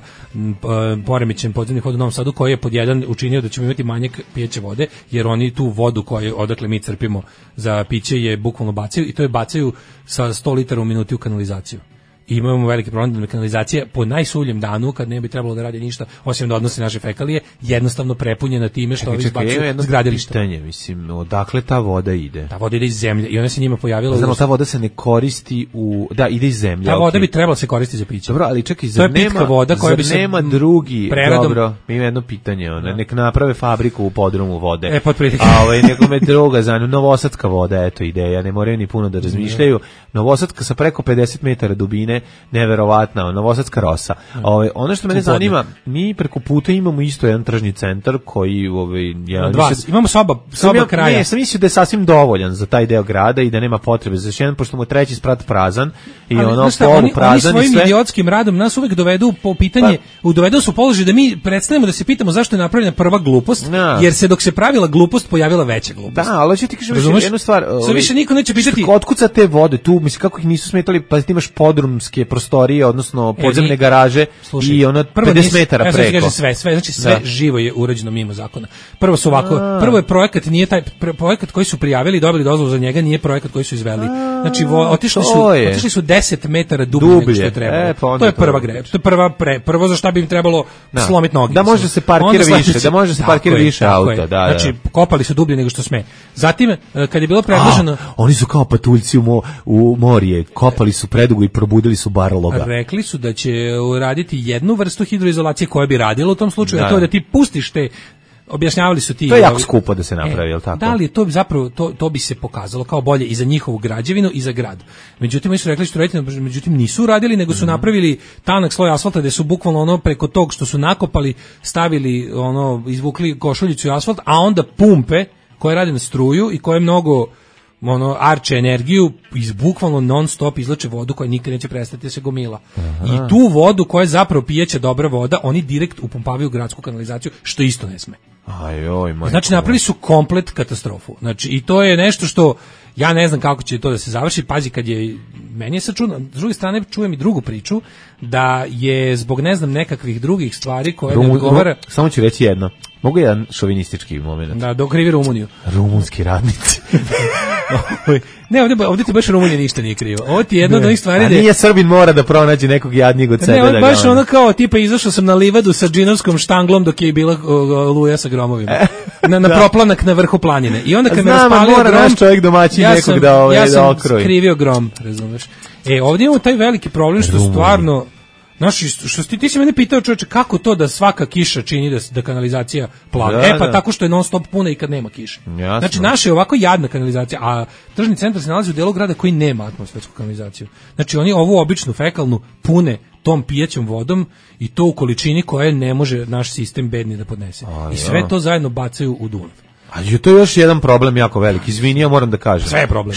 poremećajem podzemnih voda u Novom Sadu, koji je pod jedan učinio da ćemo imati manjak pijeće vode, jer oni tu vodu koju odakle mi crpimo za piće je bukvalno bacaju, i to je bacaju sa 100 litara u minuti u kanalizaciju. I imamo veliki problem da kanalizacija po najsuljem danu, kad ne bi trebalo da radi ništa osim da odnose naše fekalije, jednostavno prepunjena time što ovi izbacuju s gradilišta. Pitanje, mislim, odakle ta voda ide? Ta voda ide iz zemlje i ona se njima pojavila. Znamo, ta voda se ne koristi ide iz zemlje. Ta voda bi trebala se koristiti za piće. Dobro, ali čekaj, zar nema drugi preradom... Dobro, ima jedno pitanje, nek naprave fabriku u podrumu vode. Nekome druga, novosadska voda, eto ideja, ne moraju ni puno da razmišljaju. Novosadska sa preko 50 metara dubine, neverovatna, novosadska rosa. Ono što mene zanima, mi preko puta imamo isto jedan tržni centar koji imamo soba kraja. Ne, sam mislio da je sasvim dovoljan za taj deo grada i da nema potrebe za jedan, pošto mu je treći sprat prazan i polu prazan. Oni svojim idiotskim radom nas uvek dovedu po pitanje, dovedu su položaj da mi predstavimo da se pitamo zašto je napravljena prva glupost, jer se dok se pravila glupost pojavila veća glupost. Da, ali ću ti kažem jednu stvar. Sve više niko neće pitati otkuca te vode tu, mislim kako ih nisu smetali, pa ti imaš podrumske prostorije, odnosno podzemne garaže i ono 50 metara preko. Sve, znači sve živo je urađeno mimo zakona. Prvo su ovako, prvo je projekat, nije taj projekat koji su prijavili i dobili dozvolu za njega, nije projekat koji su izveli. Znači otišli su 10 metara dublje nego što je trebalo. To je prva greška. To je prvo za šta bi im trebalo slomiti noge. Da može se parkira više, auta, da. Znači kopali su dublje nego što sme. Zatim kad je bilo predloženo, oni su kao patuljci u morje, kopali su predugo i probudili su barologa. Rekli su da će uraditi jednu vrstu hidroizolacije koja bi radila u tom slučaju, a to je da ti pustiš te, objašnjavali su ti... To je jako skupo da se napravi, je li tako? Da li je to zapravo, to bi se pokazalo kao bolje i za njihovu građevinu i za grad. Međutim, oni su rekli što raditi, međutim nisu uradili, nego su napravili tanak sloj asfalta gde su bukvalno preko tog što su nakopali, stavili izvukli košuljicu i asfalt, a onda pumpe koje rade na struju i koje mnogo arče energiju, bukvalno non stop izlače vodu koja nikad neće prestati da se gomila. I tu vodu koja je zapravo pijeća dobra voda, oni direkt upumpavaju u gradsku kanalizaciju, što isto ne sme. Znači napravili su komplet katastrofu. Znači i to je nešto što ja ne znam kako će to da se završi. Pazi, kad je meni je sad čudno, s druge strane čujem i drugu priču da je zbog ne znam nekakvih drugih stvari koje ne odgovara. Samo ću reći jedno. Mogu jedan šovinistički moment. Da, dok krivi Rumuniju. Rumunski radnici. Ne, ovdje ti baš Rumunija ništa nije krivo. Ovo ti je jedna od onih stvari... A nije Srbin mora da pronađe nekog jadnijeg od sebe. Ne, baš ono kao, tipa, izašao sam na livadu sa džinovskom štanglom dok je bila luja sa gromovima. Na proplanak na vrhu planine. I onda kad me raspalio grom... naš čovjek domaćin nekog da okroji. Ja sam skrivio grom, razumeš. Ovdje imamo taj veliki problem što stvarno... Znaš, što ti si mene pitao, čovječe, kako to da svaka kiša čini da kanalizacija plava? Pa tako što je non stop puna i kad nema kiše. Jasno. Znači, naša je ovako jadna kanalizacija, a tržni centar se nalazi u delu grada koji nema atmosfersku kanalizaciju. Znači, oni ovu običnu fekalnu pune tom pijećom vodom i to u količini koje ne može naš sistem bedni da podnese. I sve to zajedno bacaju u Dunav. A to je još jedan problem jako veliki. Izvini, ja moram da kažem. Sve je problem.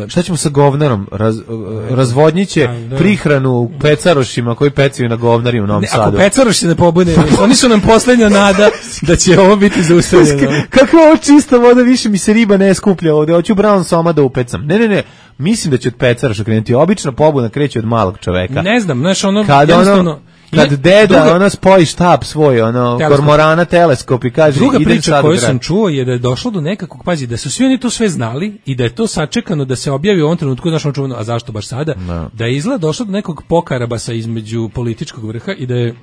Šta ćemo sa govnarom? Razvodnjiće prihranu u pecarošima koji pecaju na govnari u Novom Sadu. Ako pecaroš se ne pobune, oni su nam poslednja nada da će ovo biti zaustavljeno. Kako ovo čista voda, više mi se riba ne skuplja ovde. Hoću brown soma da upecam. Ne. Mislim da će od pecaroša krenuti. Obična pobuna kreće od malog čoveka. Ne znam, znaš, jednostavno... kad deda ona spoji štab svoj, kormorana teleskop i kaže druga priča koju sam čuo je da je došlo do nekakvog, pazi, da su svi oni to sve znali i da je to sačekano da se objavi u ovom trenutku, znaš, čuveno, a zašto baš sada, da je izgleda došlo do nekog pokarabasa između političkog vrha i da je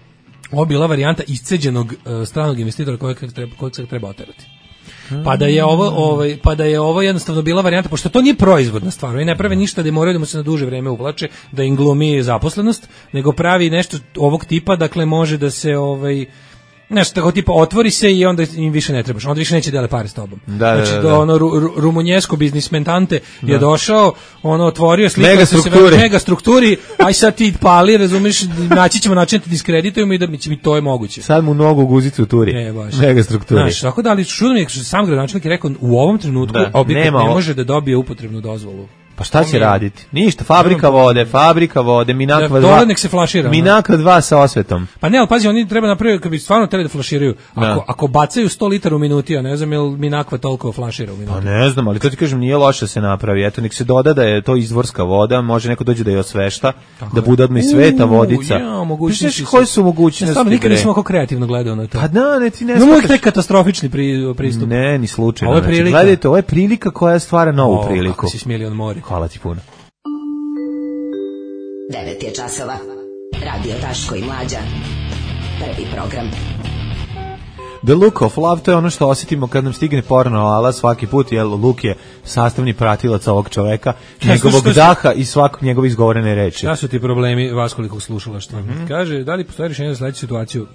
ovo bila varijanta isceđenog stranog investitora kojeg se treba oterati. Pa da je ovo jednostavno bila varijanta, pošto to nije proizvodna stvar, oni ne prave ništa da moraju da mu se na duže vreme uvlače, da im glumi zaposlenost, nego pravi nešto ovog tipa, dakle može da se nešto tako tipa otvori se i onda im više ne trebaš, onda više neće dele pare s tobom. Znači rumunjesko biznismentante je došao, otvorio slikao se mega strukturi, aj sad ti pali, razumiješ, naći ćemo način da te diskreditujemo i da mi to je moguće. Sad mu nogu guzicu u turi, mega strukturi. Znaš, tako da, ali čudno mi je, sam gradonačelnik je rekao, u ovom trenutku objekat ne može da dobije upotrebnu dozvolu. Pa šta će raditi? Ništa, fabrika vode, Minakva 2. Dole nek se flašira. Minakva 2 sa osvetom. Pa ne, ali pazi, oni treba napraviti, kad bi stvarno teli da flaširaju, ako bacaju 100 litara u minuti, ja ne znam je li Minakva toliko flašira u minuti. Pa ne znam, ali to ti kažem, nije loše se napravi. Eto, nek se doda da je to izvorska voda, može neko dođe da je osvešta, da bude odmah i sveta vodica. Pišeš koji su mogućnosti? Stvarno, nikad nisam oko kreativno gledao na to. Pa da, ne, ti ne shvataš. Uvijek katastrofični pristup. Ne, ni slučajno. Gledajte, ovo je prilika koja stvara novu priliku. Kako si smijeli on mori. Hvala ti puno. 9 je časova. Radio Daško i Mlađa. Prvi program. The look of love, to je ono što osjetimo kad nam stigne porno ala svaki put, jer luk je sastavni pratilac ovog čoveka, njegovog daha i svakog njegove izgovorene reči. Šta su ti problemi vas koliko slušala što kaže, da li postoji rješenje za sledeću situaciju?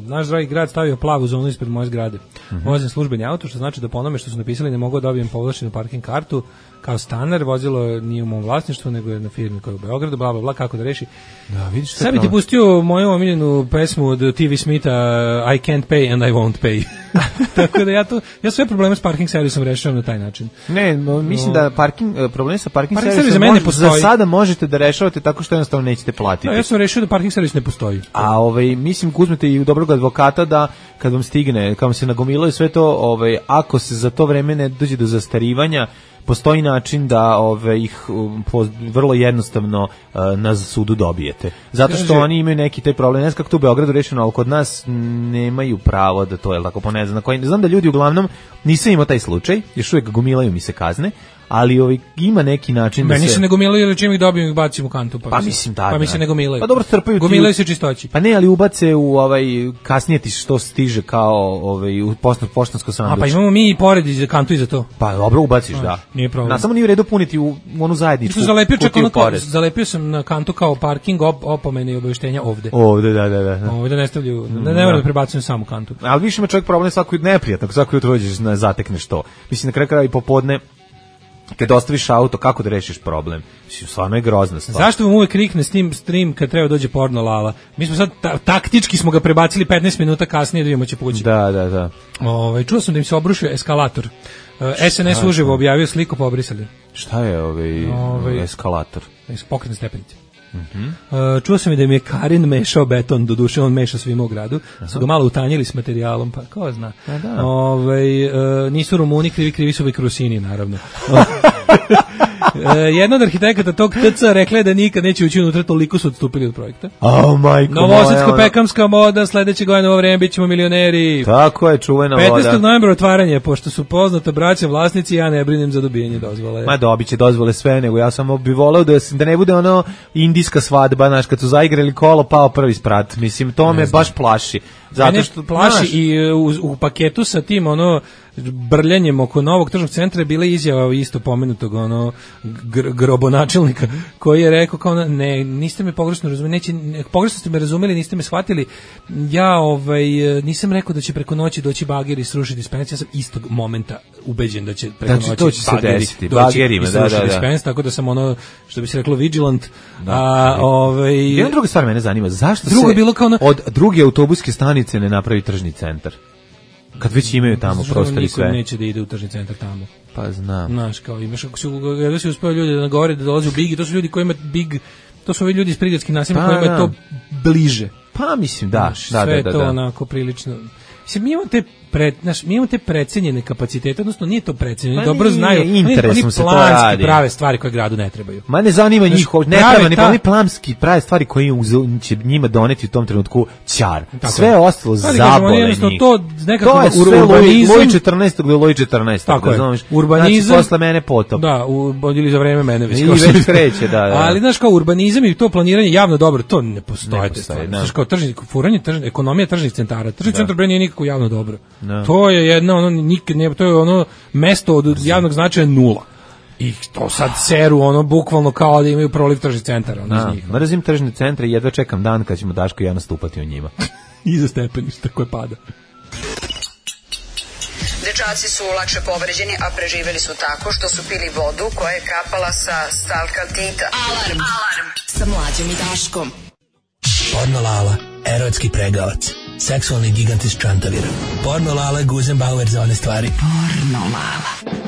Naš dragi grad stavio plavu zonu ispred moje zgrade. Vozim službeni auto, što znači da po onome što su napisali ne mogu da dobijem povlašćenu parking kartu kao stanar, vozilo nije u mom vlasništvu, nego je na firmi koja je u Beogradu, bla, bla, bla, kako da reši. Da, vidiš. Sad bi ti pustio moju omiljenu pesmu od TV Smitha, I can't pay and I won't pay. Tako da ja sve probleme s parking servisom rešavam na taj način. Ne, mislim da problemi sa parking servisom za sada možete da rešavate tako što jednostavno nećete platiti. Da, ja sam rešio da parking servis ne postoji. A mislim uzmete i u dobrog advokata da kad vam stigne, kad vam se nagomilaju sve to, ako se za to vreme ne dođe do zastarivanja, postoji način da ih vrlo jednostavno na sudu dobijete. Zato što oni imaju neki taj problem, ne znam kako to u Beogradu rešeno, ali kod nas nemaju pravo da to, je tako, po ne znam, znam da ljudi uglavnom, nisam imao taj slučaj, još uvijek gomilaju mi se kazne, ali ima neki način da se... Meni se ne gomilaju, jer čim ih dobijem ih bacim u kantu. Pa mislim da. Pa mi se ne gomilaju. Pa dobro, trpaju. Gomilaju se čistoći. Pa ne, ali ubace u kasnije ti što stiže kao u poštansko sanduče. A pa imamo mi i pored kantu i za to. Pa dobro, ubaciš, da. Nije problem. Samo nije u redu puniti u onu zajedničku. Zalepio sam na kantu kao parking, opomene i obavještenja ovde. Ovde, da. Ovde ne stavljaju, ne moram da prebacujem samu kantu. Ali više ima čovjek problem svako neprijatno, svako jutro dođeš zatekneš to. Mislim na kraju krajeva i popodne kad ostaviš auto, kako da rešiš problem? Stvarno je grozna stvar. Zašto vam uvek krikne stream kad treba dođe porno lala? Mi smo sad, taktički smo ga prebacili 15 minuta kasnije da vidimo će poći. Da. Čuo sam da im se obrušio eskalator. SNS uživo objavio sliku, pa obrisali. Šta je eskalator? Pokretne stepenice. Čuo sam i da im je Karin mešao beton, doduše on meša svima u gradu, su ga malo utanjili s materijalom, pa ko zna. Nisu Rumuni, krivi su Rusini, naravno. Jedna od arhitekata tog TC rekla je da nikad neće ući unutra, toliko su odstupili od projekta. Novosadsko-pekamska moda, sledeće godine u ovo vreme bit ćemo milioneri. Tako je, čuvena voda. 15. novembra otvaranje, pošto su poznata braća vlasnici, ja ne brinem za dobijanje dozvole. Ma dobit će dozvole sve, nego ja samo bi voleo da ne bude ono indijska svadba, znaš, kad su zaigrali kolo, pao prvi sprat. Mislim, to me baš plaši. Zato što plaši i u paketu sa tim brljanjem oko novog tržnog centra je bila izjava isto pomenutog grobonačelnika koji je rekao kao ne, niste me pogrešno razumeli, pogrešno ste me razumeli, niste me shvatili. Ja nisam rekao da će preko noći doći bageri i srušiti dispens, ja sam istog momenta ubeđen da će preko noći to će se desiti. Bagerima, da. Dispens, tako da sam što bi se reklo vigilant. Jedna druga stvar mene zanima, zašto se od druge autobuske stanice ne napravi tržni centar? Kad već imaju tamo prostor i sve. Niko neće da ide u tržni centar tamo. Pa znam. Znaš, kao imaš, ako si uspeo ljudi da nagovore da dolaze u Big, to su ljudi koji imaju Big, to su ovi ljudi iz prigradskih naselja koji imaju to bliže. Pa mislim, da. Sve to onako prilično... mi imamo te precenjene kapacitete, odnosno nije to precenjeno, Pa dobro nije, znaju, interesom se to planski radi. prave stvari koje gradu ne trebaju. Ma ne zanima njih, ne prave treba ni ta- oni planski prave stvari koje će njima doneti u tom trenutku ćar. Tako Sve je. ostalo Ali kažemo, zabole jednostavno njih. to nekako To je sve urbanizam- Loj 14. do Loj 14. Tako je. razumeš? Urbanizam- Znači, posle mene potop. Da, ili za vreme mene već. I kao već što- kreće, da. Ali znaš kao urbanizam i to planiranje javno dobro, to ne postoje. Ne te postoji, stvari. da. Znaš kao ekonomija tržnih centara. Tržni centar bre nije nikako javno dobro. Da. To je jedno ono nikad ne, to je ono mesto od javnog značaja nula. I to sad seru ono bukvalno kao da imaju proliv tržnih centara ono iz njih. Mrzim tržne centre i jedva čekam dan kad ćemo Daško i ja nastupati u njima. Iza stepeništa koje pada. Dečaci su lakše povređeni, a preživeli su tako što su pili vodu koja je kapala sa stalkaltita. Alarm sa Mlađom i Daškom. Porno Lala, erotski pregavac, seksualni gigant iz Čantavira. Porno Lala, Guzenbauer za one stvari. Porno Lala.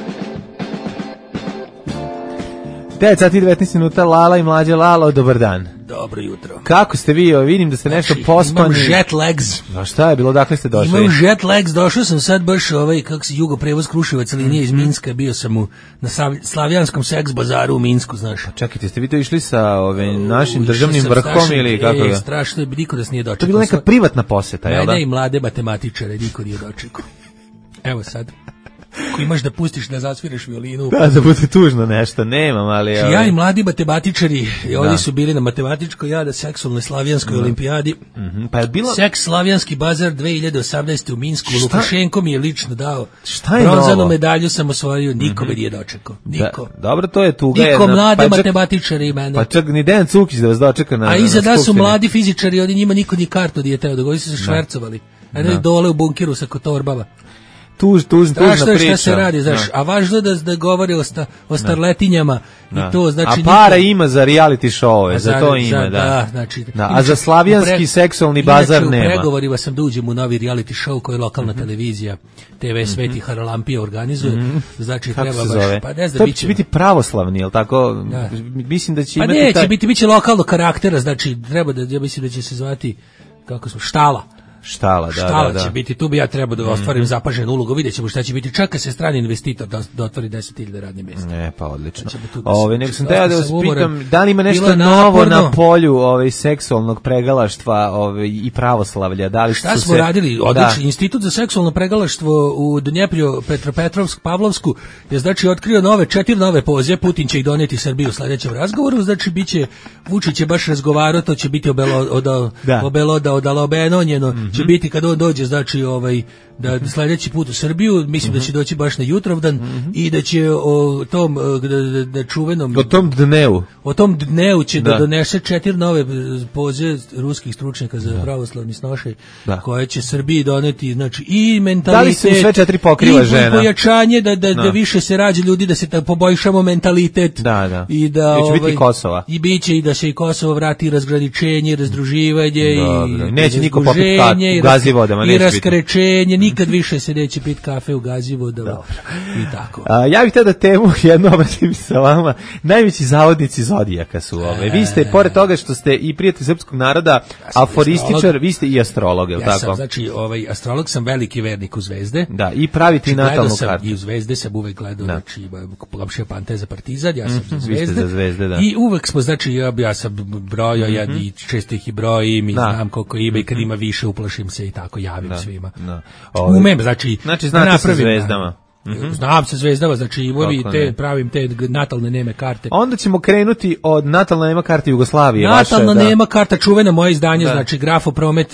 9 sati 19 minuta, Lala i Mlađa. Lalo, dobar dan. Dobro jutro. Kako ste vi? Vidim da ste nešto Znači, pospani. imam jet lags. A šta je bilo? Dakle ste došli? Imam jet lags, došao sam sad baš kako se Jugo prevoz Kruševac linije iz Minska, bio sam na Slavijanskom seks bazaru u Minsku, znaš. Čekajte, ste vi to išli sa našim Išao državnim sam vrhom strašno- ili kako ga? strašno je, niko nas nije dočekao. To je bila neka privatna poseta, jel da? Mene i mlade matematičare, niko nije dočekao. Evo sad. Ako imaš da pustiš da zasviraš violinu. Da bude tužno nešto, nemam, ali... Ja i mladi matematičari, oni su bili na matematičkoj, ja na seksualnoj slavijanskoj olimpijadi. Pa je bilo... Seks slavijanski bazar 2018. u Minsku. Lukašenko mi je lično dao. Šta je bronzanu novo? medalju sam osvojio, niko me nije dočekao. Niko. Dobro, to je tuga. Niko mlade pa čak- matematičari i mene. Pa čak ni Dejan Cukić da vas dočeka na A iza da su skupštini. mladi fizičari, oni njima niko ni kartu nije teo, dogodili su se švercovali. A ne dole u bunkeru sa kotorbama. Tužna Strašno je priča. šta se radi, znaš, a važno je da govori o starletinjama i to, znači... A para ima za reality show-ove, za to ima, da. Znači, Da, a za slavijanski seksualni bazar inače, nema. u pregovorima sam da uđem u novi reality show koji je lokalna televizija TV Sveti Haralampija organizuje, znači Kako treba se baš, zove? pa ne znam, To bit će će... biti pravoslavni, jel tako? Da. Mislim da će Pa imati neće, biće lokalnog karaktera, znači treba da, ja mislim da će se zvati, kako smo, Štala. Štala, da, Štala da. će biti, tu bi ja trebao da ostvarim zapaženu ulogu, vidjet ćemo šta će biti, čeka se strani investitor da otvori 10.000 radnih mjesta. Ne, pa odlično. Hoćemo tu da se- Nego sam teo da vas sam umoran. pitam, da li ima Bilo nešto je novo naporno. na polju seksualnog pregalaštva i pravoslavlja? Da li Šta su smo se- radili? Da. Odlični institut za seksualno pregalaštvo u Dnjeprju Petropetrovsk Pavlovsku je znači otkrio 4 nove poze, Putin će ih donijeti Srbiji u sledećem razgovoru, znači biće Vučić je baš razgovarao, to će biti obelodanjeno, će biti kad on dođe, znači da sledeći put u Srbiju, mislim da će doći baš na Jutrovdan i da će o tom da čuvenom O tom dnevu će da donese 4 nove poze ruskih stručnjaka za pravoslavni snošaj, koje će Srbiji doneti, znači i mentalitet, Da li se u sve 4 pokriva i žena? pojačanje da više se rađa ljudi, da se poboljšamo mentalitet. Da. I da će biti Kosova. I biće i da se i Kosovo vrati, razgraničenje, razdruživanje Dobro. i Neće niko popiti razduženje, u Gazivodama, i neće biti. raskrećenje, nikad više se neće piti kafe u Gazivodama i tako. Ja bih htio da temu jednu obratim sa vama. Najveći zavodnici Zodijaka su ove. Vi ste, pored toga što ste i prijatelj srpskog naroda, aforističar, vi ste i astrolog, je li Ja tako? sam, znači, astrolog sam, veliki vernik u zvezde. Da, i praviti Znači, natalnu gledao sam kartu. I u zvezde sam uvek gledao, znači, Komšija Pante za Partizan, ja sam za Vi zvezde. ste za zvezde, da. I uvek smo, znači, ja sam brojao, i često ih i brojim, i znam koliko ima, i kad ima više uplašim se i tako, javim svima. Umem, znači znate sa napravim, zvezdama. Znam se zvezdama, znači Kako ne. pravim te natalne neme karte. Onda ćemo krenuti od natalna nema karte Jugoslavije. Natalna vaše, nema karta, čuveno moje izdanje, Da. znači Grafopromet,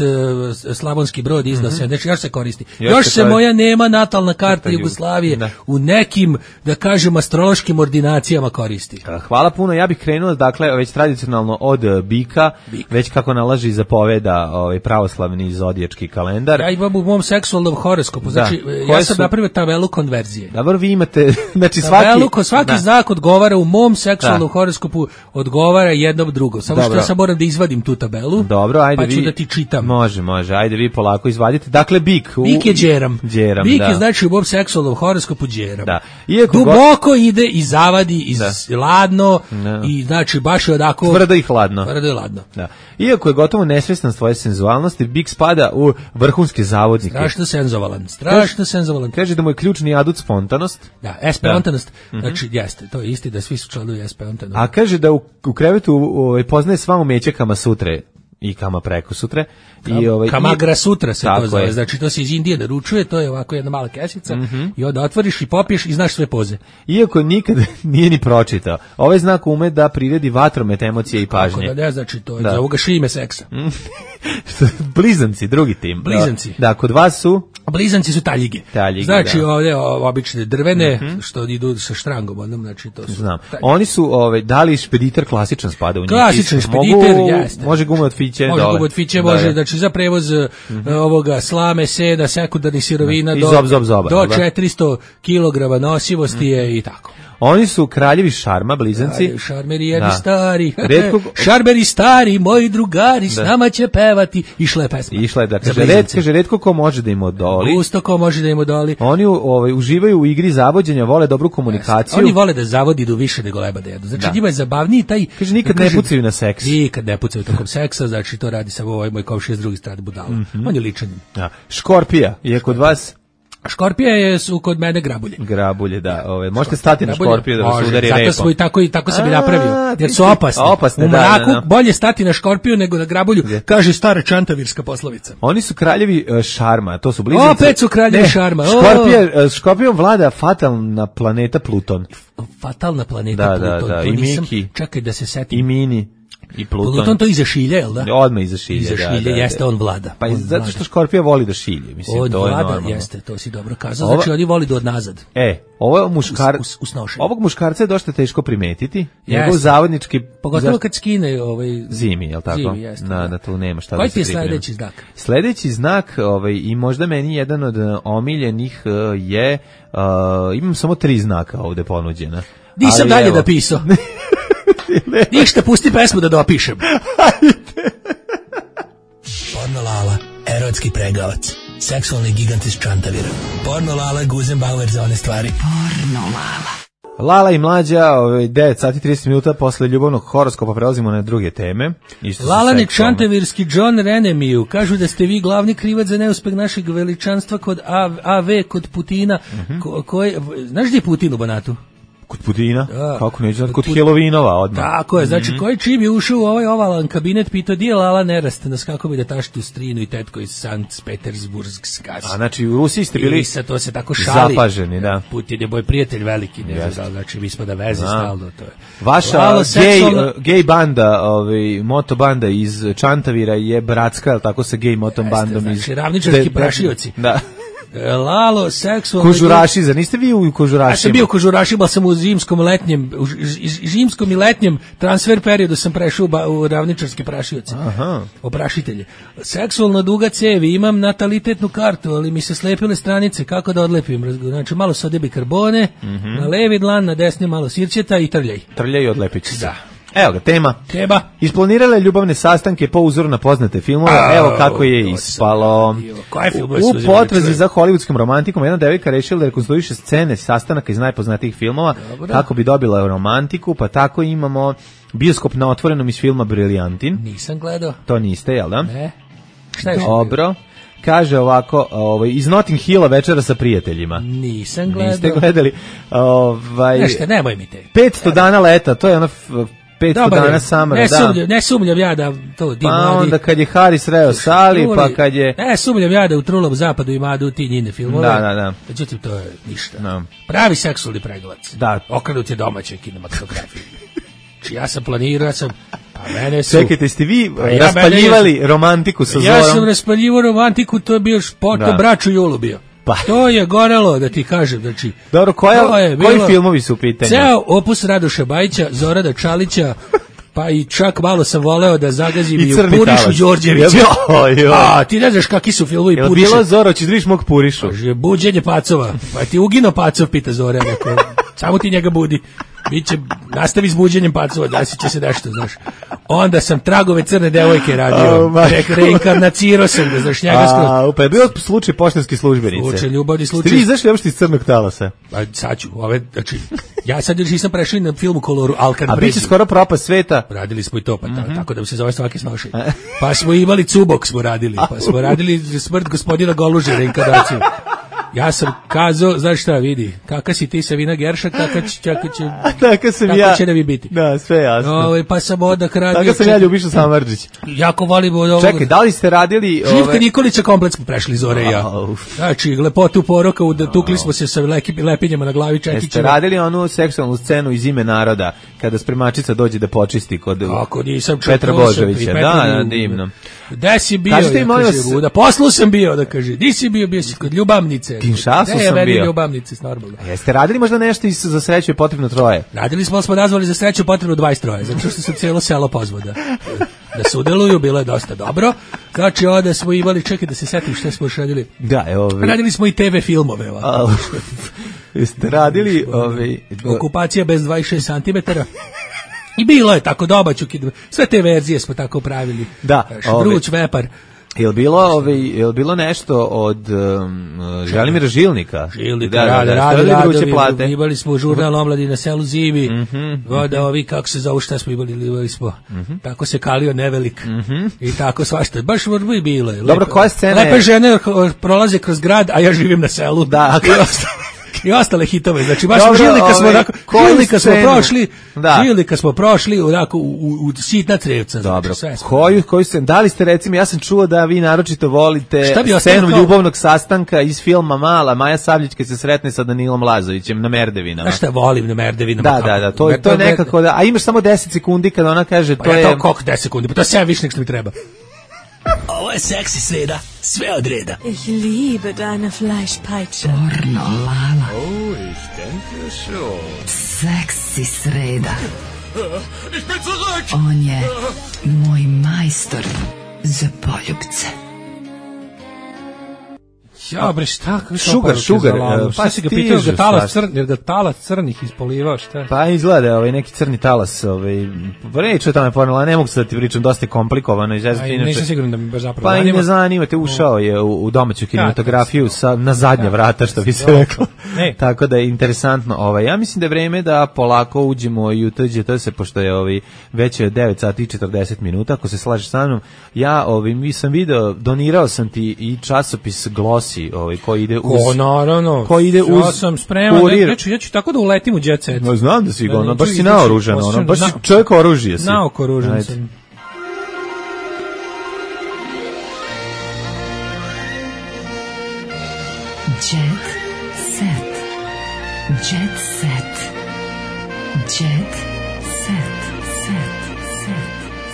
Slavonski Brod izda se, znači još se koristi. Još Još se se koristi. moja nema natalna karta Karta Jugoslavije Da. u nekim, da kažem, astrološkim ordinacijama koristi. Hvala puno, ja bih krenuo, dakle, već tradicionalno od bika, već kako nalaže i zapoveda pravoslavni zodijački kalendar. Ja imam u mom seksualnom horoskopu, znači ja Koje sam su- napravio tabelu konverzije verzije. Dobro, vi imate, znači svaki znak odgovara u mom seksualnom horoskopu, odgovara jednom drugom. Samo što ja sam moram da izvadim tu tabelu. Dobro, ajde pa ću da ti čitam. Može, ajde vi polako izvadite. Dakle, bik. Bik je đeram. Bik je znači u mom seksualnom horoskopu đeram. Da. Duboko ide i zavadi iz ladno i znači baš je odako tvrdo i hladno. Da. Iako je gotovo nesvestan svoje senzualnosti, bik spada u vrhunske zavodnike. Strašno senzualan. Kaže da mu je ključni adut spontanost. Da, spontanost. Znači, jeste, to je isti da svi su članovi spontanost. A kaže da u krevetu poznaje sva umeća Kama Sutre i Kama preko sutre. Kamagra sutra se to zove, znači to se iz Indije naručuje, to je ovako jedna mala kesica i onda otvoriš i popiješ i znaš sve poze. Iako nikad nije ni pročitao, ovaj znak ume da priredi vatromet emocije i pažnje. Kako da ne, znači to je za ovoga šime seksa. Blizanci, drugi tim. Blizanci. Da, kod vas su? Blizanci su taljige. Znači ovdje obične drvene, što idu sa štrangom, onom, znači to su. Znam. Oni su, da li špediter klasičan spada u njih? Klasičan špediter, jeste. Može gume od fiće dole. Može gume od fiće, može, znači za prevoz ovoga slame, seda, sekundarnih sirovina do 400 kg nosivosti je i tako. Oni su kraljevi šarma, blizanci. Šarmeri jedni stari. Šarmeri stari, moji drugari, s nama će pevati. Išla je pesma. Kaže, retko ko može da im odoli. Gusto ko može da im odoli. Oni uživaju u igri zavođenja, vole dobru komunikaciju. Oni vole da zavodi do više nego leba da jedu. Znači njima je zabavniji taj... Kaže, nikad ne pucaju na seks. Nikad ne pucaju tokom seksa, znači to radi samo ovaj moj komšija s druge strane budala. On je ličan. Škorpija je kod vas... Škorpije su kod mene grabulje. Grabulje, da. Možete stati na škorpiju da vas udari repom. Zato i tako sam je napravio. Jer su opasne. U mraku bolje stati na škorpiju nego na grabulju, kaže stara čantavirska poslovica. Oni su kraljevi šarma, to su blizanci. Opet su kraljevi šarma. Škorpijom vlada fatalna planeta Pluton. Fatalna planeta Pluton. Da. I Miki. Čekaj da se setim. I Mini. I Pluton to iza šilje, jel da? Odmah iza šilje, iza šilje, jeste, on vlada. Pa zato što Škorpija voli da šilje, mislim, on to je vlada, normalno. Jeste, to si dobro kazao, znači oni voli da odnazad. Ovog muškarca je dosta teško primetiti, njegov zavodnički... Pogotovo kad skine zimi, jel tako? Zimi, jeste. Da, tu nema šta koji da se ti je sledeći znak? Sledeći znak, i možda meni jedan od omiljenih je, imam samo 3 znaka ovde ponuđena. Nisam dalje napisao. Ništa, pusti pesmu da dopišem. Porno Lala, erotski pregavac, seksualni gigant iz Čantavira. Porno Lala, Guzenbauer za one stvari. Porno Lala. Lala i Mlađa, 9 sati 30 minuta posle ljubavnog horoskopa prelazimo na druge teme. Lalani čantavirski John Renemiju, kažu da ste vi glavni krivac za neuspeh našeg veličanstva kod AV, kod Putina. Znaš gdje je Putin u Banatu? Kod Putina? Kako neće znati? Kod Helovinova odmah. Tako je, znači koji čim je ušao u ovaj ovalan kabinet, pitao di je Lala Nerastanas, kako bi da tašti u strinu i tetko iz Sankt Petersburgska. A znači u Rusiji ste bili to se tako šali. Zapaženi, da. Putin je moj prijatelj veliki, ne znam, znači mi smo da veze stalno. To je. Vaša gej banda, moto banda iz Čantavira je bratska, tako sa gej motom bandom. Znači ravničarski prašioci. Da. Lalo, seksualno... Kožuraši, zar niste vi u Kožurašima? Ja sam bio u Kožurašima, sam u zimskom i letnjem transfer periodu sam prešao u ravničarske prašioce. Oprašitelje. Seksualno duga cevi, imam natalitetnu kartu, ali mi se slepile stranice, kako da odlepim? Znači, malo sode bikarbone, na levi dlan, na desni malo sirćeta i trljaj. Trljaj i odlepit će se. Da. Evo ga, tema. Isplanirala je ljubavne sastanke po uzoru na poznate filmove. Evo kako je ispalo. U potrazi za hollywoodskom romantikom jedna devojka rešila da rekonstruiše scene sastanaka iz najpoznatijih filmova kako bi dobila romantiku, pa tako imamo bioskop na otvorenom iz filma Briljantin. Nisam gledao. To niste, jel da? Ne. Šta je dobro. Kaže ovako, iz Notting Hilla večera sa prijateljima. Nisam gledao. Niste gledali. Nešto, nemoj mi te. 500 dana leta, to je ono 500 dana samara, ne sumnjam ja da to di mladi. Pa onda kad je Haris reo Sali, pa kad je... Ne sumnjam ja da u Trulom zapadu ima ti njine filmove. Da. Međutim, to je ništa. No. Pravi seksualni pregavac. Da. Okrenut je domaće kinematografije. Či ja sam planirao, pa mene su... Čekajte, ste vi raspaljivali romantiku sa Zorom? Ja sam raspaljivao romantiku, to je bio to braću Julu bio. To je gorelo, da ti kažem, znači... Dobro, koji filmovi su u pitanju? Ceo opus Radoša Bajića, Zorada Čalića, pa i čak malo sam voleo da zagazim i u crni Purišu talas. Đorđevića. Joj. A, ti ne znaš kakvi su filmovi Jel Puriše. bilo Zoro, ćeš da vidiš mog Purišu? Kaže, buđenje pacova. Pa ti ugino pacov, pita Zora. Samo ti njega budi. Biće, nastavi s buđenjem pacova, desit će se nešto, znaš. Onda sam Tragove crne devojke radio. Reinkarnacirao sam ga, znaš, njega skoro. Pa je bio slučaj poštanske službenice. Slučaj, ljubavni slučaj. Ste vi izašli uopšte iz crnog talasa? Pa sad ću, znači, ja sad još nisam prešao na film u koloru Alkan. A biće skoro propast sveta. Radili smo i to, pa tako da se zove svaki snošaj. Pa smo imali Cubok, smo radili, pa smo radili Smrt gospodina Goluže, reinkarnaciju. Ja sam kazao, znaš šta, vidi, kakav si ti Savina Gerša, tako će da vi biti. Da, sve jasno. Pa sam odak radio. Tako sam ja Ljubiša Samardžić. Jako volim od ovoga. Čekaj, da li ste radili... Živka Nikolića komplet smo prešli, Zore i ja. Znači, lepotu poroka, tukli smo se sa lepinjama na glavi čekićima. Jeste radili onu seksualnu scenu iz Ime naroda, kada spremačica dođe da počisti kod Petra Božovića. Da, divno. Gde si bio? Da poslu sam bio, da kaže. Di si bio si kod Ljubavnice. Kinšasu sam bio. Ljubavnice, normalno. Jeste radili možda nešto za sreću je potrebno 3? Radili smo, ali smo nazvali za sreću potrebno 23, zato što se cijelo selo pozvao da se udeluju, bilo je dosta dobro. Znači, onda smo imali, čekaj da se setim šta smo još radili. Da, radili smo i TV filmove. Jeste radili... Okupacija bez 26 cm. I bilo je tako domaću, sve te verzije smo tako pravili. Da. Vruć vepar. Jel bilo nešto od Želimira Žilnika? Žilnika, radovi, imali smo žurnal Omladi na selu zimi, voda ovi, kako se zovu, šta smo imali smo, tako se kalio nevelik, i tako svašta, baš bi bilo. Dobro, koja scena je? Lepe žene prolaze kroz grad, a ja živim na selu. Da, i ostale hitove, znači baš Žilnika smo prošli onako u sitna crevca. Dobro, koju scenu, da li ste recimo, ja sam čuo da vi naročito volite scenu ljubavnog sastanka iz filma Mala, Maja Sabljić kad se sretne sa Danilom Lazovićem na Merdevinama. Znaš šta volim na Merdevinama? Da, to je nekako, a imaš samo 10 sekundi kada ona kaže to je... Pa ja to koliko 10 sekundi, pa to je sve više nek što mi treba. Ovo je seksi sreda, sve od reda. Ich liebe deine Fleischpeitsche. Pornolala. Oh, ich denke schon. Seksi sreda. Ich bin zurück. On je moj majstor za poljubce. Ja, bre, šta? Sugar. Pa si ga pitao, jer ga talas crnih ispolivao, šta? Pa izgleda neki crni talas, reč o tome pornolala, ne mogu se da ti pričam, dosta je komplikovano. Nisam siguran da mi baš zapravo zanima. Pa i ne zanima te, ušao je u domaću kinematografiju na zadnja vrata, što bi se reklo. Tako da je interesantno. Ja mislim da je vreme da polako uđemo i u TGT, pošto je već je 9 sati i 40 minuta, ako se slažeš sa mnom. Ja sam video, donirao sam ti i časopis Glossy, koji ide uz... naravno. Koji ide uz... Ja sam spreman, ja ću tako da uletim u jet set. No, znam da si ga, baš si naoružan, baš si čovjek oružje si. Naoko oružan sam. Jet set. Jet set. Jet set.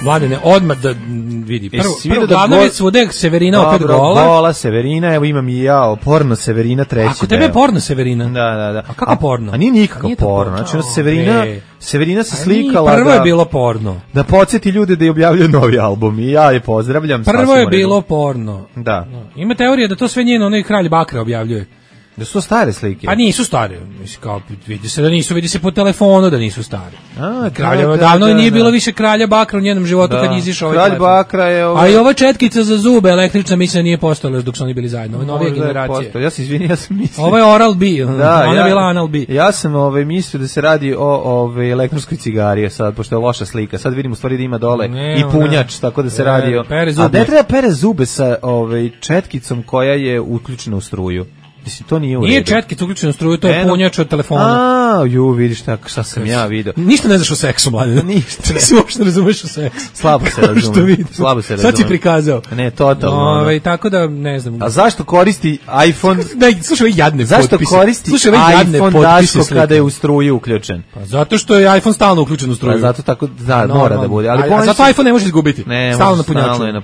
Mladene, odmah da vidi. Prvo glavna već svude Severina opet gola. Gola Severina, evo imam i ja, porno Severina treći. Ako tebe je porno Severina? Da. A kako porno? A nije nikakav porno. Znači, Severina se slikala. Prvo je bilo porno. Da podsjeti ljude da je objavljaju novi album i ja je pozdravljam. Prvo je bilo porno. Da. Ima teorija da to sve njeno onaj Kralj Bakra objavljuje. Da su stare slike. A nisu stare. Mislim, kao, vidi se po telefonu da nisu stare. Kralja davno nije bilo više Kralja Bakra u njenom životu kad izišao ovaj Kralj Bakra je A i ova četkica za zube električna, mislim, nije postojala dok su oni bili zajedno. Ove novije generacije. Ja se izvinim, ja sam mislio. Ovo je Oral B, ona je bila Anal B. Ja sam mislio da se radi o elektronskoj cigari, sad, pošto je loša slika. Sad vidim u stvari da ima dole i punjač, tako da se radi o... A ne treba pere zube sa četkicom koja je uključena u struju. Mislim, to nije u redu. Nije četkica uključena u struju, to je punjač od telefona. Vidiš šta sam ja vidio. Ništa ne znaš o seksu, mladine. Ništa. Ti se uopšte razumeš o seksu. Slabo se razumem. Sad si prikazao. Ne, totalno. Tako da, ne znam. A zašto koristi iPhone? Slušaj, jadne potpise. Zašto koristi iPhone Daško kada je u struju uključen? Pa zato što je iPhone stalno uključen u struju. Pa zato tako, mora da bude. A zato iPhone ne može izgubiti. Stalno na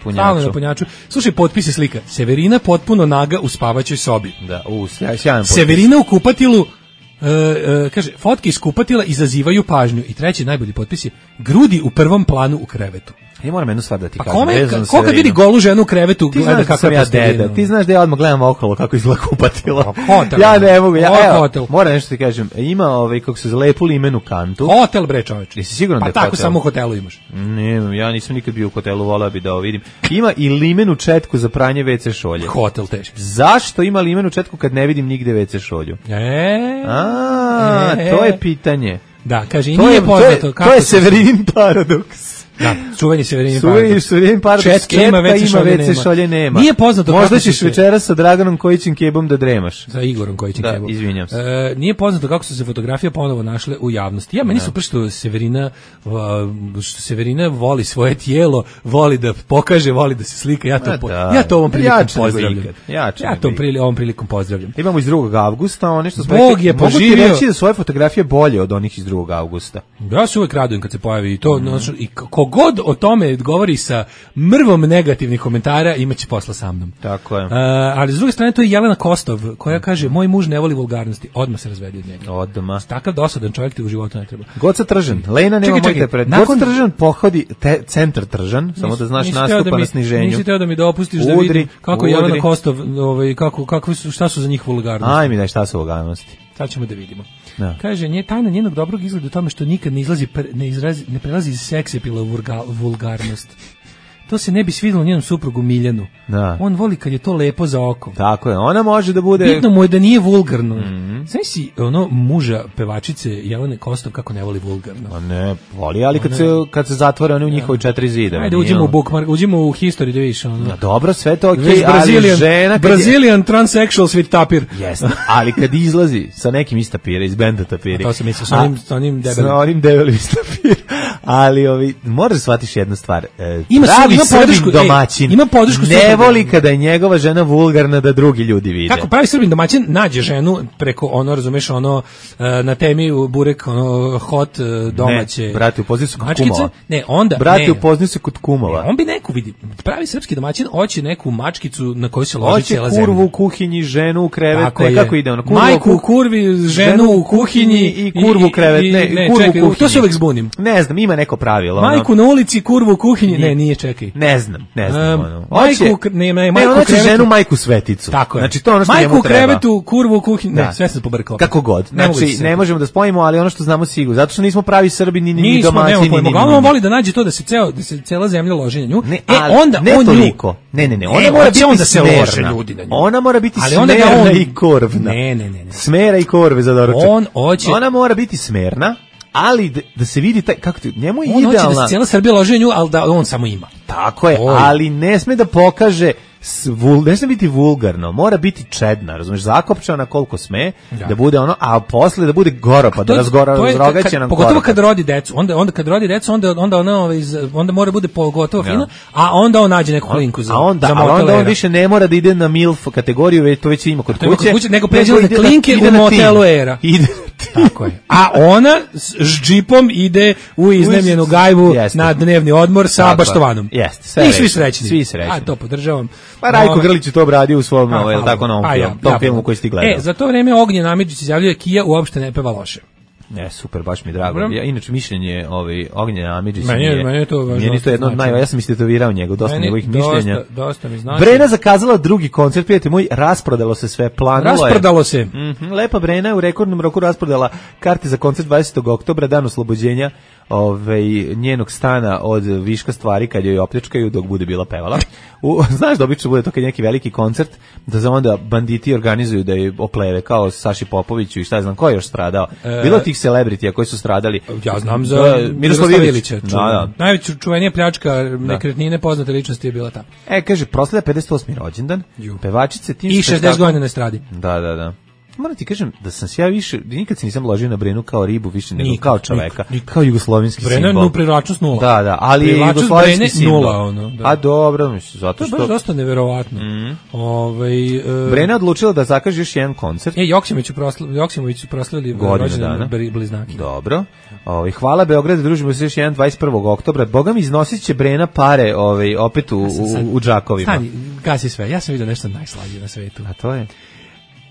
punjaču. Slušaj, potpise slika. Severina potpuno naga u spavaćoj sobi. Da, sjajan potpis. Severina u kupatilu Kaže, fotke iz kupatila izazivaju pažnju. I treći najbolji potpis je grudi u prvom planu u krevetu. Ja moram jednu stvar da ti Pa kažem. ko kad vidi golu ženu u krevetu, gleda kako je deda. Ti znaš da ja odmah gledam okolo kako izgleda kupatilo. Hotel. Ja ne mogu. Hotel. Moram nešto ti kažem. Ima kako se lepu limenu kantu. Hotel bre čoveče. Jesi siguran da je hotel? Pa tako hotel? samo u hotelu imaš. Ne, ja nisam nikad bio u hotelu, voleo bi da ovo vidim. Ima i limenu četku za pranje WC šolje. Hotel teški. Zašto ima limenu četku kad ne vidim nigde WC šolju? To je pitanje. Da, kaže, i nije poznato kako... To je Severinin paradoks. Da, čuveni Severinin paradoks. Četka ima WC šolje nema. Nije poznato možda ćeš večeras sa Draganom Kojićem Kebom da dremaš. Sa Igorom Kojićem Kebom. Da, izvinjam se. Nije poznato kako su se fotografije ponovo našle u javnosti. Meni su što Severina voli svoje tijelo, voli da pokaže, voli da se slika. Ja to ovom prilikom pozdravljam. Ja to ovom prilikom pozdravljam. Imamo iz 2. avgusta, one što smo Bog je poživio. Mogu ti reći da svoje fotografije bolje od onih iz 2. avgusta. Ja se uvek radujem kad se pojavi to, i kogod o tome govori sa mrvom negativnih komentara, imaće posla sa mnom. Tako je. Ali s druge strane to je Jelena Kostov, koja kaže, moj muž ne voli vulgarnosti, odmah se razvedi od njega. Odmah. Takav dosadan čovjek ti u životu ne treba. Goca Tržan, Lena nema mojte pred. Goca Tržan pohodi centar Tržan, samo da znaš nastupa na sniženju. Nisi teo da mi dopustiš da vidim kako Jelena Kostov, šta su za njih vulgarnosti. Aj mi daj šta su vulgarnosti. Sad ćemo da vidimo. Da. Kaže, tajna njenog dobrog izgleda u tome što nikad ne prelazi iz seksapila u vulgarnost. To se ne bi svidjelo njenom suprugu Miljanu. Da. On voli kad je to lepo za oko. Tako je, ona može da bude... Bitno mu je da nije vulgarno. Znaš si muža pevačice Jelene Kostov kako ne voli vulgarno? A ne, voli, ali kad se zatvore one u njihovi 4 zida. Ajde, uđimo u history da vidiš. Dobro, sve to okej, ali žena... Brazilian transsexual sweet tapir. Jeste, ali kad izlazi sa nekim iz tapira, iz benda tapiri... To sam mislio, sa onim debelim. Sa onim debelim iz tapira. Ali, moraš da shvatiš jednu stvar. Ima Srbin domaćin ima podršku ne voli kada je njegova žena vulgarna da drugi ljudi vide. Kako pravi Srbin domaćin nađe ženu preko razumeš na temi burek hot domaće. Ne, brate, upoznaju se kod kumova. Ne, onda brate, upoznaju se kod kumova. On bi neku vidi. Pravi srpski domaćin hoće neku mačkicu na kojoj se loži cijela zemlja. Hoće kurvu u kuhinji, ženu u krevet, kako ide ono? Majku u kurvi, ženu u kuhinji i kurvu u krevet. Ne, kurvu u kuhinji. To se uvek zbunim. Ne znam, ima neko pravilo. Majku na ulici, kurvu u kuhinji. Ne, nije, čekaj. Ne znam. Majku krevetu, ženu majku sveticu. Tako je. Znači to ono što majku u krevetu, kurvu u kuhinji. Ne, sve sam pobrkao. Kako god. Znači ne možemo da spojimo, ali ono što znamo sigurno, zato što nismo pravi Srbi ni domaćini. On voli da nađe to da se cela zemlja loži na nju. Onda ne toliko. Ne. Ona mora biti da se lože ljudi na nju. Ona mora biti smerna i korvna. Ne. Smera i korve za doručak. Ona mora biti smerna. Ali da se vidi kako njemu je idealna. On hoće da se cijela Srbija loži nju, ali da on samo ima. Tako je, ali ne sme da pokaže, ne sme biti vulgarno, mora biti čedna, razumiješ, zakopčana koliko sme, da bude ono, a posle da bude goro, pa da razrogaće nam pogotovo kad rodi decu, onda kad rodi decu, onda mora bude pogotovo fino, a onda on nađe neku klinku za motelera. A onda on više ne mora da ide na MILF kategoriju, to već ima kod kuće, nego pređe na klinke u motelu Era. Tako je. A ona s džipom ide u iznemljenu gajbu na dnevni odmor sa baštovanom. Jeste. I svi srećni. Svi srećni. A to podržavam. Pa Rajko Grlić je to obradio u svom tako novom filmu koji ste gledali. Za to vreme Ognjen Amidžić izjavljuje Kija uopšte ne peva loše. Ne, super, baš mi drago. Ja inače mišljenje Ognjena Amidžića meni je to važno. Meni je to jedno od ja sam istetovirao njega, dosta njegovih mišljenja. Dosta mi znači. Brena zakazala drugi koncert, prijatelj moj, rasprodalo se sve, Rasprodalo se. Lepa Brena je u rekordnom roku rasprodala karte za koncert 20. oktobra, dan oslobođenja njenog stana od viška stvari kad joj opljačkaju dok bude bila pevala. Znaš da obično bude to kad neki veliki koncert, da za onda banditi organizuju da je opleve kao Saši Popoviću i šta znam ko je još stradao. Bilo tih celebritija koji su stradali. Ja znam za Miroslav Ilića. Najveća čuvenija pljačka nekretnine poznate ličnosti je bila ta. Kaže, proslavlja 58. rođendan, pevačice tim i 60 godina na estradi. Da. Moram ti kažem da sam se ja više, nikad se nisam ložio na Brenu kao ribu više nego kao čoveka, kao jugoslovenski simbol. Brena privlačnost 0. Da, ali je jugoslovenski simbol. 0, a dobro, mislim, zato što... To je baš dosta neverovatno. Brena odlučila da zakaže još jedan koncert. Joksimović su proslavili rođendan bliznaki. Dobro. Hvala Beograd, družimo se još jedan 21. oktobra. Boga mi iznosit će Brena pare opet u džakovima. Stani, gasi sve. Ja sam vidio nešto najslađe na svetu. A to je?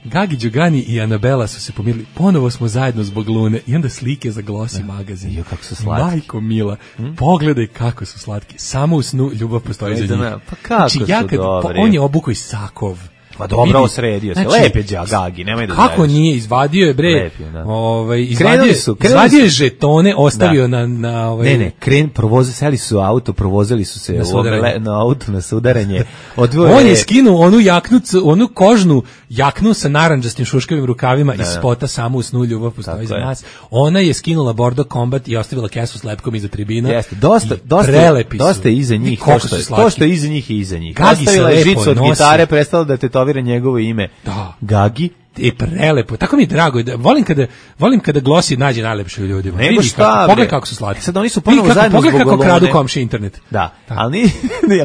Gagi Đogani i Anabela su se pomirili. Ponovo smo zajedno zbog Lune. I onda slike za Glossy magazin. Jo, kako su slatki. Majko mila, pogledaj kako su slatki. Samo u snu ljubav postoji za njih. Pa kako su dobri. On je obukao i sakov. Pa dobro, osredio se. Lepe Gagi, nemoj da kako daješ. nije, izvadio je bre. Lep je, da. Izvadio je žetone, ostavio na Ne, seli su auto, provozili su se na auto na sudaranje. On je skinuo onu jaknu, onu kožnu jaknu sa narandžastim šuškavim rukavima iz spota Samo u snu ljubav postoji za nas. Ona je skinula Bordo Combat i ostavila kesu s lepkom iza tribina. Jeste, dosta iza njih. To što je iza njih i iza njih. Ostavila je žicu od gitare, prestala da tetovira njegovo ime. Gagi. Prelepo. Tako mi je drago. Volim kada Glossy nađe najlepše u ljudima. Pogledaj kako su slatki. Sad oni su ponovo zajedno zbog Pogledaj kako kradu komši internet. Da. Ali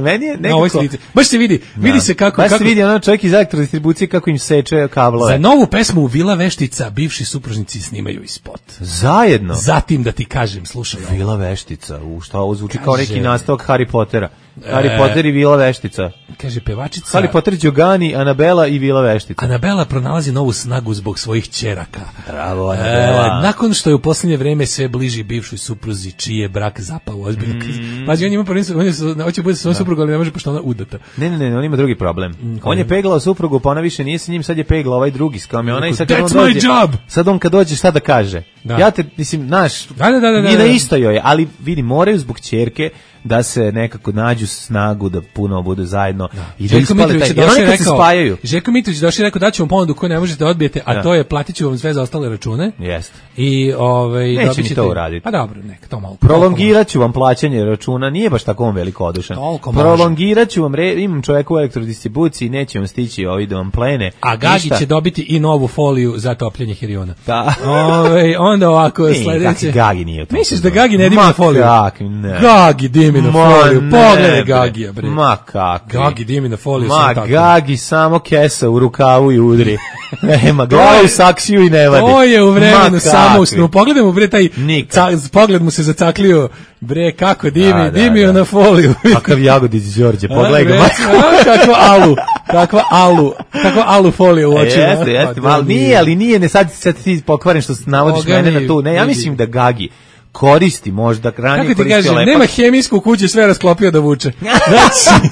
meni je nekako... Baš se vidi. Vidi se kako... Baš se vidi ono čovjek iz elektrodistribucije kako im seče kablove. Za novu pesmu u Vila Veštica bivši supružnici snimaju i spot. Zajedno? Zatim da ti kažem, slušaj. Vila Veštica. Šta ovo zvuči kao neki nastavak Harry Pottera. Harry Potter i Vila Veštica. Kaže pevačica... Harry Potter, Đogani, Anabela i Vila Veštica. Anabela pronalazi novu snagu zbog svojih ćeraka. Bravo, Anabela. Nakon što je u posljednje vreme sve bliži bivšoj supruzi, čiji je brak zapao ozbiljno. Pazi, on ima prvenstvo, hoće bude sa svojom suprugom, ali ne može pošto ona udata. Ne, on ima drugi problem. On je peglao suprugu, pa ona više nije sa njim, sad je peglao ovaj drugi s kamiona i sad That's my job! Sad on kad dođe, šta da kaže? Ja te, mislim, znaš, nije na isto joj, ali vidi, moraju zbog ćerke da se nekako nađu snagu da puno budu zajedno i da ispale taj, jer oni kad se spajaju. Željko Mitrović došao i rekao da ću vam ponudu koju ne možete da odbijete, a to je platit ću vam sve za ostale račune. Jeste. I neće mi to uraditi. Pa dobro, neka to malo. Prolongirat ću vam plaćanje računa, nije baš tako on velikodušan. Prolongirat ću vam, imam čoveka u elektrodistribuciji, neće vam stići ovi da vam plene. A Gagi će dobiti i novu foliju za topljenje hiriona. Da. Onda ovako sledeće. Gagi nije u tom. Misliš da Gagi ne dimi na foliju? Gagi dimi na foliju. Pogledaj Gagija, bre. Ma kako? Gagi dimi na foliju. Gagi samo kesa u rukavu i udri. Nema glavu, saksiju i ne vadi. To je u vremenu samo u snu. Pogledaj mu, bre, taj pogled mu se zacaklio. Bre, kako dimio na foliju. Kakav Jagodić Đorđe, pogledaj ga. Kakva alu foliju u očima. Jeste, ali nije, ne sad ti pokvaren što navodiš mene na tu. Ne, ja mislim da Gagi koristi možda ranije koristio lepak. Kako ti kažem, nema hemijsku kuću, sve rasklopio da vuče. Znači,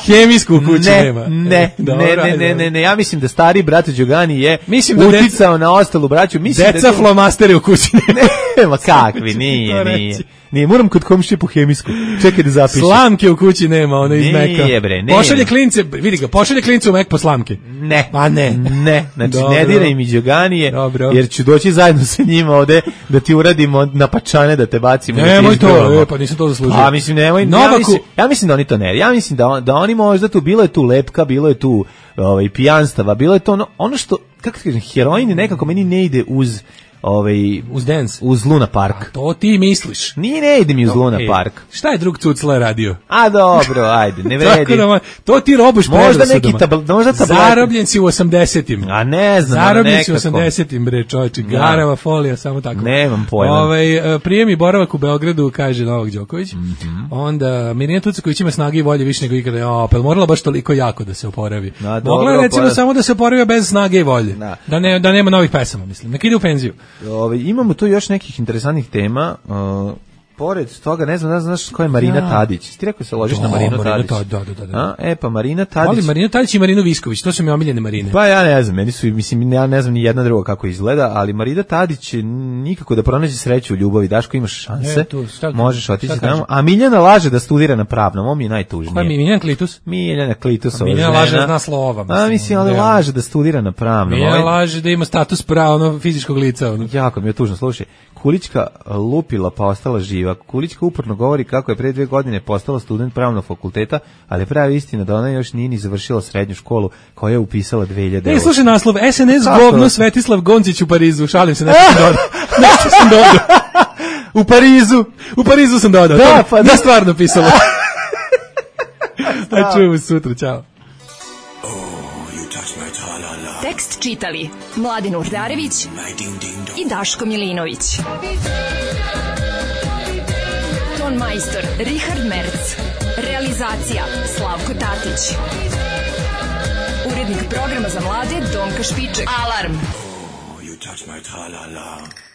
hemijsku kuću nema. Ne, ja mislim da stari brat Đogani je uticao na ostalu braću. Deca flomasteri u kući. Ma kakvi, nije, moram kod komšije po hemijsku. Čekaj da zapišem. Slamke u kući nema, ono iz Meka. Nije bre, ne. Pošalje klince, vidi ga, pošalje klince u Mek po slamke. Ne. Pa ne. Znači ne diraj mi Đoganije, jer ću doći zajedno sa njima ovde da ti uradimo na pačane da te bacimo. Nemoj to, pa nisam to zaslužio. A mislim, nemoj. Ja mislim da oni to ne. Ja mislim da oni možda tu, bilo je tu lepka, bilo je tu pijanstava, bilo je to ono što, kako ti kažem, heroin nekako meni ne ide uz uz dance, uz Luna Park. A to ti misliš? Ne ide mi uz Luna Park. Šta je drug Cucla radio? A dobro, ajde, ne vredi. To ti robuš predrasudama. Možda zarobljen si u 80-im. A ne znam, zarobljen si u 80-im, bre, čovječe, garava folija, samo tako. Nemam pojma. Prijem i boravak u Beogradu, kaže Novak Đoković. Onda Mirjana Tucaković ima snage i volje više nego ikada. Pa morala baš toliko jako da se oporavi. Mogla je recimo samo da se oporavi bez snage i volje. Da nema novih pesama, mislim. Nek ide u penziju. Imamo tu još nekih interesantnih tema. Pored toga, ne znam, znaš ko je Marina Tadić. Ti rekao se ložiš na Marinu Tadić. Da. Pa Marina Tadić. Ali Marina Tadić i Marino Visković, to su mi omiljene Marine. Pa ja ne znam, meni su, mislim, ja ne znam ni jedna druga kako izgleda, ali Marina Tadić nikako da pronađe sreću u ljubavi. Daško, imaš šanse, možeš otići tamo. A Miljana laže da studira na pravnom, on mi je najtužnije. Ko je Miljana Klitus? Miljana Klitus, ova žena. Miljana laže da zna slova. Mislim, ali laže da studira na pravnom. Miljana laže da ima status pravo fizičkog lica. Jako mi je tužno, slušaj. Kulićka lupila pa ostala živa. Kulićka uporno govori kako je pre 2 godine postala student pravnog fakulteta, ali pravi istina da ona još nije ni završila srednju školu koja je upisala 2009. Slušaj naslov, SNS govno Svetislav Goncić u Parizu. Šalim se, nešto sam dodao. U Parizu sam dodao. Da, pa da, stvarno pisalo. Da čujemo sutra, čao. Tekst čitali Mladin Urdarević i Daško Milinović. Ton majstor Richard Merc. Realizacija Slavko Tatić. Urednik programa za mlade Donka Špiček. Alarm! You touch my tra-la-la.